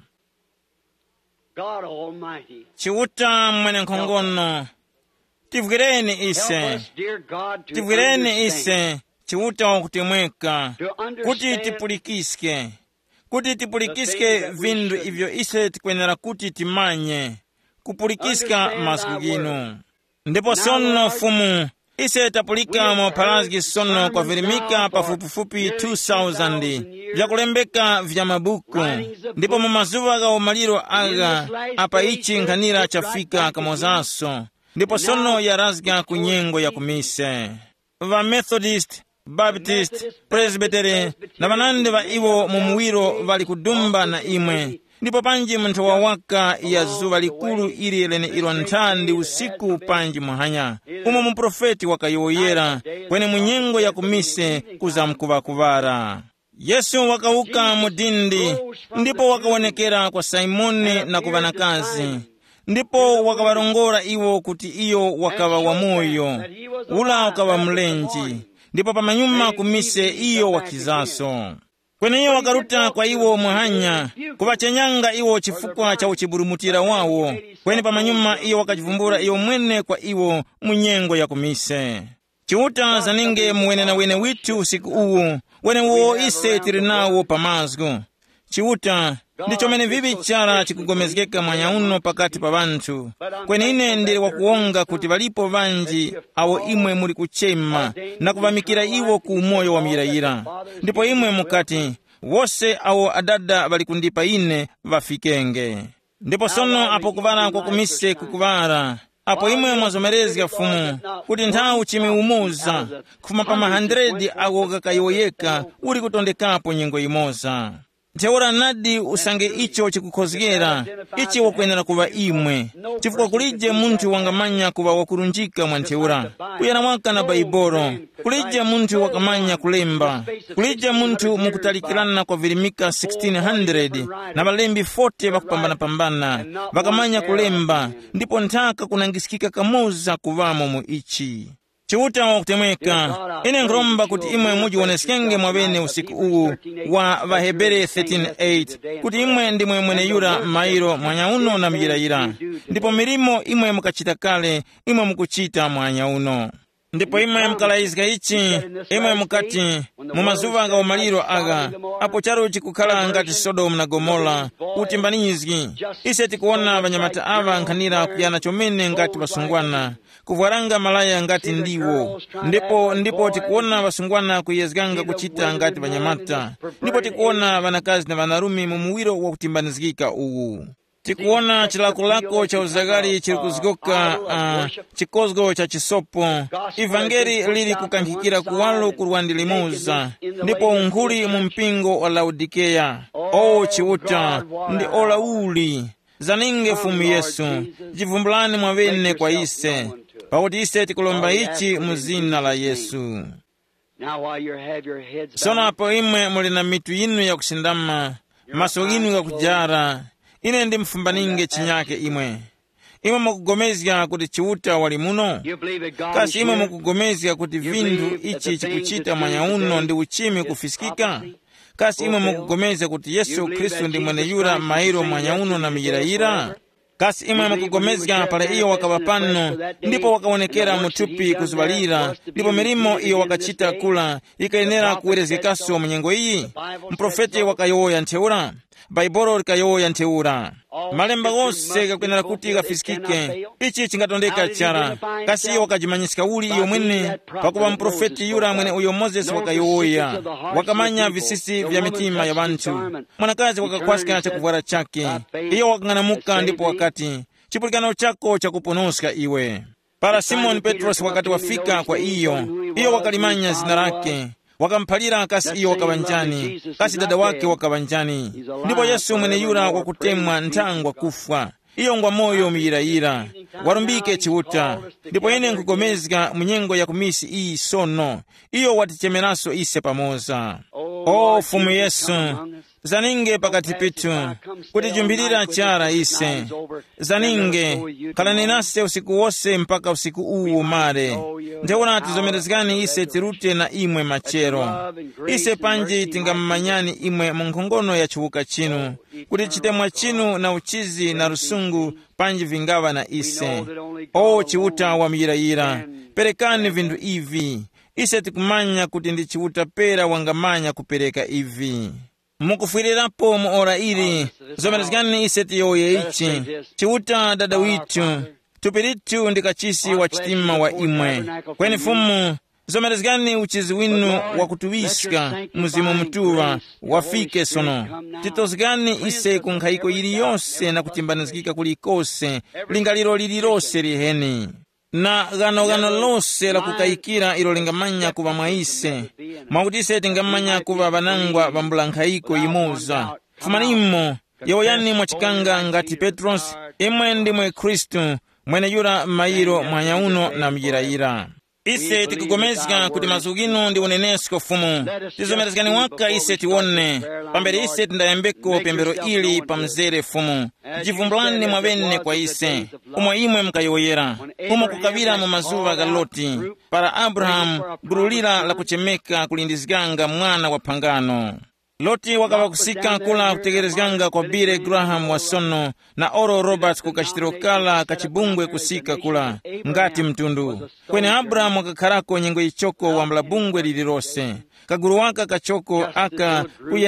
God Almighty. Chiuta mwenenkhongono, tivwireni ise. Help us, dear God, to tivwireni understand, ise, Chiuta wakutemweka, to understand kuti tipulikiske kuti tipulikiske vinthu ivyo ise tikwenera kuti timanye, kupulikiska mazgu ghinu. Ndipo sono Fumu, ise tapulika mu pharazgi sono kwavirimika pafupifupi two thousand vyakulembeka vya mabuku, ndipo mu mazuŵa gha umaliro agha, apa ichi nkhanira chafika kamozaso, ndipo sono yarazga ku nyengo ya kumise. Va Methodist, Baptist, Presbytery, na ŵanandi ŵa iwo mu muwiro ŵali kudumba na imwe. Ndipo panji mu nthawa waka ya zuŵa likuru ili leneilo nthandi usiku panji muhanya, umo muprofeti wakayowoyera, kweni mu nyengo ya kumise kuzamkuŵa kuŵara. Yesu wakawuka mu dindi, ndipo wakawonekera kwa Simoni na ku ŵanakazi, ndipo wakaŵarongora iwo kuti iyo wakaŵa wamoyo, ula ukaŵa mlenje, ndipo pamanyuma kumise iyo wakizaso. Kweni iyo wakaruta kwa iwo muhanya, kuŵachenyanga iwo chifukwa cha uchiburumutira wawo, kweni pamanyuma iyo wakachivumbula iyo mwene kwa iwo mu nyengo ya kumise. Chiuta zaninge muwenenawene withu usiku uwu, wenewo ise tili nawo pa mazgu. Chiuta, ndi chomene vivi chara chikugomezgeka mwanya uno pakati pa ŵanthu. Kweni ine ndili wakuwonga kuti ŵalipo ŵanji awo imwe muli kuchema na kuŵamikira iwo ku umoyo wa muyirayira. Ndipo imwe mukati, wose awo adada ŵali kundipa ine ŵafikenge. Ndipo sono apo kuŵala kwa kumise kukuŵala, apo imwe mwazomerezga Fumu, kuti nthawi chimi umoza, kufuma pa ma hundred agho ghakayowoyeka, uli kutondekapo nyengo yimoza. Ntheura nadi usange icho chikukhozgera, ichi wakwenera kuŵa imwe, chifukwa kulije munthu wangamanya kuŵa wakurunjika mwa ntheura, kuyana waka na Baibolo. Kulije munthu wakamanya kulemba. Kulije munthu mukutalikirana kwa virimika sixteen hundred na ŵalembi forty ŵakupambanapambana, ŵakamanya kulemba, ndipo nthaka kunangiskika kamoza kuŵamo mu ichi. Chiuta wakutemweka, ine nkhuromba kuti imwe mujiwoneskenge mwaŵene usiku uwu wa ŵaHebere thirteen eight, kuti imwe ndimwe mweneyura mairo mwanyauno na muyirayira, ndipo milimo imwe mukachita kale, imwe mukuchita mwanyauno. Ndipo imwe mukalayizga ichi, imwe mukati, mu mazuŵa gha umaliro agha, apo charu chikukhala ngati Sodomu na Gomora, utimbanizgi. Ise tikuwona ŵanyamata aŵa nkhanira kuyana chomene ngati ŵasungwana, kuvwaranga malaya ngati ndiwo. Ndipo ndipo tikuwona ŵasungwana kuyezganga kuchita ngati ŵanyamata. Ndipo tikuwona ŵanakazi na ŵanarume mu muwiro wakutimbanizgika uwu. Tikuwona chilakolako cha uzaghali chili kuzgoka, uh, chikozgo cha chisopo. Ivangeli lili kukankhikira kuwalo kurwa ndi limoza, ndipo unkhuli mu mpingo wa Laodikeya. O Chiuta, ndi ora uli. Zaninge Fumu Yesu, jivumbulani mwaŵene kwa ise, pakuti ise tikulomba ichi mu zina la Yesu. Now, while you have your heads sono bowed, apo imwe muli na mitu yinu yakusindama, maso ghinu ghakujara, ine ndimufumbaninge chinyake imwe. Imwe mukugomezga kuti Chiuta wali muno? You believe that God is kasi imwe here? Mukugomezga kuti vinthu ichi chikuchita mwanya uno ndi uchimi kufiskika? Kasi imwe mukugomezga kuti Yesu Khristu ndi mweneyura mairo mwanya uno na miyirayira? Kasi imwe mukugomezga pala iyo wakaŵa pano, ndipo wakawonekera mu thupi kuzuŵalira, ndipo milimo iyo wakachita kula yikayenera kuwerezgekaso mu nyengo iyi? Muprofeti wakayowoya ntheura. Bhaibuli likayowoya ntheura. Malemba ghose ghakwenera kuti ghafiskike. Ichi chingatondeka chara. Kasi iyo wakajimanyiska uli iyo mwene? Pakupa muprofeti yura mwene uyo Mozesi wakayowoya, wakamanya visisi vya mitima ya ŵanthu. Mwanakazi wakakhwaska chakuvwara chake. Iyo wakang'anamuka ndipo wakati, chipulikano chako chakuponoska iwe. Para Simoni Petrosi wakati wafika kwa iyo, iyo wakalimanya zina lake, wakamuphalira kasi iyo wakaŵa njani, kasi dada wake wakaŵa njani. Ndipo Yesu mweneyura wakutemwa nthangwa kufwa, iyo ngwa moyo muyirayira. Warumbike Chiuta. Ndipo ine nkugomezga mu nyengo ya kumisi iyi sono, iyo watichemeraso ise pamoza. O Fumu Yesu, zaninge pakati pithu, kutijumpirira chara ise. Zaninge, khalani nase usiku wose mpaka usiku uwu umare. Ntheura tizomerezgani ise tirute na imwe machero. Ise panji tingamumanyani imwe mu nkhongono ya chiwuka chinu, kuti chitemwa chinu na uchizi na lusungu panji vingaŵa na ise. O Chiuta wa muyirayira, perekani vinthu ivi. Ise tikumanya kuti ndi Chiuta pera wangamanya kupereka ivi. Mukufwirirapo mu ora ili, zomerezgani ise tiyowoye ichi. Chiuta Dada withu, thupi lithu ndi kachisi wa chitima wa imwe. Kweni Fumu, zomerezgani uchizi winu wakutuŵiska Mzimu Mutuŵa wafike sono. Titozgani ise ku nkhayiko yiliyose na kutimbanizgika kulikose, lingaliro lililose liheni. Na ghanoghano lose la kukayikira ilo lingamanya kuŵa mwa ise, mwakuti ise tingamanya kuŵa ŵanangwa ŵa mbula nkhayiko yimoza. Fumanimo, yowoyani mwachikanga ngati Petrosi, imwe ndimwe Khristu, mweneyura m'mayiro muhanya uno na muyirayira. Ise tikupulikana kuti mazgu ghinu ndi unenesko Fumu. Tizomerezgani waka ise tiwone, pambere ise tindayambeko pemphero ili pa mzere Fumu. Jivumbulani mwaŵene kwa ise, umo imwe mukayowoyera, umo kukaŵira mu mazuŵa gha Loti, para Abrahamu gulu lira lakuchemeka kulindizganga mwana wa phangano. Loti wakaŵa kusika kula kutegherezganga kwa Billy Graham wa sono na Oral Roberts ku kachitiro kara ka chibungwe kusika kula, ngati mtundu. Kweni Abrahamu wakakharako nyengo yichoko wambula bungwe lililose. Kagulu waka kachoko aka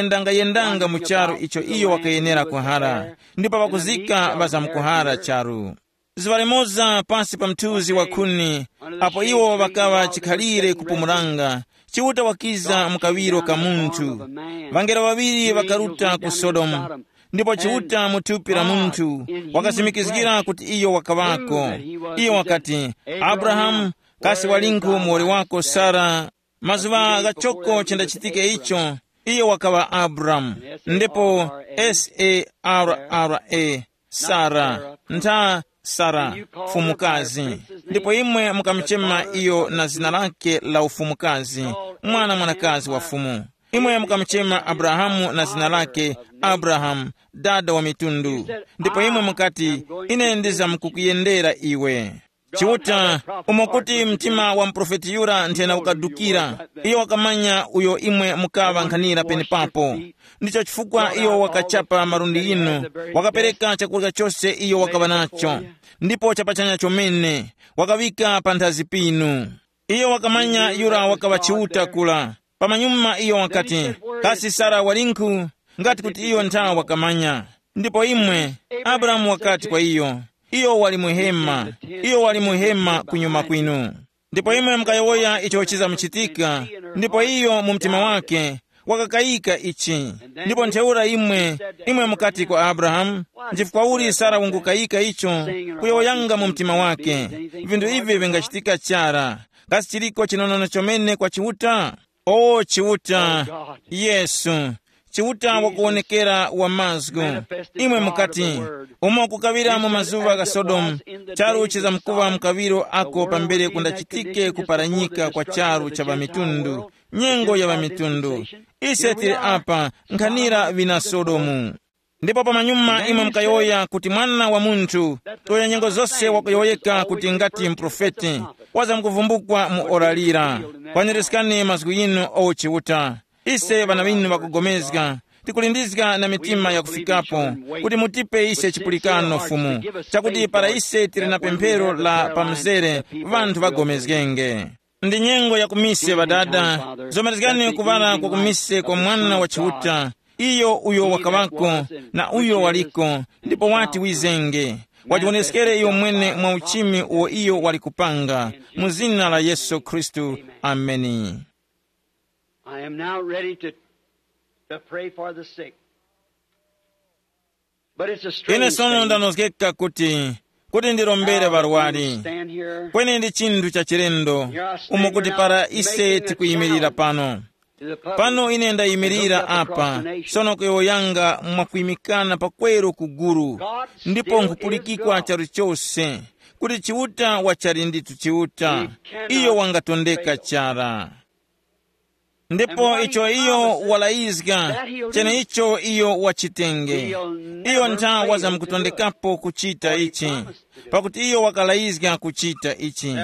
kuyendangayendanga mu charu icho iyo wakayenera kuhara, ndipo ŵakuzika ŵazamkuhara charu. Zuŵa limoza pasi pa mthunzi wa khuni, apo iwo ŵakaŵa chikhalire kupumulanga, Chiuta wakiza mu kaŵiro ka munthu. Ŵangelo ŵaŵiri ŵakaruta ku Sodomu, ndipo Chiuta mu thupi la munthu wakasimikizgira kuti iyo wakaŵako. Iyo wakati, Abrahamu, kasi walinkhu muwoli wako Sara? Mazuŵa ghachoko chendachitike icho, iyo wakaŵa Abramu, ndipo Sarah, Sara, ntha Sara, mfumukazi. Ndipo imwe mukamuchema iyo na zina lake la ufumukazi, mwana mwanakazi wa fumu. Imwe mukamuchema Abrahamu na zina lake Abrahamu, dada wa mitundu. Ndipo imwe mukati, ine ndizamkukuyendera iwe. Chiuta, umo kuti mtima wa muprofeti yura nthena ukadukira, iyo wakamanya uyo imwe mukaŵa nkhanira penepapo. Ndicho chifukwa iyo wakachapa malundi yinu, wakapereka chakurya chose iyo wakaŵa nacho, ndipo chapachanya chomene, wakaŵika panthazi pinu. Iyo wakamanya yura wakaŵa Chiuta kula. Pamanyuma iyo wakati, kasi Sara walinkhu? Ngati kuti iyo nthawa wakamanya. Ndipo imwe, Abrahamu wakati kwa iyo, iyo wali muhema, iyo wali muhema kunyuma kwinu. Ndipo imwe mukayowoya icho chizamuchitika, ndipo iyo mu mtima wake wakakayika ichi. Ndipo ntheura imwe, imwe mukati kwa Abrahamu, nchifukwa uli Sara wungukayika icho, kuyowoyanga mu mtima wake, vinthu ivi vingachitika chara, kasi chiliko chinonono chomene kwa Chiuta? O Chiuta, Yesu, Chiuta wakuwonekera wa mazgu. Imwe mukati, umo kukaŵira mu mazuŵa gha Sodomu, charu chizamkuŵa mkaŵiro ako pambere kundachitike kuparanyika kwa charu cha ŵamitundu, nyengo ya ŵamitundu. Ise tili apa, nkhanira ŵina Sodomu. Ndipo pamanyuma imwe mukayowoya kuti Mwana wa Munthu, uyo nyengo zose wakuyowoyeka kuti ngati muprofeti, wazamkuvumbukwa mu ora lira. Kwaniriskani mazgu yinu o Chiuta. Ise ŵana ŵinu ŵakugomezga, tikulindizga na mitima yakufikapo, kuti mutipe ise chipulikano Fumu, chakuti para ise tili na pemphero la pamzere, ŵanthu ŵagomezgenge. Ndi nyengo ya kumise ŵadada, zomerezgani kuŵala kwa kumise kwa Mwana wa Chiuta, iyo uyo wakaŵako, na uyo waliko, ndipo wati wizenge, wajiwoneskere iyo mwene mwa uchimi uwo iyo wali kupanga, mu zina la Yesu Khristu. Ameni. I am now ready to, to pray for the sick. But it's a strange Ine sono thing. Ndanozgeka kuti, kuti ndirombere How that we ŵarwari. Stand here. Kweni ndi chinthu cha chilendo, umo kuti para ise tikuyimirira pano. Pano ine ndayimirira apa, sono kuyowoyanga mwakuyimikana pakweru kuguru, ndipo nkhupulikikwa charu chose, kuti Chiuta wachali ndithu Chiuta, iyo wangatondeka chara. Ndipo icho iyo walayizga, cheneicho iyo wachitenge. Iyo ntha wazamkutondekapo kuchita ichi, pakuti iyo wakalayizga kuchita ichi.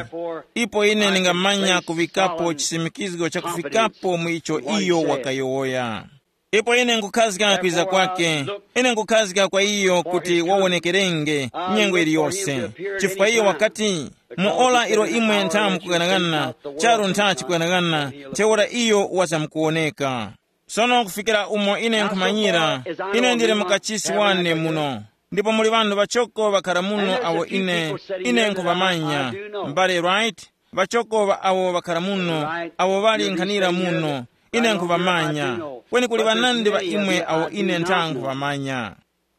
Ipo ine ndingamanya kuŵikapo chisimikizgo chakufikapo mu icho iyo wakayowoya. Ipo ine nkukhazga kwiza kwake, ine nkukhazga kwa iyo kuti wawonekerenge nyengo iliyose. Chifukwa iyo wakati, mu ora ilo imwe ntha mukughanagana, charu ntha chikughanagana, ntheura iyo wazamkuwoneka. Sono kufikira umo ine nkhumanyira, ine ndili mukachisi wane muno. Ndipo muli ŵanthu ŵachoko ŵakhara muno awo ine, ine nkhuŵamanya. M'bale Wright, ŵachoko ŵa awo ŵakhara muno, awo ŵali nkhanira muno, ine nkhuŵamanya. Kweni kuli ŵanandi ŵa imwe awo ine ntha nkhuŵamanya.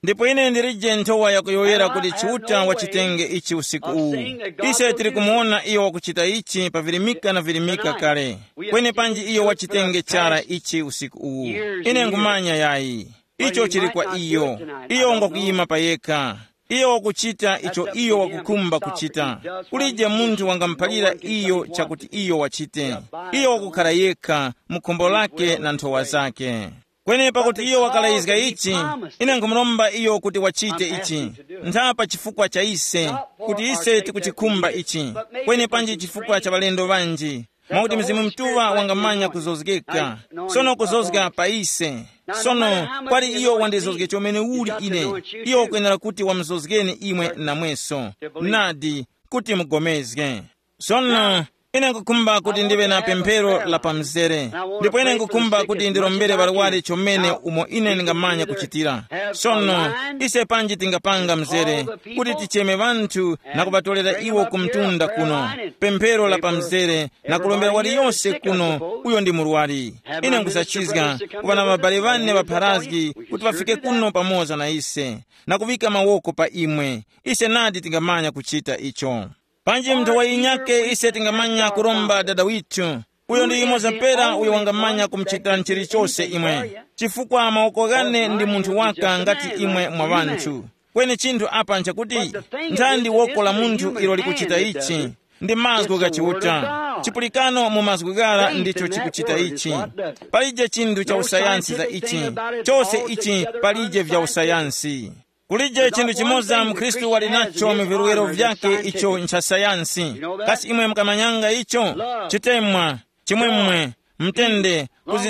Ndipo ine ndilije nthowa yakuyowoyera kuti Chiuta wachitenge ichi usiku uwu. Ise tili kumuwona iyo wakuchita ichi pa virimika na virimika kale. Kweni panji iyo wachitenge chara ichi usiku uwu, ine nkhumanya yayi. Icho chili kwa iyo. Iyo ngwakuyima pa yekha. Iyo wakuchita icho iyo wakukhumba kuchita. Kulije munthu wangamuphalira iyo chakuti iyo wachite. Iyo wakukhara yekha mu khumbo lake na nthowa zake. Kweni pakuti iyo wakalayizga ichi, ine nkhumuromba iyo kuti wachite ichi. Ntha pa chifukwa cha ise, kuti ise tikuchikhumba ichi. Kweni panji chifukwa cha ŵalendo ŵanji, mwakuti Mzimu Mutuŵa wangamanya kuzozgeka. Sono kuzozga pa ise. Sono, kwali iyo wandizozge chomene uli ine, iyo wakwenera kuti wamuzozgeni imwe namweso. Nadi, kuti mugomezge. Sono, ine nkukhumba kuti ndive na pemphero la pamzere. Ndipo ine nkukhumba kuti ndirombere ŵarwari chomene umo ine ndingamanya kuchitira. Sono, ise panji tingapanga mzere kuti ticheme ŵanthu na kuŵatorera iwo ku mtunda kuno, pemphero la pamzere, na kulombera waliyose kuno uyo ndi murwari. Ine nkusachizga kuŵa na ŵabale ŵane ŵapharazgi kuti ŵafike kuno pamoza na ise, na kuŵika mawoko pa imwe. Ise nadi tingamanya kuchita icho. Panji munthu wa yinyake ise tingamanya kuromba Dada withu. Uyo ndi yumoza pera uyo wangamanya kumuchitira chilichose imwe. Chifukwa mawoko ghane ndi munthu waka ngati imwe mwa ŵanthu. Kweni chinthu apa nchakuti, nthandi woko la munthu ilo likuchita ichi, ndi mazgu gha Chiuta. Chipulikano mu mazgu ghara ndicho chikuchita ichi. Palije chinthu cha usayansi za ichi. Chose ichi palije vya usayansi. Kulije chinthu chimoza mukhristu wali nacho mu vilwero vyake icho ncha sayansi. Kasi imwe mukamanyanga icho? Chitemwa, chimwemwe, mtende,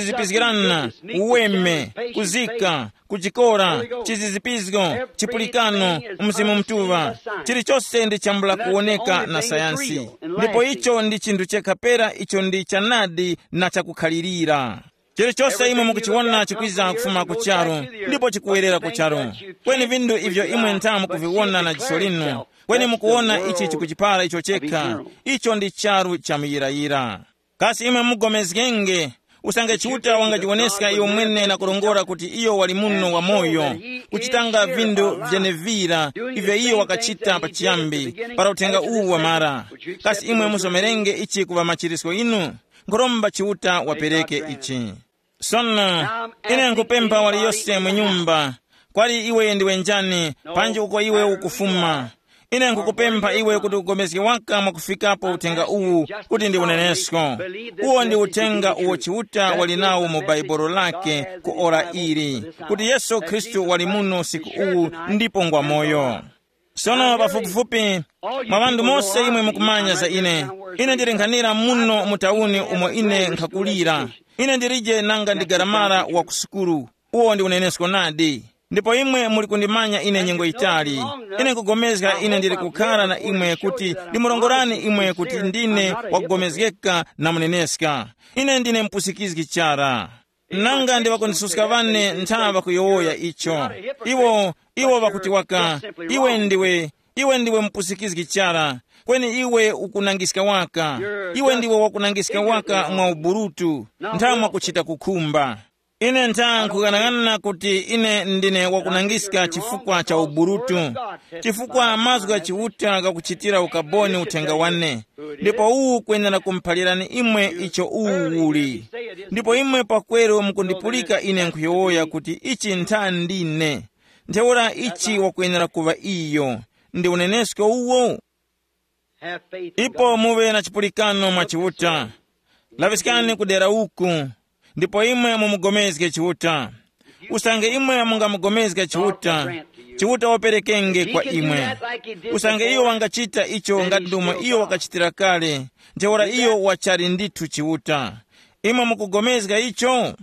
kuzizipizgirana, uweme, kuzika, kujikora, chizizipizgo, chipulikano, Mzimu Mutuŵa. Chilichose ndi chambula kuwoneka na sayansi. Ndipo icho ndi chinthu chekha pera icho ndi chanadi na chakukhalirira. Chilichose imwe mukuchiwona chikwiza kufuma ku charu, ndipo chikuwerera ku charu. Kweni vindu ivyo imwe ntha mukuviwona na jiso linu, kweni mukuwona ichi chikuchipara icho chekha, icho ndi charu cha muyirayira. Kasi imwe mugomezgenge, usange Chiuta wangajiwoneska iyo mwene na kurongora kuti iyo wali muno wamoyo, kuchitanga vindu vyenevira ivyo iyo wakachita pachiyambi, para uthenga uwu wamara? Kasi imwe musomerenge ichi kuŵa machirisko inu? Nkhuromba Chiuta wapereke ichi. Sono, ine nkupempha waliyose mu nyumba, kwali iwe ndiwe njani, panji uko iwe ukufuma. Ine nkukupempha iwe kuti ugomezge waka mwakufikapo uthenga uwu, kuti ndi unenesko. Uwo ndi uthenga uwo Chiuta wali nawo mu Bhaibuli lake ku ora ili, kuti Yesu Khristu wali muno usiku uwu ndipo ngwa moyo. Sono pafupifupi, mwa ŵanthu mose imwe mukumanya za ine. Ine ndili nkhanira muno mu tauni umo ine nkhakulira. Ine ndilije nanga ndi garamara wa ku sukulu. Uwo ndi unenesko nadi. Ndipo imwe muli kundimanya ine nyengo yitali. Ine nkugomezga ine ndili kukhara na imwe kuti ndimurongorani imwe kuti ndine wakugomezgeka na muneneska. Ine ndine mpusikizgi chara. Nanga ndi ŵakundisuska ŵane ntha ŵakuyowoya icho. Iwo, iwo ŵakuti waka, iwe ndiwe, iwe ndiwe mupusikizgi chara, kweni iwe ukunangiska waka. Iwe ndiwe wakunangiska waka mwa uburutu, ntha mwakuchita kukhumba. Ine ntha nkughanaghanana kuti ine ndine wakunangiska chifukwa cha uburutu, chifukwa mazgu gha Chiuta ghakuchitira ukaboni uthenga wane. Ndipo uwu kwenera kumuphalirani imwe icho uwu uli. Ndipo imwe pakweru mukundipulika ine nkhuyowoya kuti ichi ntha ndine. Ntheura ichi wakwenera kuŵa iyo. Ndi unenesko uwo? Ipo muŵe na chipulikano mwa Chiuta. Laŵiskani kudera uku. Ndipo imwe mumugomezge Chiuta. Usange imwe mungamugomezga Chiuta, Chiuta waperekenge kwa imwe. Usange iyo wangachita icho ngati ndomwe iyo wakachitira kale, ntheura iyo wachali ndithu Chiuta. Imwe mukugomezga icho?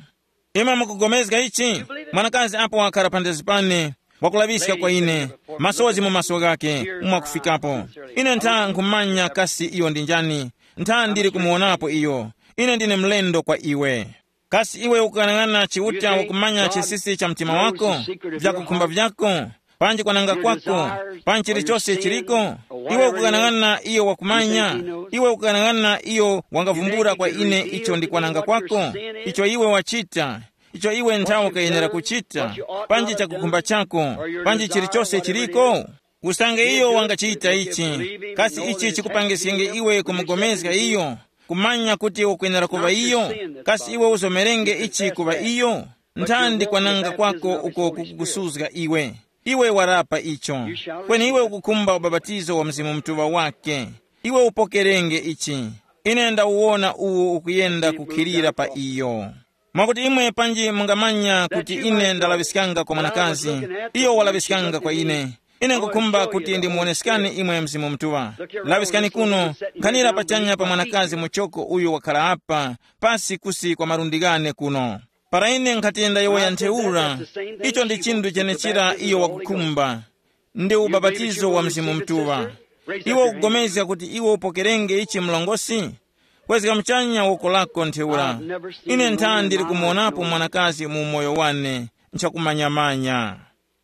Imwe mukugomezga ichi? Mwanakazi apo wakhala phandazi pane, wakulaŵiska kwa ine, masozi mu maso ghake, mwakufikapo. Ine ntha nkhumanya kasi iyo ndi njani, ntha ndili kumuwonapo iyo. Ine ndine mlendo kwa iwe. Kasi iwe ukuyang'ana Chiuta wakumanya chisisi cha mtima wako, vyakukhumba vyako, panji kwananga kwako, panji chilichose chiliko? Iwe ukuyang'ana iyo wakumanya, iwe ukuyang'ana iyo wangavumbula kwa ine icho ndi kwananga kwako, icho iwe wachita, icho iwe nthawe ukayenera kuchita, panji chakukhumba chako, panji chilichose chiliko? Usange iyo wangachita ichi, kasi ichi chikupangiskenge iwe kumugomezga iyo, kumanya kuti ukwenera kuŵa iyo? Kasi iwe uzomerenge ichi kuŵa iyo? Nthandi kwananga kwako uko kukukusuzga iwe. Iwe warapa icho. Kweni iwe ukukhumba ubapatizo wa Mzimu Mutuŵa wake. Iwe upokerenge ichi. Ine ndawuwona uwo ukuyenda kukhilira pa iyo. Mwakuti imwe panji mungamanya kuti ine ndalaŵiskanga kwa mwanakazi, iyo walaŵiskanga kwa ine. Ine nkukhumba kuti ndimuwoneskani imwe Mzimu Mutuŵa. Laŵiskani kuno, nkhanira pachanya pa mwanakazi muchoko uyu wakhala apa, pasi kusi kwa malundi ghane kuno. Para ine nkhati ndayowoya ntheura, icho ndi chinthu chenechira iyo wakukhumba. Ndi ubapatizo wa Mzimu Mutuŵa. Iwe ukupulikana kuti iwe upokerenge ichi mlongosi? Kwezga muchanya woko lako ntheura. Ine ntha ndili kumuwonapo mwanakazi mu umoyo wane, nchakumanyamanya.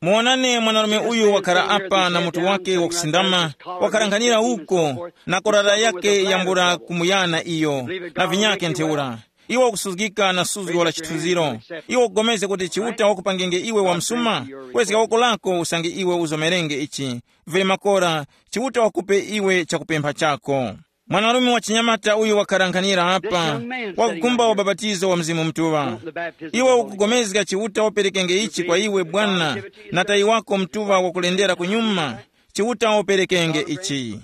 Muwonani mwanarume uyu wakhala apa na mutu wake wakusindama, wakhala nkhanira uko, na korara yake yambula kumuyana iyo, na vinyake ntheura. Iwe ukusuzgika na suzgo la chithunziro. Iwe ukugomezga kuti Chiuta wakupangenge iwe wamsuma? Kwezga woko lako usange iwe uzomerenge ichi. Vili makora, Chiuta wakupe iwe chakupempha chako. Mwanarume wa chinyamata uyu wakhala nkhanira apa, wakukhumba ubapatizo wa Mzimu Mutuŵa. Iwe ukugomezga Chiuta waperekenge ichi kwa iwe bwana, na tayi wako Mutuŵa wakulendera kunyuma, Chiuta waperekenge ichi.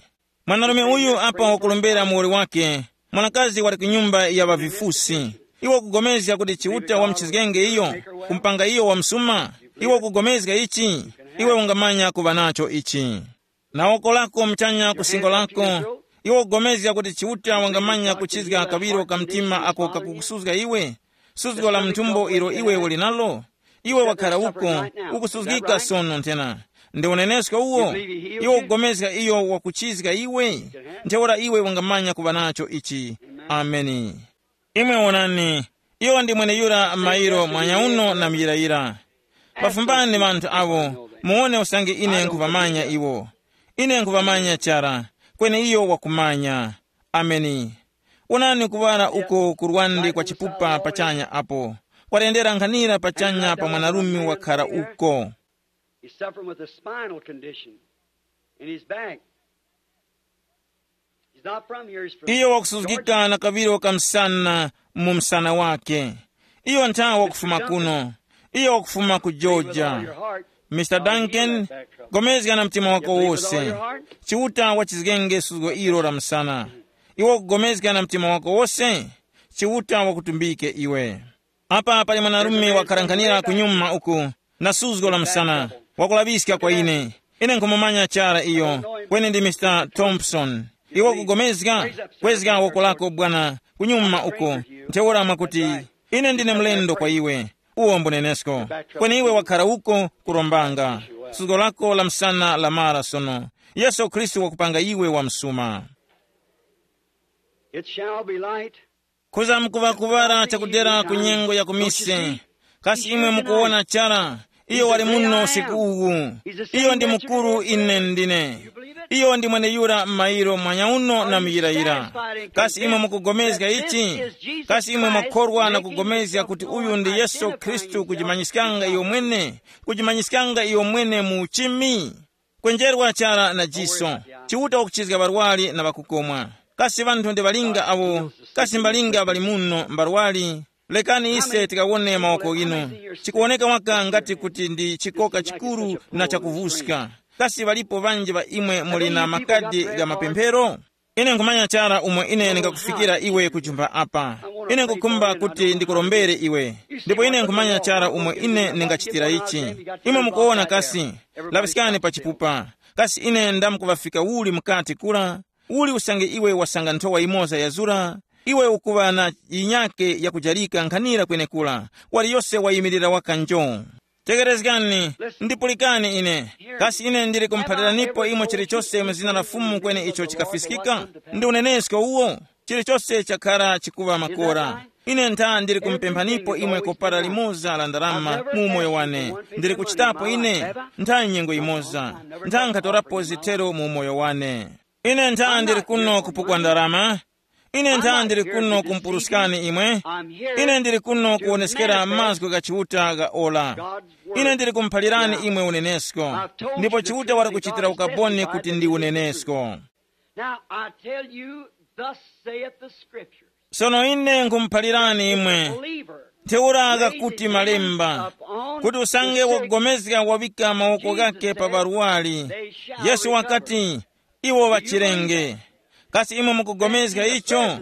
Mwanarume uyu apa wakulombera muwoli wake, mwanakazi wali ku nyumba ya ŵavifusi. Iwe ukugomezga kuti Chiuta wamchizgenge iyo, kumpanga iyo wamsuma? Iwe ukugomezga ichi? Iwe ungamanya kuŵa nacho ichi. Na woko lako muchanya ku singo lako, iwe ukugomezga kuti Chiuta wangamanya kuchizga kaŵiro ka mtima ako kakukusuzga iwe? Suzgo la mthumbo ilo iwe uli nalo? Iwe wakhala uko, ukusuzgika sono nthena. Ndi unenesko uwo? Iwe ukugomezga iyo wakuchizga iwe? Ntheura iwe wangamanya kuŵa nacho ichi. Ameni. Imwe wonani, iyo ndi mweneyura mairo mwanyauno na muyirayira. Pafumbani ŵanthu awo, muwone usange ine nkhuŵamanya iwo. Ine nkhuŵamanya chara, kweni iyo wakumanya. Ameni. Wonani kuŵala uko ku lwande kwa chipupa pachanya apo. Kwalendera nkhanira pachanya pa mwanarume wakhala uko. He's suffering with a spinal condition in his back. He's not from here, he's from iyo wakusuzgika na kaŵiro ka msana mu msana wake. Iyo ntha wakufuma kuno. Iyo wakufuma ku Georgia. Mr Duncan, gomezga na mtima wako wose. Chiuta wachizgenge suzgo ilo la msana. Iwe ukugomezga na mtima wako wose? Chiuta wakutumbike iwe. Apa pali mwanarume wakharanganira kunyuma uku, na suzgo la msana, wakulaŵiska kwa ine. Ine nkhumumanya chara iyo, kweni ndi Mr Thompson. Iwe ukugomezga? Kwezga woko lako bwana, kunyuma uko. Ntheura mwakuti, ine ndine mlendo kwa iwe. Uwo mbunenesko. Kweni iwe wakhara uko kurombanga. Suzgo lako la msana lamara sono. Yesu Khristu wakupanga iwe wamsuma. It shall be light. Kuza mukuŵa kuŵala chakudera ku nyengo ya kumise. Kasi imwe mukuwona chara? Iyo wali muno usiku uwu. Iyo ndi mukuru ine ndine. Iyo ndi mweneyura m'mayiro mwanyauno na muyirayira. Kasi imwe mukugomezga ichi? Kasi imwe mwakhorwa na kugomezga kuti uyu ndi Yesu Khristu kujimanyiskanga iyo mwene, kujimanyiskanga iyo mwene mu uchimi? Kwenjerwa chara na jiso. Chiuta wakuchizga ŵarwari na ŵakukomwa. Kasi ŵanthu ndi ŵalinga awo, kasi mbalinga ŵali muno mbarwari? Lekani ise tikawone mawoko ghinu. Chikuwoneka waka ngati kuti ndi chikoka chikuru na chakuvuska. Kasi ŵalipo ŵanji ŵa imwe muli na makadi gha mapemphero? Ine nkhumanya chara umo ine ndingakufikira iwe kuchumba apa. Ine nkukhumba kuti ndikurombere iwe, ndipo ine nkhumanya chara umo ine ndingachitira ichi. Imwe mukuwona kasi? Laŵiskani pa chipupa. Kasi ine ndamkuŵafika uli mukati kura? Uli usange iwe wasanga nthowa yimoza yazura, iwe ukuŵa na yinyake yakujarika nkhanira kwenekura, wali yose wayimirira waka njo. Tekerezgani, ndipulikani ine. Kasi ine ndili kumuphaliranipo imwe chilichose mu zina la Fumu kweni icho chikafiskika? Ndi unenesko uwo? Chilichose chakhara chikuŵa makora. Ine ntha ndili kumupemphanipo imwe kopara limoza la ndarama mu umoyo wane. Ndili kuchitapo ine ntha nyengo yimoza. Ntha nkhatorapo zithero mu umoyo wane. Ine ntha ndili kuno kupukwa ndarama. Ine ntha ndili kuno kumpuruskani imwe. Ine ndili kuno kuwoneskera mazgu gha Chiuta gha ora. Ine ndili kumuphalirani imwe unenesko. Ndipo Chiuta wali kuchitira ukaboni kuti ndi unenesko. Now I tell you, thus saith the Scripture. Sono ine nkhumuphalirani imwe. Believer, ntheura ghakuti malemba, kuti usange wakugomezga wawika mawoko ghake pa ŵarwari. Yesu wakati, iwo ŵachirenge. Kasi imwe mukugomezga icho?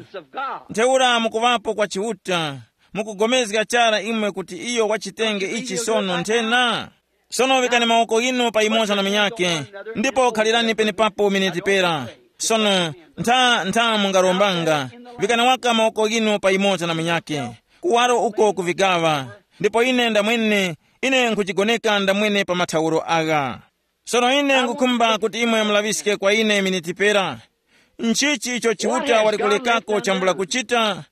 Ntheura mukuŵapo kwa Chiuta, mukugomezga chara imwe kuti iyo wachitenge ichi sono nthena? Sono vikani mawoko ghinu pa yumoza na munyakhe, ndipo khalirani penepapo miniti pera. Sono ntha ntha mungarombanga, vikani waka mawoko ghinu pa yumoza na munyakhe, kuwaro uko kuvigaŵa. Ndipo ine ndamwene, ine nkhujigoneka ndamwene pa mathauro agha. Sono ine nkhukhumba kuti imwe mulaŵiske kwa ine miniti pera. Nchichi icho Chiuta wali kulekako chambula kuchita?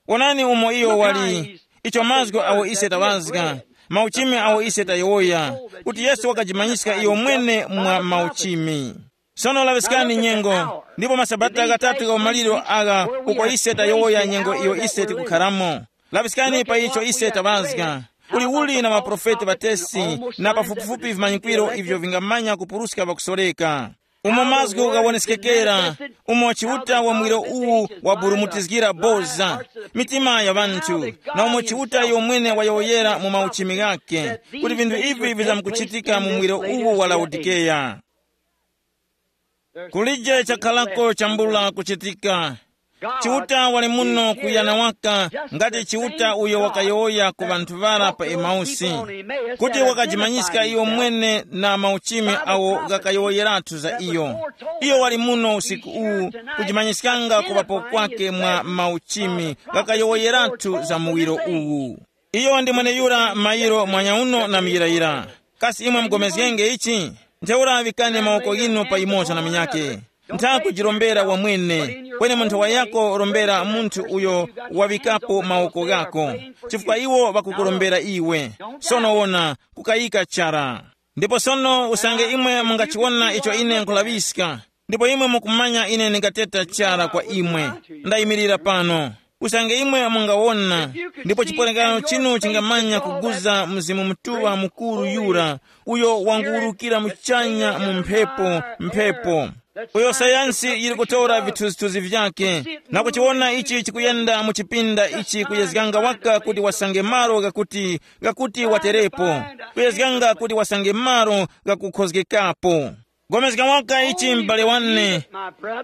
Wonani umo iyo wali, icho mazgu awo ise taŵazga, mauchimi awo ise tayowoya, kuti Yesu wakajimanyiska iyo mwene mwa mauchimi. Sono laŵiskani nyengo, ndipo masabata ghatatu gha umaliro agha uko ise tayowoya nyengo iyo ise tikukharamo. Laŵiskani pa icho ise taŵazga. Kuli uli na maprofeti ŵatesi na pafupifupi vimanyikwiro ivyo vingamanya kupuruska ŵakusoreka. Umo mazgu ghawoneskekera, umo Chiuta wa mwiro uwu waburumutizgira boza mitima ya ŵanthu, na umo Chiuta yomwene wayowoyera mu mauchimi ghakhe, kuti vinthu ivi vizamkuchitika mu mwiro uwu wa Laodikeya. Kulije chakharako chambula kuchitika. Chiuta wali muno kuyana waka, ngati Chiuta uyo wakayowoya ku ŵanthu ŵara pa Emausi, kuti wakajimanyiska iyo mwene na mauchimi awo ghakayowoyeratu za iyo. Iyo wali muno usiku uwu, kujimanyiskanga kuŵapo kwake mwa mauchimi ghakayowoyeratu za muwiro uwu. Iyo ndi mweneyura mayiro mwanyauno na muyirayira. Kasi imwe mugomezgenge ichi? Ntheura ŵikani mawoko ghinu pa yumoza na munyakhe. Ntha kujirombera wamwene, kweni munthu wayako rombera munthu uyo waŵikapo mawoko ghako, chifukwa iwo ŵakukurombera iwe. Sono wona, kukayika chara. Ndipo sono usange imwe mungachiwona icho ine nkhulaŵiska, ndipo imwe mukumanya ine ndingateta chara kwa imwe. Ndayimirira pano. Usange imwe mungawona, ndipo chiporekano chinu chingamanya kuguza Mzimu Mutuŵa mukuru yura, uyo wanguwurukira muchanya mu mphepo, mphepo. Uyo sayansi yiri kutora vithunzithunzi vyake, na kuchiwona ichi chikuyenda mu chipinda ichi kuyezganga waka kuti wasange malo ghakuti, ghakuti waterepo, kuyezganga kuti wasange malo ghakukhozgekapo. Gomezga waka ichi m'bale wane.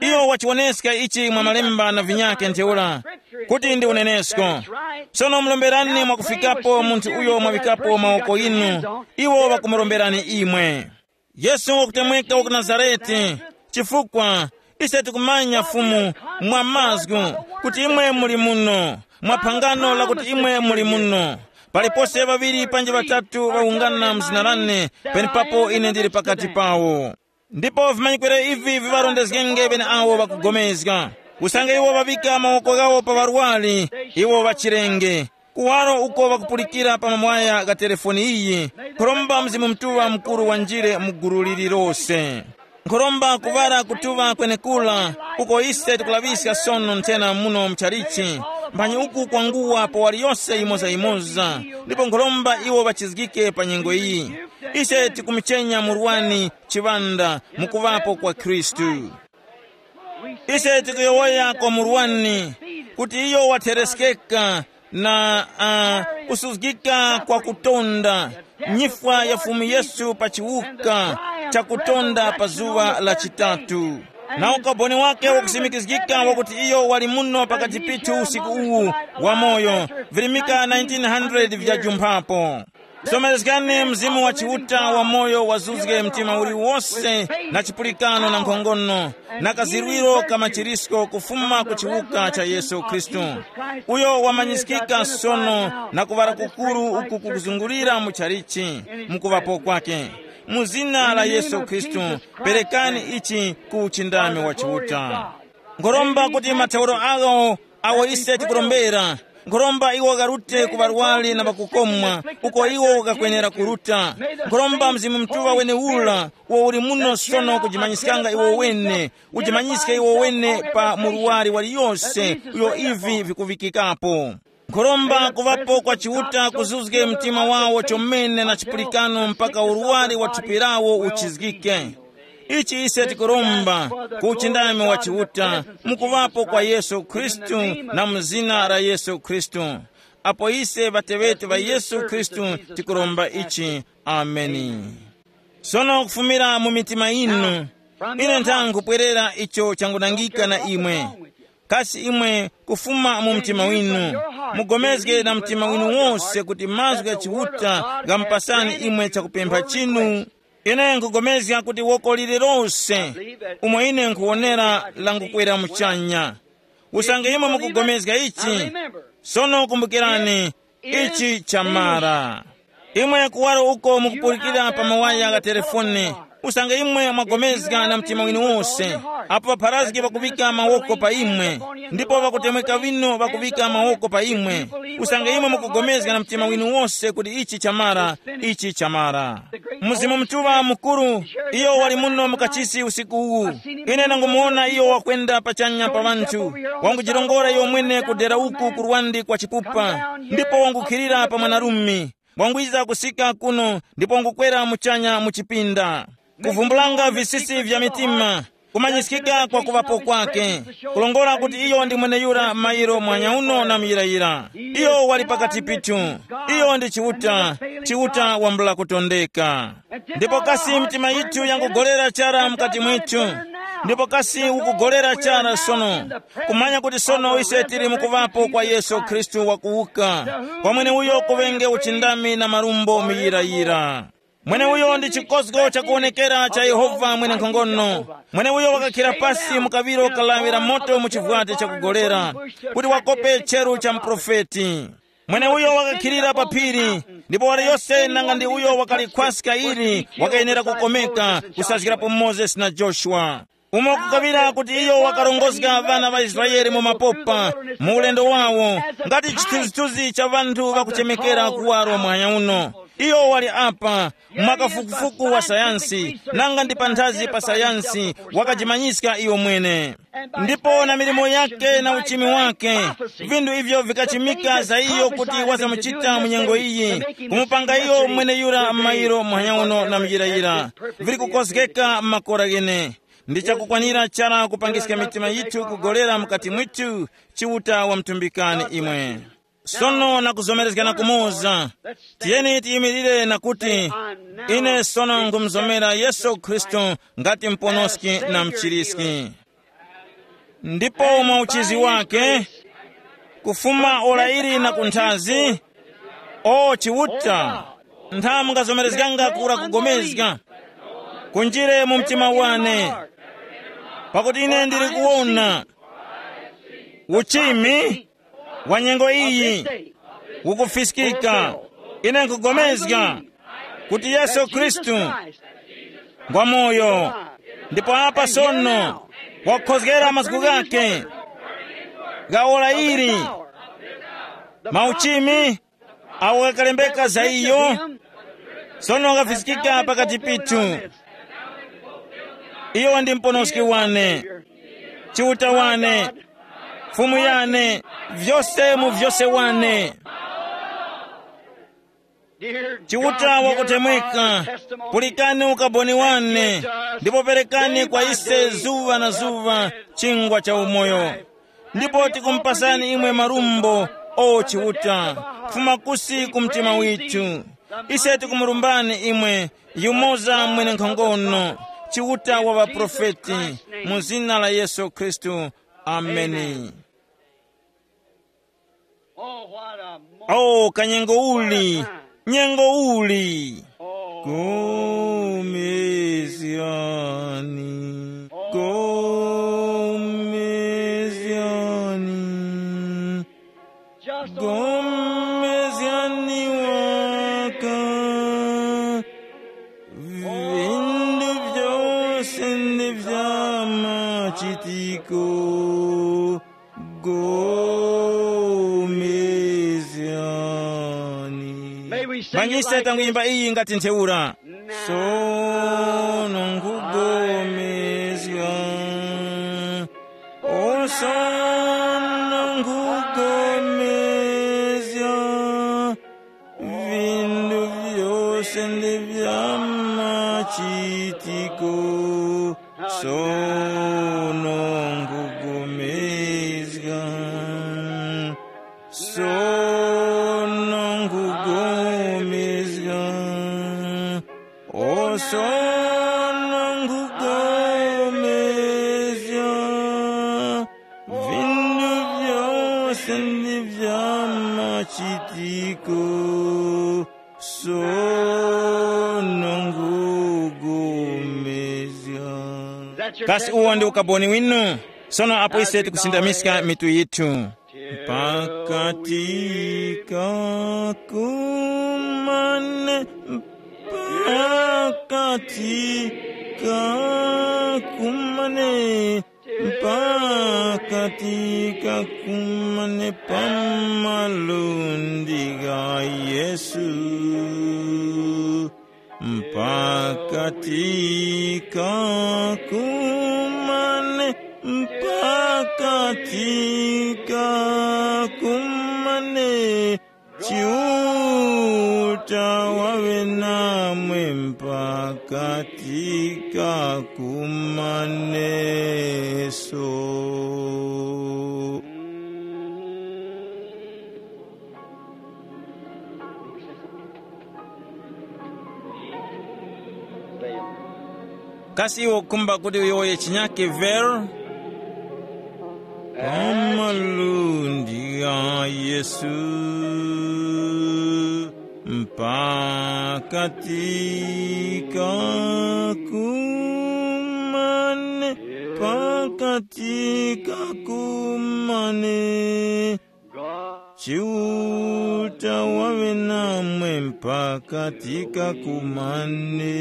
Iyo wachiwoneska ichi mwa malemba na vinyake ntheura, kuti ndi unenesko. Sono muromberani mwakufikapo munthu uyo mwavikapo mawoko inu, iwo ŵakumuromberani imwe. Yesu wakutemweka wa ku Nazarete, chifukwa ise tikumanya Fumu mwa mazgu, kuti imwe muli muno, mwa phangano lakuti imwe muli muno. Palipose ŵaŵiri panji ŵatatu ŵawungana mu zina lane, penepapo ine ndili pakati pawo. Ndipo vimanyikwiro ivi viŵarondezgenge ŵeneawo ŵakugomezga. Usange iwo ŵaŵika mawoko ghawo pa ŵarwari, iwo ŵachirenge. Kuwaro uko ŵakupulikira pa mamwaya gha telefoni iyi, nkhuromba Mzimu Mutuŵa Mukuru wanjire mu gulu liri lose. Nkhuromba kuŵala kutuŵa kwenekura, uko ise tikulaŵiska sono nthena muno muchalichi, mphanyi uku kwanguwa pa waliyose yimoza-yimoza, ndipo nkhuromba iwo ŵachizgike pa nyengo iyi. Ise tikumuchenya murwani chiŵanda mukuŵapo kwa Khristu. Ise tikuyowoya kwa murwani kuti iyo wathereskeka na uh, kusuzgika kwa kutonda, nyifwa ya Fumu Yesu pa chiwuka cha kutonda pa zuŵa la chitatu. Na ukaboni wake wakusimikizgika wakuti iyo wali muno pakati pithu usiku uwu, wamoyo, virimika nineteen hundred vyajumphapo. Somerezgani Mzimu wa Chiuta wamoyo wazuzge mtima uliwose, na chipulikano na nkhongono, na kazirwiro ka machirisko kufuma ku chiwuka cha Yesu Khristu, uyo wamanyiskika sono na kuŵala kukuru uku kukuzungulira mu chalichi, mukuŵapo kwake. Mu zina la Yesu Khristu, perekani ichi ku uchindami wa Chiuta. Nkhoromba kuti mathauro agho awo ise tikurombera, nkhoromba iwo gharute ku ŵarwari na ŵakukomwa, uko iwo ghakwenera kuruta. Nkhoromba Mzimu Mutuŵa wenewura uwo uli muno sono kujimanyiskanga iwo wene, ujimanyiske iwo wene pa murwari waliyose uyo ivi vikuŵikikapo. Nkhuromba kuŵapo kwa Chiuta kuzuzge mtima wawo chomene na chipulikano mpaka urwari wa thupi lawo uchizgike. Ichi ise tikuromba ku uchindami wa Chiuta mukuŵapo kwa Yesu Khristu na mu zina la Yesu Khristu. Apo ise ŵateŵeti ŵa Yesu Khristu tikuromba ichi. Ameni. Sono kufumira mu mitima yinu, ine nthangupwerera icho changunangika na imwe. Kasi imwe kufuma mu mtima winu, mugomezge na mtima winu wose kuti mazgu gha Chiuta ghamupasani imwe chakupempha chinu? Ine nkugomezga kuti woko lililose umo ine nkhuwonera langukwera muchanya. Usange imwe mukugomezga ichi, sono kumbukirani, ichi chamara. Imwe kuwaro uko mukupulikira pa mawaya gha telefone, usange imwe mwagomezga na mtima winu wose, apo ŵapharazgi ŵakuŵika mawoko pa imwe, ndipo ŵakutemweka ŵino ŵakuŵika mawoko pa imwe, usange imwe mukugomezga na mtima winu wose kuti ichi chamara, ichi chamara. Mzimu Mutuŵa mukuru, iyo wali muno mukachisi usiku uwu. Ine ndangumuwona iyo wakwenda pachanya pa ŵanthu, wangujirongora iyo mwene kudera uku ku lwandi kwa chipupa, ndipo wangukhilira pa mwanarume. Wangwiza kusika kuno ndipo wangukwera muchanya mu chipinda, kuvumbulanga visisi vya mitima, kumanyiskika kwa kuŵapo kwake, kulongola kuti iyo ndi mweneyura mairo mwanyauno na muyirayira. Iyo wali pakati pithu. Iyo ndi Chiuta, Chiuta wambula kutondeka. Ndipo kasi mitima yithu yangugolera chara mukati mwithu? Ndipo kasi ukugolera chara sono, kumanya kuti sono ise tili mukuŵapo kwa Yesu Khristu wakuwuka, kwa mweneuyo kuŵenge uchindami na marumbo muyirayira. Mweneuyo ndi chikozgo chakuwonekera cha Yehova mwenenkhongono. Mweneuyo wakakhira pasi mu kaŵiro ka lawi la moto mu chivwati chakugolera, kuti wakope cheru cha muprofeti. Mweneuyo wakakhilira pa phiri, ndipo waliyose nanga ndi uyo wakalikhwaska ili wakayenera kukomeka, kusazgirapo Mozesi na Joshua. Umo kukaŵira kuti iyo wakarongozga ŵana ŵa Israele mu mapopa, mu ulendo wawo, ngati chithunzithunzi cha ŵanthu ŵakuchemekera kuwaro mwanya uno. Iyo wali apa, mwa kafukufuku wa sayansi, nanga ndi panthazi pa sayansi, wakajimanyiska iyo mwene. Ndipo na milimo yake na uchimi wake, vinthu ivyo vikachimika za iyo kuti wazamuchita mu nyengo iyi, kumupanga iyo mwene yura mairo muhanya uno na muyirayira, vili kukozgeka makora ghene. Ndi chakukwanira chara kupangiska mitima yithu kugolera mukati mwithu. Chiuta wamtumbikani imwe. Sono na kuzomerezgana kumoza, tiyeni tiyimirire na kuti, ine sono nkumuzomera Yesu Khristu ngati Muponoski na Mchiriski. Ndipo mwa uchizi wake, kufuma ora ili na kunthazi, o Chiuta, ntha mungazomerezganga kura kugomezga, kunjire mu mtima wane, pakuti ine ndili kuwona uchimi wa nyengo iyi ukufiskika. Ine nkugomezga kuti Yesu Khristu ngwa moyo, ndipo apa sono wakukhozgera mazgu ghake gha ora ili, mauchimi awo ghakalembeka za iyo, sono ghafiskika pakati pithu. Iyo ndi Muponoski wane, Chiuta wane, Fumu yane, vyose mu vyose wane. Chiuta wakutemweka, pulikani ukaboni wane, ndipo perekani kwa ise zuŵa na zuŵa chingwa cha umoyo. Ndipo tikumupasani imwe marumbo, o Chiuta, kufuma kusi ku mtima withu. Ise tikumurumbani imwe, yumoza mwenenkhongono, Chiuta wa ŵaprofeti, mu zina la Yesu Khristu. Ameni. Oh, what a moment. Oh, kanyengo uli! Nyengo uli! Oh. Gomezyani, gomezyani, just gomezyani waka. Vindu vyose ndi vya machitiko. Gomezyani. May we sing it. Manyisa like tanguyimba this. Iyi ngati ntheura. Sono nkugomezga. O sono nkugomezga. Vindu vyose ndi vya machitiko. Sono nkugomezga. Sono nkugomezga. O sono nkugomezga. Vindu vyose ndi vya machitiko. Sono nkugomezga. Kasi uwo ndi ukaboni winu? Sono apo ise tikusindamiska mitu yithu. Pakati ka kumane, pakati ka kumane, pakati ka kumane pa malundi gha Yesu. Pakati ka kumane, pakati ka kumane, Chiuta waŵe namwe pakati ka kumaneso. Kasi iwe ukhumba kuti uyowoye chinyake ver? Pa malundi gha Yesu, mpakati ka kumane, pakati ka kumane. Chiuta waŵe namwe mpakati ka kumaneso.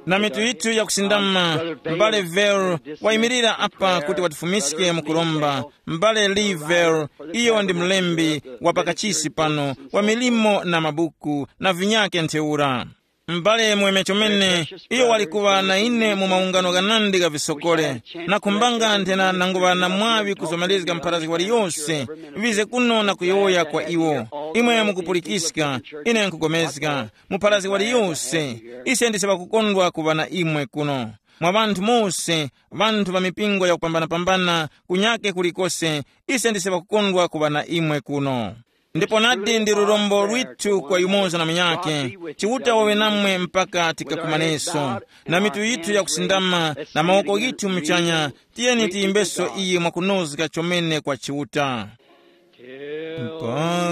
Na mitu yithu yakusindama, m'bale Ver wayimirira apa kuti watifumiske mu kuromba. M'bale Lee Ver, iyo ndi mlembi wa pakachisi pano wa milimo na mabuku na vinyake ntheura. M'bale mweme chomene, iyo wali kuŵa na ine mu maungano ghanandi gha visokole, na khumbanga nthena nanguŵa na mwaŵi kuzomerezga mpharazgi waliyose, wize kuno na kuyowoya kwa iwo. Imwe mukupulikiska, ine nkugomezga, mu pharazgi waliyose, ise ndise ŵakukondwa kuŵa na imwe kuno. Mwa ŵanthu mose, ŵanthu ŵa mipingo yakupambanapambana, kunyake kulikose, ise ndise ŵakukondwa kuŵa na imwe kuno. Ndipo nadi ndi lurombo lwithu kwa yumoza na munyakhe, Chiuta waŵe namwe mpaka tikakumaneso, na mitu yithu yakusindama na mawoko ghithu muchanya, tiyeni tiyimbeso iyi mwakunozga chomene kwa Chiuta.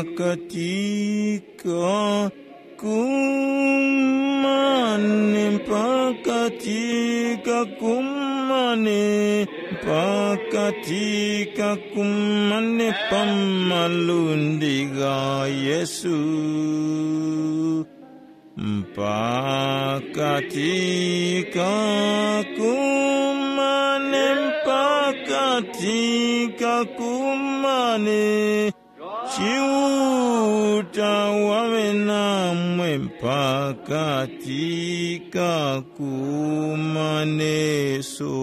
Mpakati ka kumane, mpakati ka kumane, mpakati ka kumane pa malundi gha Yesu. Mpakati ka kumane, mpakati ka kumane, Chiuta waŵe namwe mpakati ka kumaneso.